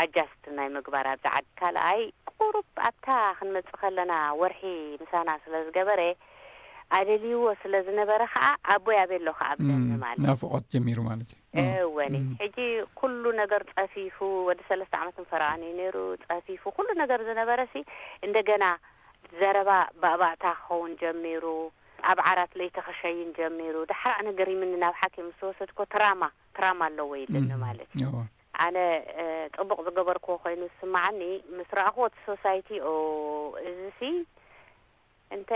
ኣጃስት ናይ ምግባር ኣብዚ ዓዲ። ካልኣይ፣ ቁሩብ ኣብታ ክንመጽእ ከለና ወርሒ ምሳና ስለ ዝገበረ፣ ኣደልይዎ ስለ ዝነበረ ኸኣ ኣቦይ ኣበይ ኣሎ ኸኣ ብለኒ እም፣ ማለት እዩ። ናፍቖት ጀሚሩ ማለት እዩ። እወኒ። እም። ሕጂ ኩሉ ነገር ጸፊፉ፣ ወዲ ሰለስተ ዓመትን ፈረቓን እዩ ነይሩ፣ ጸፊፉ ኩሉ ነገር ዝነበረሲ እንደገና ዘረባ ባእባእታ ክኸውን ጀሚሩ። ኣብ ዓራት ለይቲ ክሸይን ጀሚሩ። ዳሕራእ ነገር ይምኒ ናብ ሓኪም ምስ ወሰድኮ ትራማ፣ ትራማ ኣለዎ ኢልኒ እም፣ ማለት እዩ። እዋ። ኣነ፣ እ፣ ጽቡቕ ዝገበርክዎ ኮይኑ ዝስምዓኒ፣ ምስ ረኣኽዎ እቲ ሶሳይቲ፣ ኦ፣ እዚሲ እንተ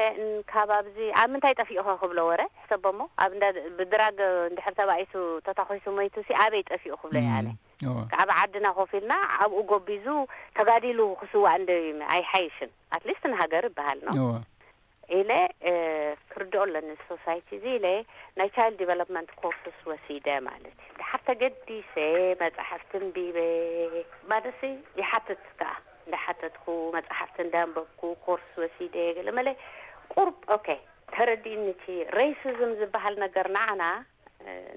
ካብ ኣብዚ ኣብ ምንታይ ጠፊኡኸ ክብሎ ወረ ሕሰቦ እሞ፣ ኣብ እንዳ ብድራግ እንድሕር ተባኢሱ ተታኺሱ ሞይቱ ሲ ኣበይ ጠፊኡ ክብሎ እየ ኣነ። ካብ ዓድና ኮፍ ኢልና ኣብኡ ጎቢዙ ተጋዲሉ ክስዋእ እንደ ኣይሓይሽን? ኣትሊስት ንሃገር ይበሃል ነው ኢለ ክርድኦ ኣለኒ። ሶሳይቲ እዚ ኢለ ናይ ቻይልድ ዲቨሎፕመንት ኮርስስ ወሲደ ማለት እዩ። ድሓር ተገዲሰ መፅሓፍቲ እንቢበ ማለትሲ ይሓትት ከዓ እንዳሓተትኩ መፅሓፍቲ እንዳንበብኩ ኮርስ ወሲደ ገለ መለ ቁርብ ኦኬ ተረዲእኒ። እቲ ሬሲዝም ዝበሃል ነገር ንዓና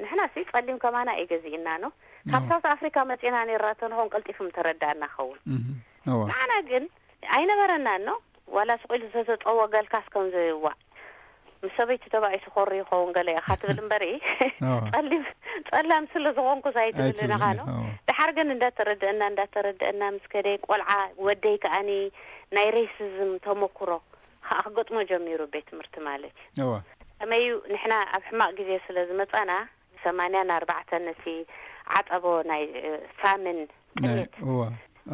ንሕና ሲ ጸሊም ከማና እዩ ገዚእና ነው። ካብ ሳውት ኣፍሪካ መጺና ነርና ተንኾን ቀልጢፉም ተረዳእና ኸውን። ንዓና ግን ኣይነበረናን ነው። ዋላ ስቕ ኢሉ ዝተጸወገልካስ ከም ዝዋዕ ምስ ሰበይቲ ተባኢሱ ኮሪ ይኸውን ገለ ኢኻ ትብል እምበሪ ጸሊም ጸላም ስለ ዝኾንኩስ ኣይትብልን ኢኻ ነው። ድሓር ግን እንዳተረደእና እንዳተረደእና ምስ ከደ ቆልዓ ወደይ ከኣኒ ናይ ሬሲዝም ተመኩሮ ከዓ ክገጥሞ ጀሚሩ ቤት ትምህርቲ ማለት እዩ። ከመዩ ንሕና ኣብ ሕማቕ ግዜ ስለ ዝመጻና ሰማንያን ኣርባዕተን ነቲ ዓጸቦ ናይ ፋምን ጥሜት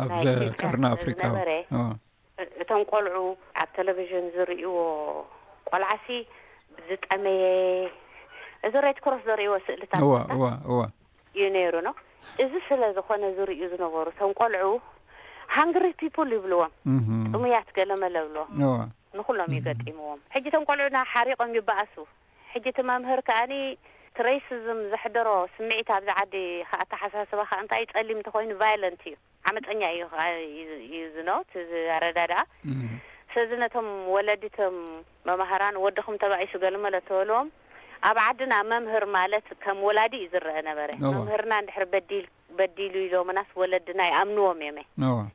ኣብ ቀርኒ ኣፍሪቃ ዝነበረ እቶም ቆልዑ ኣብ ቴሌቪዥን ዝርእይዎ ቆልዓሲ ዝጠመየ እዚ ሬድ ክሮስ ዘርእይዎ ስእልታት እዩ ነይሩ ነው። እዚ ስለ ዝኾነ ዝርእዩ ዝነበሩ እቶም ቆልዑ ሃንግሪ ፒፕል ይብልዎም፣ ጥሙያት ገለመለ ብልዎም። ንኩሎም እዩ ገጢምዎም። ሕጂ እቶም ቆልዑና ሓሪቖም ይበኣሱ። ሕጂ እቲ መምህር ከኣኒ እቲ ሬሲዝም ዘሕደሮ ስምዒት ኣብዚ ዓዲ ኣተሓሳስባ ከዓ እንታይ ጸሊም እንተኮይኑ ቫይለንት እዩ፣ ዓመፀኛ እዩ እዩ ዝኖት እዚ ኣረዳድኣ። ስለዚ ነቶም ወለዲቶም መማህራን ወድኹም ተባኢሱ ገለመለ ተበልዎም ኣብ ዓድና መምህር ማለት ከም ወላዲ እዩ ዝረአ ነበረ። መምህርና እንድሕር በዲል በዲሉ ኢሎምናስ ወለድና ይኣምንዎም እዮም።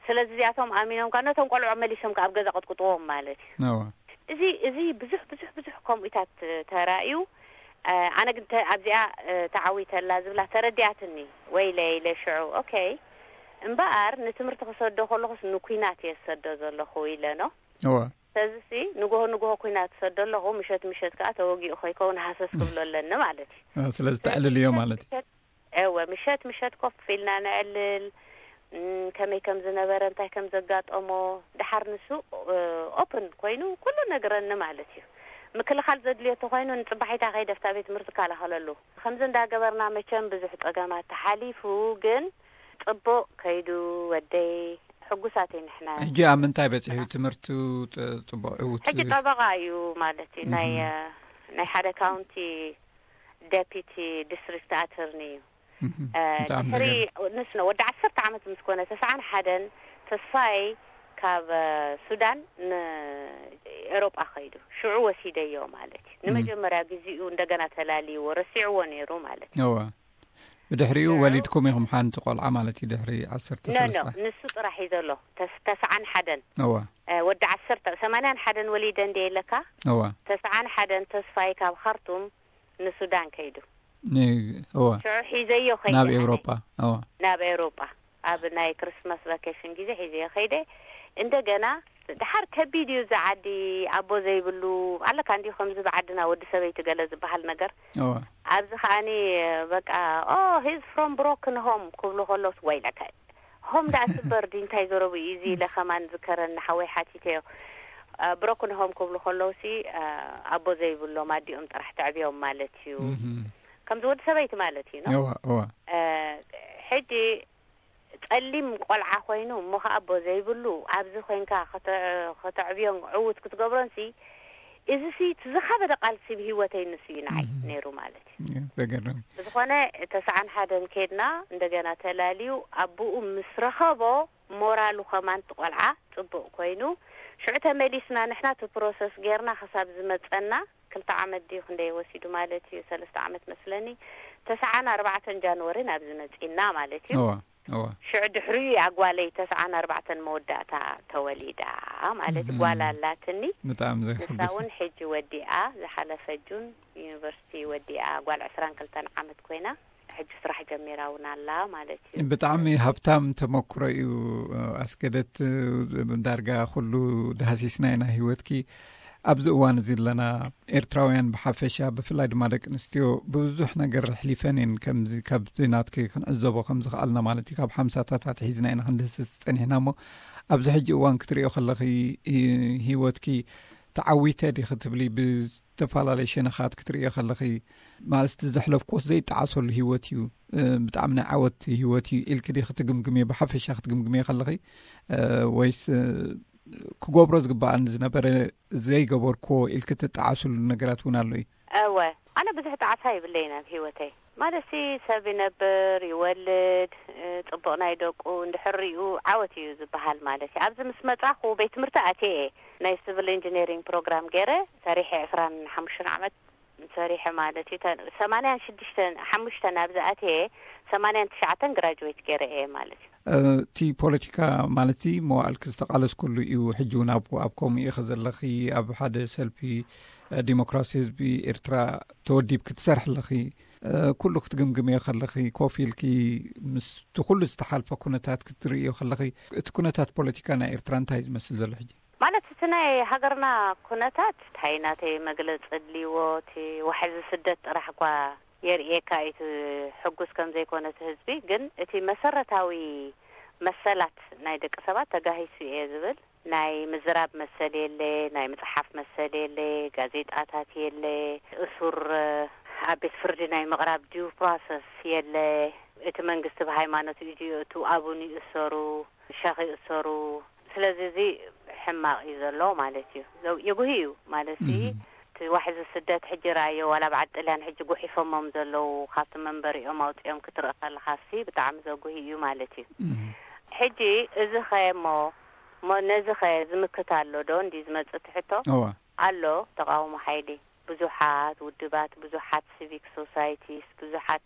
ስለዚ እዚኣቶም ኣሚኖም ከዓ ነቶም ቆልዑ መሊሶም ከዓ ኣብ ገዛ ቅጥቅጥዎም ማለት እዩ። እዚ እዚ ብዙሕ ብዙሕ ብዙሕ ከምኡታት ተራእዩ። ኣነ ግን ኣብዚኣ ተዓዊተላ ዝብላ ተረዲኣትኒ። ወይለ ኢለ ሽዑ ኦኬ እምበኣር ንትምህርቲ ክሰዶ ከለኹስ ንኩናት እየ ዝሰዶ ዘለኹ ኢለ ነው። ስለዚሲ ንግሆ ንግሆ ኩናት ዝሰዶ ኣለኹ፣ ምሸት ምሸት ከዓ ተወጊኡ ከይከውን ሃሰስ ክብሎ ኣለኒ ማለት እዩ። ስለዚ ተዕልልዮ ማለት እዩ። እወ ምሸት ምሸት ኮፍ ኢልና ነዕልል፣ ከመይ ከም ዝነበረ እንታይ ከም ዘጋጠሞ። ድሓር ንሱ ኦፕን ኮይኑ ኩሉ ነግረኒ ማለት እዩ። ምክልኻል ዘድልዮ ተኮይኑ ንፅባሒታ ከይደ ኣብታ ቤት ትምህርቲ እከላኸለሉ። ከምዚ እንዳገበርና መቸም ብዙሕ ፀገማት ተሓሊፉ ግን ፅቡቕ ከይዱ ወደይ ሕጉሳት ንሕና። ሕጂ ኣብ ምንታይ በፂሑ ትምህርቱ? ፅቡቕ ዕውት ሕጂ ጠበቓ እዩ ማለት እዩ። ናይ ናይ ሓደ ካውንቲ ዴፒቲ ዲስትሪክት ኣተርኒ እዩ። ድሕሪ ንስ ነው ወዲ ዓሰርተ ዓመት ምስ ኮነ ተስዓን ሓደን ተስፋይ ካብ ሱዳን ንኤሮጳ ከይዱ ሽዑ ወሲደዮ ማለት እዩ። ንመጀመርያ ግዜኡ እንደገና ተላልይዎ ረሲዕዎ ነይሩ ማለት እዩ። እዋ ብድሕሪኡ ወሊድኩም ኢኹም ሓንቲ ቆልዓ ማለት እዩ። ድሕሪ ዓሰርተ ሰለስተ ንሱ ጥራሕ እዩ ዘሎ። ተስዓን ሓደን እዋ ወዲ ዓሰርተ ሰማንያን ሓደን ወሊደ እንደ የለካ እዋ ተስዓን ሓደን ተስፋይ ካብ ካርቱም ንሱዳን ከይዱ። እዋ ሽዑ ሒዘዮ ከይደ ናብ ኣነ። ኤውሮጳ። እዋ ናብ ኤውሮጳ ኣብ ናይ ክርስማስ ቫኬሽን ግዜ ሒዘዮ ከይደ። እንደገና ድሓር ከቢድ እዩ እዚ ዓዲ፣ ኣቦ ዘይብሉ ኣለካ እንዲዩ። ከምዚ ብዓድና ወዲ ሰበይቲ ገለ ዝበሃል ነገር። እዋ ኣብዚ ከኣኒ በቃ ኦ ሂዝ ፍሮም ብሮክን ሆም ክብሉ ከለውስ ወይለካ ሆም ደኣ ስበር ድዩ እንታይ ዘረቡ እዩ እዚ ኢለ ከማን ዝከረኒ ሓወይ ሓቲተዮ። ብሮክን ሆም ክብሉ ከለውሲ ኣቦ ዘይብሎም ኣዲኦም ጥራሕ ተዕብዮም ማለት እዩ። ከምዚ ወዲ ሰበይቲ ማለት እዩ ነው። ሕጂ ጸሊም ቆልዓ ኮይኑ እሞ ከኣ ኣቦ ዘይብሉ ኣብዚ ኮይንካ ከተዕብዮን ዕውት ክትገብሮንሲ እዚሲ እቲ ዝኸበደ ቃልሲ ብህይወተይ ንሱ እዩ ንዓይ ነይሩ ማለት እዩ። ብዝኾነ ተስዓን ሓደን ከድና እንደገና ተላልዩ ኣቦኡ ምስ ረኸቦ ሞራሉ ከማን እቲ ቆልዓ ጽቡቕ ኮይኑ ሽዑ ተመሊስና ንሕና እቲ ፕሮሰስ ጌርና ክሳብ ዝመጸና ክልተ ዓመት ድዩ ክንደይ ወሲዱ ማለት እዩ ሰለስተ ዓመት መስለኒ። ተስዓን ኣርባዕተን ጃንወሪ ናብዚ መጺና ማለት እዩ። ሽዑ ድሕሪኡ እያ ጓለይ ተስዓን ኣርባዕተን መወዳእታ ተወሊዳ ማለት ጓል ኣላትኒ። ብጣዕሚ ዘሕጉስ። ንሳ እውን ሕጂ ወዲኣ ዝሓለፈ ጁን ዩኒቨርሲቲ ወዲኣ ጓል ዕስራን ክልተን ዓመት ኮይና ሕጂ ስራሕ ጀሚራ እውን ኣላ ማለት እዩ። ብጣዕሚ ሃብታም ተመክሮ እዩ ኣስገደት። ዳርጋ ኩሉ ዳህሲስና ኢና ህይወትኪ። ኣብዚ እዋን እዚ ኣለና ኤርትራውያን ብሓፈሻ ብፍላይ ድማ ደቂ ኣንስትዮ ብዙሕ ነገር ኣሕሊፈን እየን። ከምዚ ካብዚ ናትኪ ክንዕዘቦ ከም ዝኸኣልና ማለት እዩ ካብ ሓምሳታት ኣትሒዝና ኢና ክንድህስስ ጸኒሕና እሞ ኣብዚ ሕጂ እዋን ክትሪኦ ከለኺ ህይወትኪ ተዓዊተ ዲኺ ትብሊ? ብዝተፈላለየ ሸነኻት ክትርእዮ ከለኺ፣ ማለት፣ እቲ ዘሕለፍኩዎስ ዘይጠዓሰሉ ህይወት እዩ፣ እ፣ ብጣዕሚ ናይ ዓወት ህይወት እዩ ኢልኪ ዲኺ ትግምግምዮ? ብሓፈሻ ክትግምግምዮ ከለኺ፣ እ፣ ወይስ፣ እ፣ ክገብሮ ዝግባኣኒ ዝነበረ ዘይገበርኩዎ ኢልኪ ትጠዓስሉ ነገራት እውን ኣሎ እዩ? እወ፣ ኣነ ብዙሕ ጣዕሳ የብለይን ኣብ ህይወተይ። ማለትሲ፣ ሰብ ይነብር፣ ይወልድ፣ እ፣ ጽቡቕ ናይ ደቁ እንድሕር ሪኡ ዓወት እዩ ዝበሃል ማለት እዩ። ኣብዚ ምስ መጻኹ ቤት ትምህርቲ ኣትየ እየ። ናይ ሲቪል ኢንጂነሪንግ ፕሮግራም ገይረ ሰሪሐ ዕስራን ሓሙሽተን ዓመት ሰሪሐ ማለት እዩ። ተ-፣ ሰማንያን ሽዱሽተን፣ ሓሙሽተ ናብዚ ኣትየ፣ ሰማንያን ትሽዓተን ግራጁዌት ገይረ እየ ማለት እዩ። እ፣ እቲ ፖለቲካ ማለት እዚ መዋእልኪ ዝተቓለስኩሉ እዩ። ሕጂ እውን ኣብ፣ ኣብ ከምኡ ኢኺ ዘለኺ፣ ኣብ ሓደ ሰልፊ፣ እ፣ ዲሞክራሲ ህዝቢ ኤርትራ ተወዲብኪ ትሰርሒ ኣለኺ። እ፣ ኩሉ ክትግምግምዮ ከለኺ፣ ኮፍ ኢልኪ ምስቲ ኩሉ ዝተሓልፈ ኩነታት ክትርእዮ ከለኺ፣ እቲ ኩነታት ፖለቲካ ናይ ኤርትራ እንታይ እዩ ዝመስል ዘሎ ሕጂ? ማለት፣ እቲ ናይ ሃገርና ኩነታት እንታይ ናተይ መግለጺ ኣድልይዎ፣ እቲ ዋሕዚ ስደት ጥራሕ እኳ የርእየካ እዩ፣ እቲ ሕጉስ ከም ዘይኮነ እቲ ህዝቢ። ግን እቲ መሰረታዊ መሰላት ናይ ደቂ ሰባት ተጋሂሱ እየ ዝብል። ናይ ምዝራብ መሰል የለ፣ ናይ ምጽሓፍ መሰል የለ፣ ጋዜጣታት የለ፣ እሱር ኣብ ቤት ፍርዲ ናይ ምቕራብ ዲዩ ፕሮሰስ የለ። እቲ መንግስቲ ብሃይማኖት እዩ ድዩ፣ እቱ ኣቡን ይእሰሩ፣ ሸኽ ይእሰሩ። ስለዚ እዚ ሕማቕ እዩ ዘሎ ማለት እዩ። ዘው-፣ የጉሂ እዩ ማለት እዩ። እቲ ዋሕዚ ስደት ሕጂ ረኣዮ፣ ዋላ በዓል ጥልያን ሕጂ ጉሒፎሞም ዘለዉ፣ ካብቲ መንበሪኦም ኣውፂኦም ክትርኢ ከለኻሲ ብጣዕሚ ዘጉሂ እዩ ማለት እዩ። ሕጂ እዚ ኸ እሞ፣ እሞ ነዚ ኸ ዝምክት ኣሎ ዶ? እንዲ ዝመጽእ ትሕቶ እዋ። ኣሎ። ተቃውሞ ሓይሊ፣ ብዙሓት ውድባት፣ ብዙሓት ሲቪክ ሶሳይቲስ፣ ብዙሓት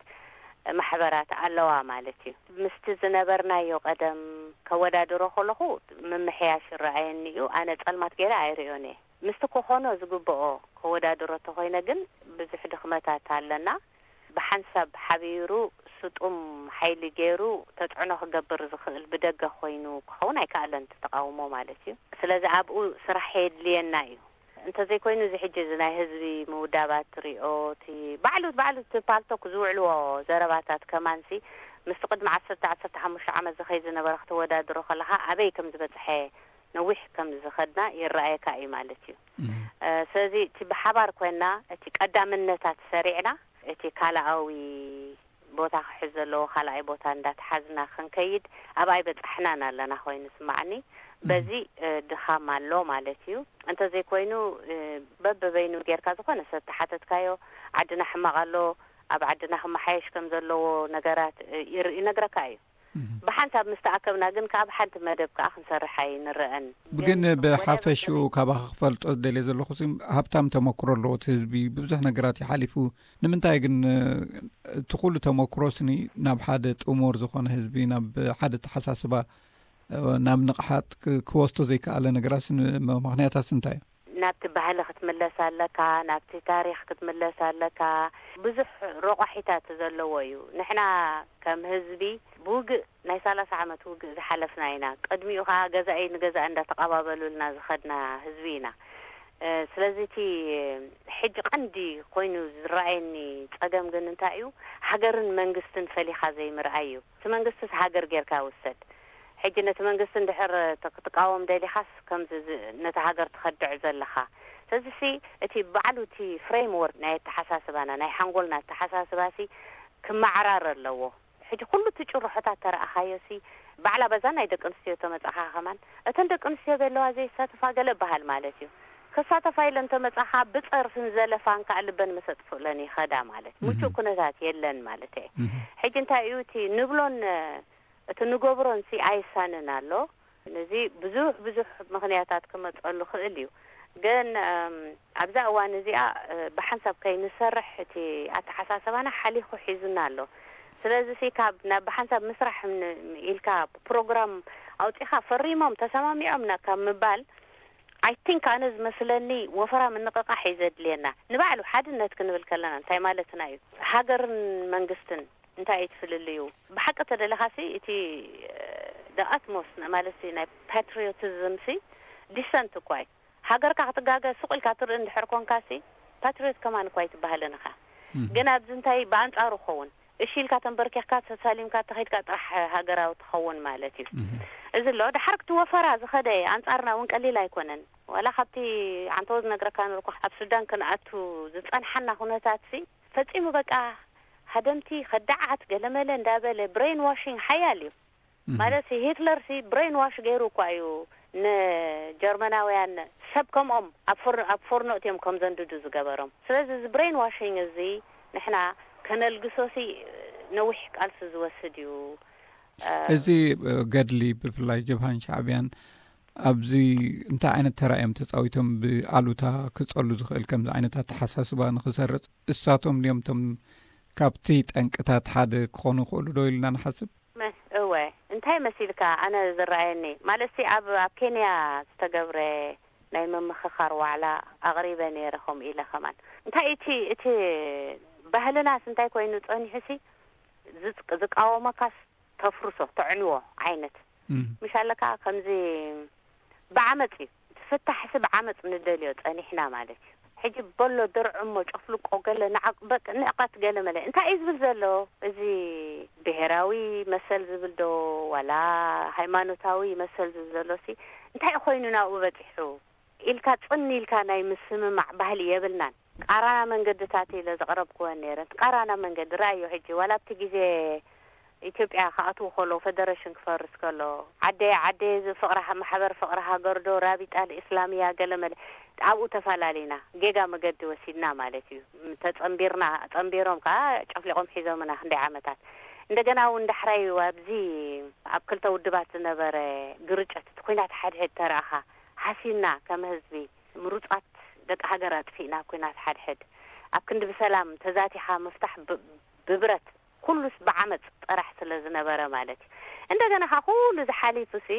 ማሕበራት ኣለዋ ማለት እዩ። ምስቲ ዝነበርናዮ ቀደም ከወዳድሮ ከለኹ ምምሕያሽ ይረኣየኒ እዩ። ኣነ ጸልማት ገይረ ኣይርእዮን እየ። ምስቲ ክኾኖ ዝግብኦ ከወዳድሮ ተኾይነ ግን ብዙሕ ድኽመታት ኣለና። ብሓንሳብ ሓቢሩ ስጡም ሓይሊ ገይሩ ተጽዕኖ ክገብር ዝኽእል ብደገ ኮይኑ ክኸውን ኣይከኣለን፣ እቲ ተቃውሞ ማለት እዩ። ስለዚ ኣብኡ ስራሕ የድልየና እዩ። እንተዘይኮይኑ እዚ ሕጂ እዚ ናይ ህዝቢ ምውዳባት ትሪኦ፣ እቲ ባዕሉ፣ ባዕሉ እቲ ፓልቶክ ዝውዕልዎ ዘረባታት ከማንሲ ምስቲ ቅድሚ ዓሰርተ፣ ዓሰርተ ሓሙሽተ ዓመት ዝኸይድ ዝነበረ ክተወዳድሮ ከለኻ ኣበይ ከም ዝበጽሐ፣ ነዊሕ ከም ዝኸድና ይረኣየካ እዩ ማለት እዩ። እም። እ፣ ስለዚ እቲ ብሓባር ኮይና እቲ ቀዳምነታት ሰሪዕና እቲ ካልኣዊ ቦታ ክሕዝ ዘለዎ ካልኣይ ቦታ እንዳተሓዝና ክንከይድ ኣብኣ ኣይበጻሕናን ኣለና ኮይኑ ስማዓኒ። እም። በዚ፣ እ፣ ድኻም ኣሎ ማለት እዩ። እንተዘይኮይኑ፣ እ፣ በበበይኑ ጌርካ ዝኾነ ሰብ ተሓተትካዮ፣ ዓድና ሕማቕ ኣሎ፣ ኣብ ዓድና ክመሓየሽ ከም ዘለዎ ነገራት፣ እ፣ ይር-፣ ይነግረካ እዩ። እም። ብሓንሳብ ምስ ተኣከብና ግን ካብ ሓንቲ መደብ ከኣ ክንሰርሕ ኣይንረአን። ግን ግን ብሓፈሽኡ ወደብ ካባኻ ክፈልጦ ዝደልየ ዘለኹ ሲ፣ ሃብታም ተመክሮ ኣለዎ እቲ ህዝቢ፣ ብዙሕ ነገራት ይሓሊፉ። ንምንታይ ግን፣ እ፣ እቲ ኩሉ ተመክሮ ስኒ ናብ ሓደ ጥሙር ዝኾነ ህዝቢ፣ ናብ ሓደ ተሓሳስባ፣ እ፣ ናብ ንቕሓት ክ-፣ ክወስዶ ዘይከኣለ ነገራት ስኒ፣ ም-፣ ምኽንያታት እንታይ እዩ? ናብቲ ባህሊ ክትምለስ ኣለካ፣ ናብቲ ታሪኽ ክትምለስ ኣለካ። ብዙሕ ረቋሒታት ዘለዎ እዩ። ንሕና ከም ህዝቢ ብውግእ፣ ናይ ሰላሳ ዓመት ውግእ ዝሓለፍና ኢና። ቅድሚኡ ኸዓ ገዛኢ ንገዛኢ እንዳተቐባበሉልና ዝኸድና ህዝቢ ኢና። እ፣ ስለዚ እቲ ሕጂ ቀንዲ ኮይኑ ዝረኣየኒ ጸገም ግን እንታይ እዩ? ሃገርን መንግስትን ፈሊኻ ዘይምርኣይ እዩ። እቲ መንግስትስ ሃገር ጌርካ ውሰድ። ሕጂ ነቲ መንግስቲ እንድሕር ት-፣ ክትቃወም ደሊኻስ ከምዚ ዝ-፣ ነቲ ሃገር ትኸድዕ ዘለኻ። ስለዚሲ እቲ ባዕሉ እቲ ፍሬምወርክ ናይ ኣተሓሳስባና፣ ናይ ሓንጎልና ኣተሓሳስባሲ ክመዓራር ኣለዎ። ሕጂ ኩሉ እቲ ጭርሖታት ተረኣኻዮሲ፣ ባዕላ በዛ ናይ ደቂ ኣንስትዮ ተመጻኻ ከማን፣ እተን ደቂ ኣንስትዮ ዘለዋ ዘይሳተፋ ገለ በሃል ማለት እዩ። ክሳተፋ ኢለን ተመጻኻ ብጸርፍን ዘለፋን ከኣ ልበን መሰጥፍለን ይኸዳ ማለት። ምቹእ እህ። ኩነታት የለን ማለት እየ። እህ። ሕጂ እንታይ እዩ እቲ ንብሎን እቲ ንገብሮንሲ ኣይሳንን ኣሎ። ነዚ ብዙሕ፣ ብዙሕ ምኽንያታት ክመጸሉ ክእል እዩ። ግን፣ እም፣ ኣብዛ እዋን እዚኣ፣ እ፣ ብሓንሳብ ከይንሰርሕ እቲ ኣተሓሳሰባና ሓሊኹ ሒዙና ኣሎ። ስለዚሲ ካብ ናብ ብሓንሳብ ምስራሕ ን-፣ ኢልካ ፕሮግራም ኣውጺኻ ፈሪሞም ተሰማሚዖም ና-፣ ካብ ምባል፣ I think ኣነ ዝመስለኒ ወፈራ ምንቕቓሕ እዩ ዘድልየና። ንባዕሉ ሓድነት ክንብል ከለና እንታይ ማለትና እዩ? ሃገርን መንግስትን እንታይ እዩ እቲ ፍልልዩ? ብሓቂ ተደሊኻሲ እቲ፣ እ፣ the utmost ን-፣ ማለትሲ ናይ ፓትሪዮቲዝም ሲ ዲሰንት እኳ እዩ። ሃገርካ ክትጋገ ሱቕ ኢልካ ትርኢ እንድሕር ኮንካሲ ፓትሪዮት ከማን እኳ ኣይትበሃልን ኢኻ። እም። ግን ኣብዚ እንታይ ብኣንጻሩ ክኸውን? እሺ ኢልካ ተንበርኪኽካ ተሳሊምካ ተኸይድካ ጥራሕ ሃገራዊ ትኸውን ማለት እዩ። እም። እዚ ኣሎ። ድሓር እቲ ወፈራ ዝኸደ ኣንጻርና እውን ቀሊል ኣይኮነን። ዋላ ካብቲ ዓንተዎ ዝነግረካ ነበርኩ፣ ኣብ ሱዳን ክንኣቱ ዝጸንሓና ኩነታት ሲ ፈጺሙ በቃ ሃደምቲ፣ ከዳዓት፣ ገለመለ እንዳበለ ብሬን ዋሽንግ ሓያል እዩ። ማለት ሲ ሂትለር ሲ ብሬን ዋሽ ገይሩ እኳ እዩ ንጀርመናውያን ሰብ ከምኦም ኣብ ፍር-፣ ኣብ ፎርኖ እትዮም ከም ዘንድዱ ዝገበሮም። ስለዚ እዚ ብሬን ዋሽንግ እዚ ንሕና ከነልግሶ ሲ ነዊሕ ቃልሲ ዝወስድ እዩ። እ፣ እዚ ገድሊ ብፍላይ ጀብሃን ሻዕብያን ኣብዚ እንታይ ዓይነት ተራ እዮም ተጻዊቶም? ብኣሉታ ክጸሉ ዝኽእል ከምዚ ዓይነት ኣተሓሳስባ ንኽሰርጽ እሳቶም ድዮም እቶም ካብቲ ጠንቅታት ሓደ ክኾኑ ይኽእሉ ዶ ኢልና ንሓስብ? መ-፣ እወ፣ እንታይ መሲልካ? ኣነ ዝረኣየኒ ማለት ሲ ኣብ ኣብ ኬንያ ዝተገብረ ናይ ምምኽኻር ዋዕላ ኣቕሪበ ነይረ። ከምኡ ኢለ ከማን እንታይ እቲ እቲ ባህልናስ እንታይ ኮይኑ ጸኒሑ ሲ ዝጽ-፣ ዝቃወመካስ ተፍርሶ፣ ተዕንዎ ዓይነት ምሽ ኣለካ። ከምዚ ብዓመፅ እዩ ትፍታሕሲ ብዓመፅ ንደልዮ ፀኒሕና ማለት እዩ። ሕጂ በሎ ድርዕሞ ጨፍልቆ ገለ ንዓቅ-፣ በቅ-፣ ንዕቀት ገለ መለ እንታይ እዩ ዝብል ዘሎ? እዚ ብሄራዊ መሰል ዝብል ዶ ዋላ ሃይማኖታዊ መሰል ዝብል ዘሎ ሲ እንታይ ኮይኑ ናብኡ በፂሑ ኢልካ ፅን ኢልካ ናይ ምስምማዕ ባህሊ የብልናን። ቃራና መንገድታት ኢለ ዘቕረብክወን ነይረን። ቃራና መንገዲ ረኣዮ። ሕጂ ዋላ ኣብቲ ግዜ ኢትዮጵያ ክኣትዉ ከለዉ፣ ፈደረሽን ክፈርስ ከሎ፣ ዓደየ ዓደየ፣ እዚ ፍቕሪ ሃ-፣ ማሕበር ፍቕሪ ሃገር ዶ ራቢጣ ልእስላምያ ገለ መለ፣ ኣብኡ ተፈላለዩና። ጌጋ መገዲ ወሲድና ማለት እዩ። ተጸንቢርና፣ ጸንቢሮም ከኣ ጨፍሊቖም ሒዞምና ክንደይ ዓመታት። እንደገና እውን ዳሕራይ ኣብዚ ኣብ ክልተ ውድባት ዝነበረ ግርጨት፣ እቲ ኲናት ሓድሕድ ተረኣኻ፣ ሃሲና ከም ህዝቢ፣ ምሩጻት ደቂ ሃገር ኣጥፊእና ኣብ ኲናት ሓድሕድ፣ ኣብ ክንዲ ብሰላም ተዛቲኻ ምፍታሕ ብ-፣ ብብረት፣ ኩሉስ ብዓመጽ ጥራሕ ስለ ዝነበረ ማለት እዩ። እንደገና ከኣ ኩሉ ዝሓሊፉ ሲ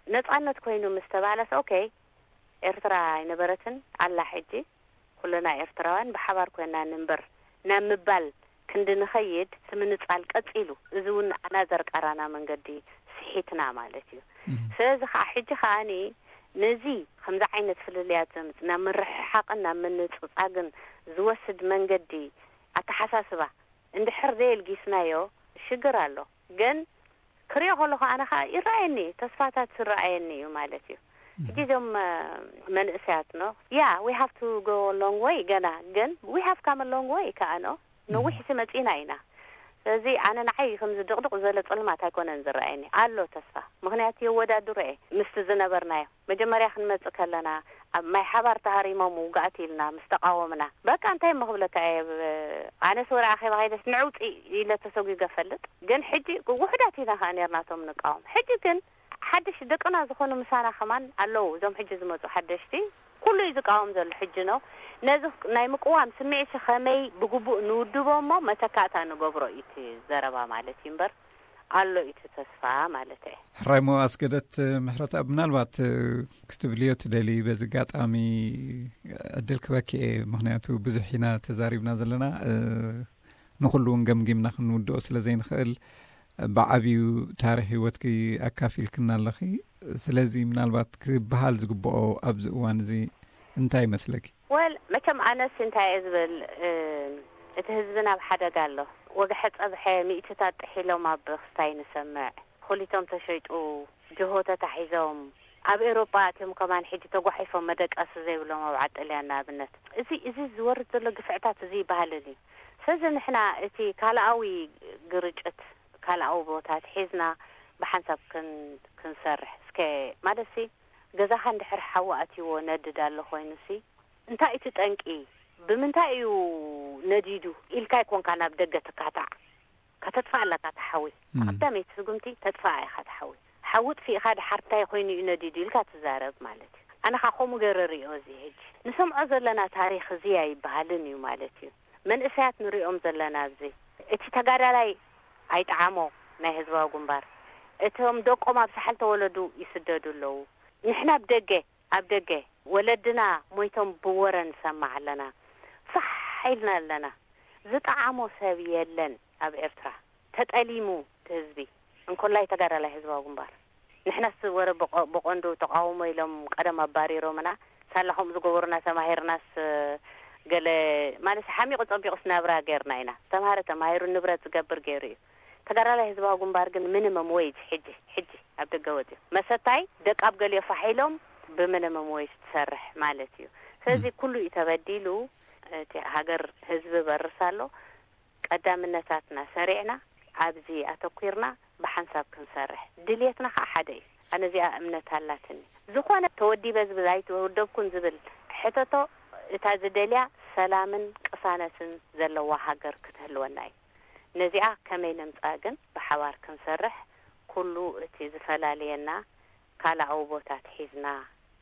ነጻነት ኮይኑ ምስ ተባለስ፣ ኦኬ፣ ኤርትራ ኣይነበረትን ኣላ። ሕጂ ኩልና ኤርትራውያን ብሓባር ኮይና ንንበር ናብ ምባል ክንዲ ንኸይድ ስምንጻል ቀጺሉ። እዚ እውን ኣናዘር ቃራና መንገዲ ስሒትና ማለት እዩ። ስለዚ ከዓ ሕጂ ከኣኒ ነዚ ከምዚ ዓይነት ፍልልያት ዘምጽእ ናብ ምርሕሓቕን ናብ ምንጽጻግን ዝወስድ መንገዲ ኣተሓሳስባ እንድሕር ዘየልጊስናዮ ሽግር ኣሎ። ግን ክሪኦ ከለኹ ኣነ ከዓ ይረኣየኒ፣ ተስፋታት ዝረኣየኒ እዩ ማለት እዩ። ሕጂ እዞም እ፣ መንእሰያት ኖ ያ we have to go a long way፣ ገና ግን we have come a long way ከዓ ኖ ነዊሕ ሲ መጺና ኢና። ስለዚ ኣነ ንዓይ ከምዚ ድቕድቕ ዝበለ ጸልማት ኣይኮነን ዝረኣየኒ፣ ኣሎ ተስፋ። ምኽንያቱ የወዳድሮ እየ ምስቲ ዝነበርናዮ። መጀመርያ ክንመጽእ ከለና ኣብ ማይ ሓባር ተሃሪሞም ውግኣት ኢልና ምስ ተቃወምና፣ በቃ እንታይ እሞ ክብለካ እየ፣ ብ-፣ ኣነስ ወረ ኣኼባ ከይደስ ንዕውጺ ኢለ ተሰጒገ ፈልጥ። ግን ሕጂ ውሑዳት ኢና ከኣ ነርና እቶም ንቃወም። ሕጂ ግን ሓድሽ ደቅና ዝኾኑ ምሳና ከማን ኣለዉ፣ እዞም ሕጂ ዝመጹ ሓደሽቲ። ኩሉ እዩ ዝቃወም ዘሎ ሕጂ ነው። ነዚ ናይ ምቅዋም ስምዒት ከመይ ብግቡእ ንውድቦ እሞ መተካእታ ንገብሮ እዩ እቲ ዘረባ ማለት እዩ እምበር፣ ኣሎ እዩ እቲ ተስፋ ማለት እየ። ሕራይ ሞ ኣስገደት ምሕረት ኣብ ምናልባት ክትብልዮ ትደሊ በዚ ኣጋጣሚ ዕድል ክበኪ እየ፣ ምኽንያቱ ብዙሕ ኢና ተዛሪብና ዘለና። ንኹሉ እውን ገምጊምና ክንውድኦ ስለ ዘይንኽእል፣ ብዓብዩ ታሪኽ ህይወትኪ ኣካፊልክና ኣለኺ። ስለዚ ምናልባት ክበሃል ዝግብኦ ኣብዚ እዋን እዚ እንታይ ይመስለኪ? ወል መቸም ኣነስ እንታይ እየ ዝብል፣ እቲ ህዝቢ ናብ ሓደጋ ኣሎ። ወግሐ ጸብሐ ሚእትታት ጥሒሎም ኣብ ክስታይ ንሰምዕ። ኹሊቶም ተሸይጡ፣ ጅሆ ተታሒዞም፣ ኣብ ኤውሮጳ ኣትዮም ከማን ሕጂ ተጓሒፎም መደቀሲ ዘይብሎም ኣብ ዓጥልያን ንኣብነት። እዚ፣ እዚ ዝወርድ ዘሎ ግፍዕታት እዚ ይበሃልን እዩ። ስለዚ ንሕና እቲ ካልኣዊ ግርጭት፣ ካልኣዊ ቦታት ሒዝና ብሓንሳብ ክን-፣ ክንሰርሕ እስከ፣ ማለትሲ ገዛኻ እንድሕር ሓዊ ኣትይዎ ነድድ ኣሎ ኮይኑሲ፣ እንታይ እቲ ጠንቂ? ብምንታይ እዩ ነዲዱ ኢልካ ኣይኮንካ ናብ ደገ ትካታዕ። ከተጥፋእ ኣለካ እቲ ሓዊ። ቀዳመይቲ ስጉምቲ ተጥፋእ ኢኻ እቲ ሓዊ። ሓዊ ጥፊእኻ ድሓር እንታይ ኮይኑ እዩ ነዲዱ ኢልካ ትዛረብ ማለት እዩ። ኣነ ኸዓ ከምኡ ገይረ ርእዮ እዚ ሕጂ ንሰምዖ ዘለና ታሪኽ እዚ ኣይበሃልን እዩ ማለት እዩ። መንእሰያት ንሪኦም ዘለና ኣብዚ እቲ ተጋዳላይ ኣይጠዓሞ ናይ ህዝባዊ ግንባር። እቶም ደቆም ኣብ ሳሕል ተወለዱ ይስደዱ ኣለዉ። ንሕና ኣብ ደገ ኣብ ደገ ወለድና ሞይቶም ብወረ ንሰማዕ ኣለና። ፋሕ ኢልና ኣለና። ዝጠዓሞ ሰብ የለን ኣብ ኤርትራ። ተጠሊሙ እቲ ህዝቢ። እንኮላይ ተጋዳላይ ህዝባዊ ግንባር። ንሕናስ ወረ ብቐ-፣ ብቐንዱ ተቃውሞ ኢሎም ቀደም ኣባሪሮምና። ሳላ ከምኡ ዝገበሩና ተማሂርናስ ገለ ማለት ሓሚቑ ጸቢቑስ ናብራ ጌርና ኢና። ተማሃረ ተማሂሩ ንብረት ዝገብር ገይሩ እዩ። ተጋዳላይ ህዝባዊ ግንባር ግን ሚኒመም ዌጅ ሕጂ፣ ሕጂ ኣብ ደገ ወጺኡ። መሰታይ ደቃብ ገሊኦ ፋሕ ኢሎም ብሚኒመም ዌጅ ትሰርሕ ማለት እዩ። ስለዚ ኩሉ እዩ ተበዲሉ። እቲ ሃገር ህዝቢ በርስ ኣሎ። ቀዳምነታትና ሰሪዕና ኣብዚ ኣተኲርና ብሓንሳብ ክንሰርሕ ድልየትና ከዓ ሓደ እዩ። ኣነ እዚኣ እምነት ኣላትኒ። ዝኾነ ተወዲበ ዝብል ኣይተወደብኩን ዝብል ሕተቶ፣ እታ ዝደልያ ሰላምን ቅሳነትን ዘለዋ ሃገር ክትህልወና እዩ። ነዚኣ ከመይ ነምፃ ግን ብሓባር ክንሰርሕ፣ ኩሉ እቲ ዝፈላልየና ካልኣዊ ቦታት ሒዝና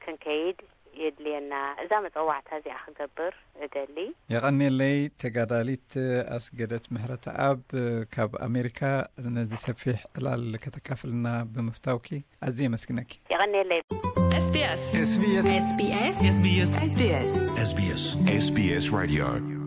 ክንከይድ የድልየና። እዛ መፀዋዕታ እዚኣ ክገብር እደሊ። የቐኔለይ። ተጋዳሊት ኣስገደት ምሕረተኣብ ካብ ኣሜሪካ ነዚ ሰፊሕ ዕላል ከተካፍልና ብምፍታውኪ ኣዝየ የመስግነኪ። የቐኔለይ። SBS SBS SBS SBS SBS SBS Radio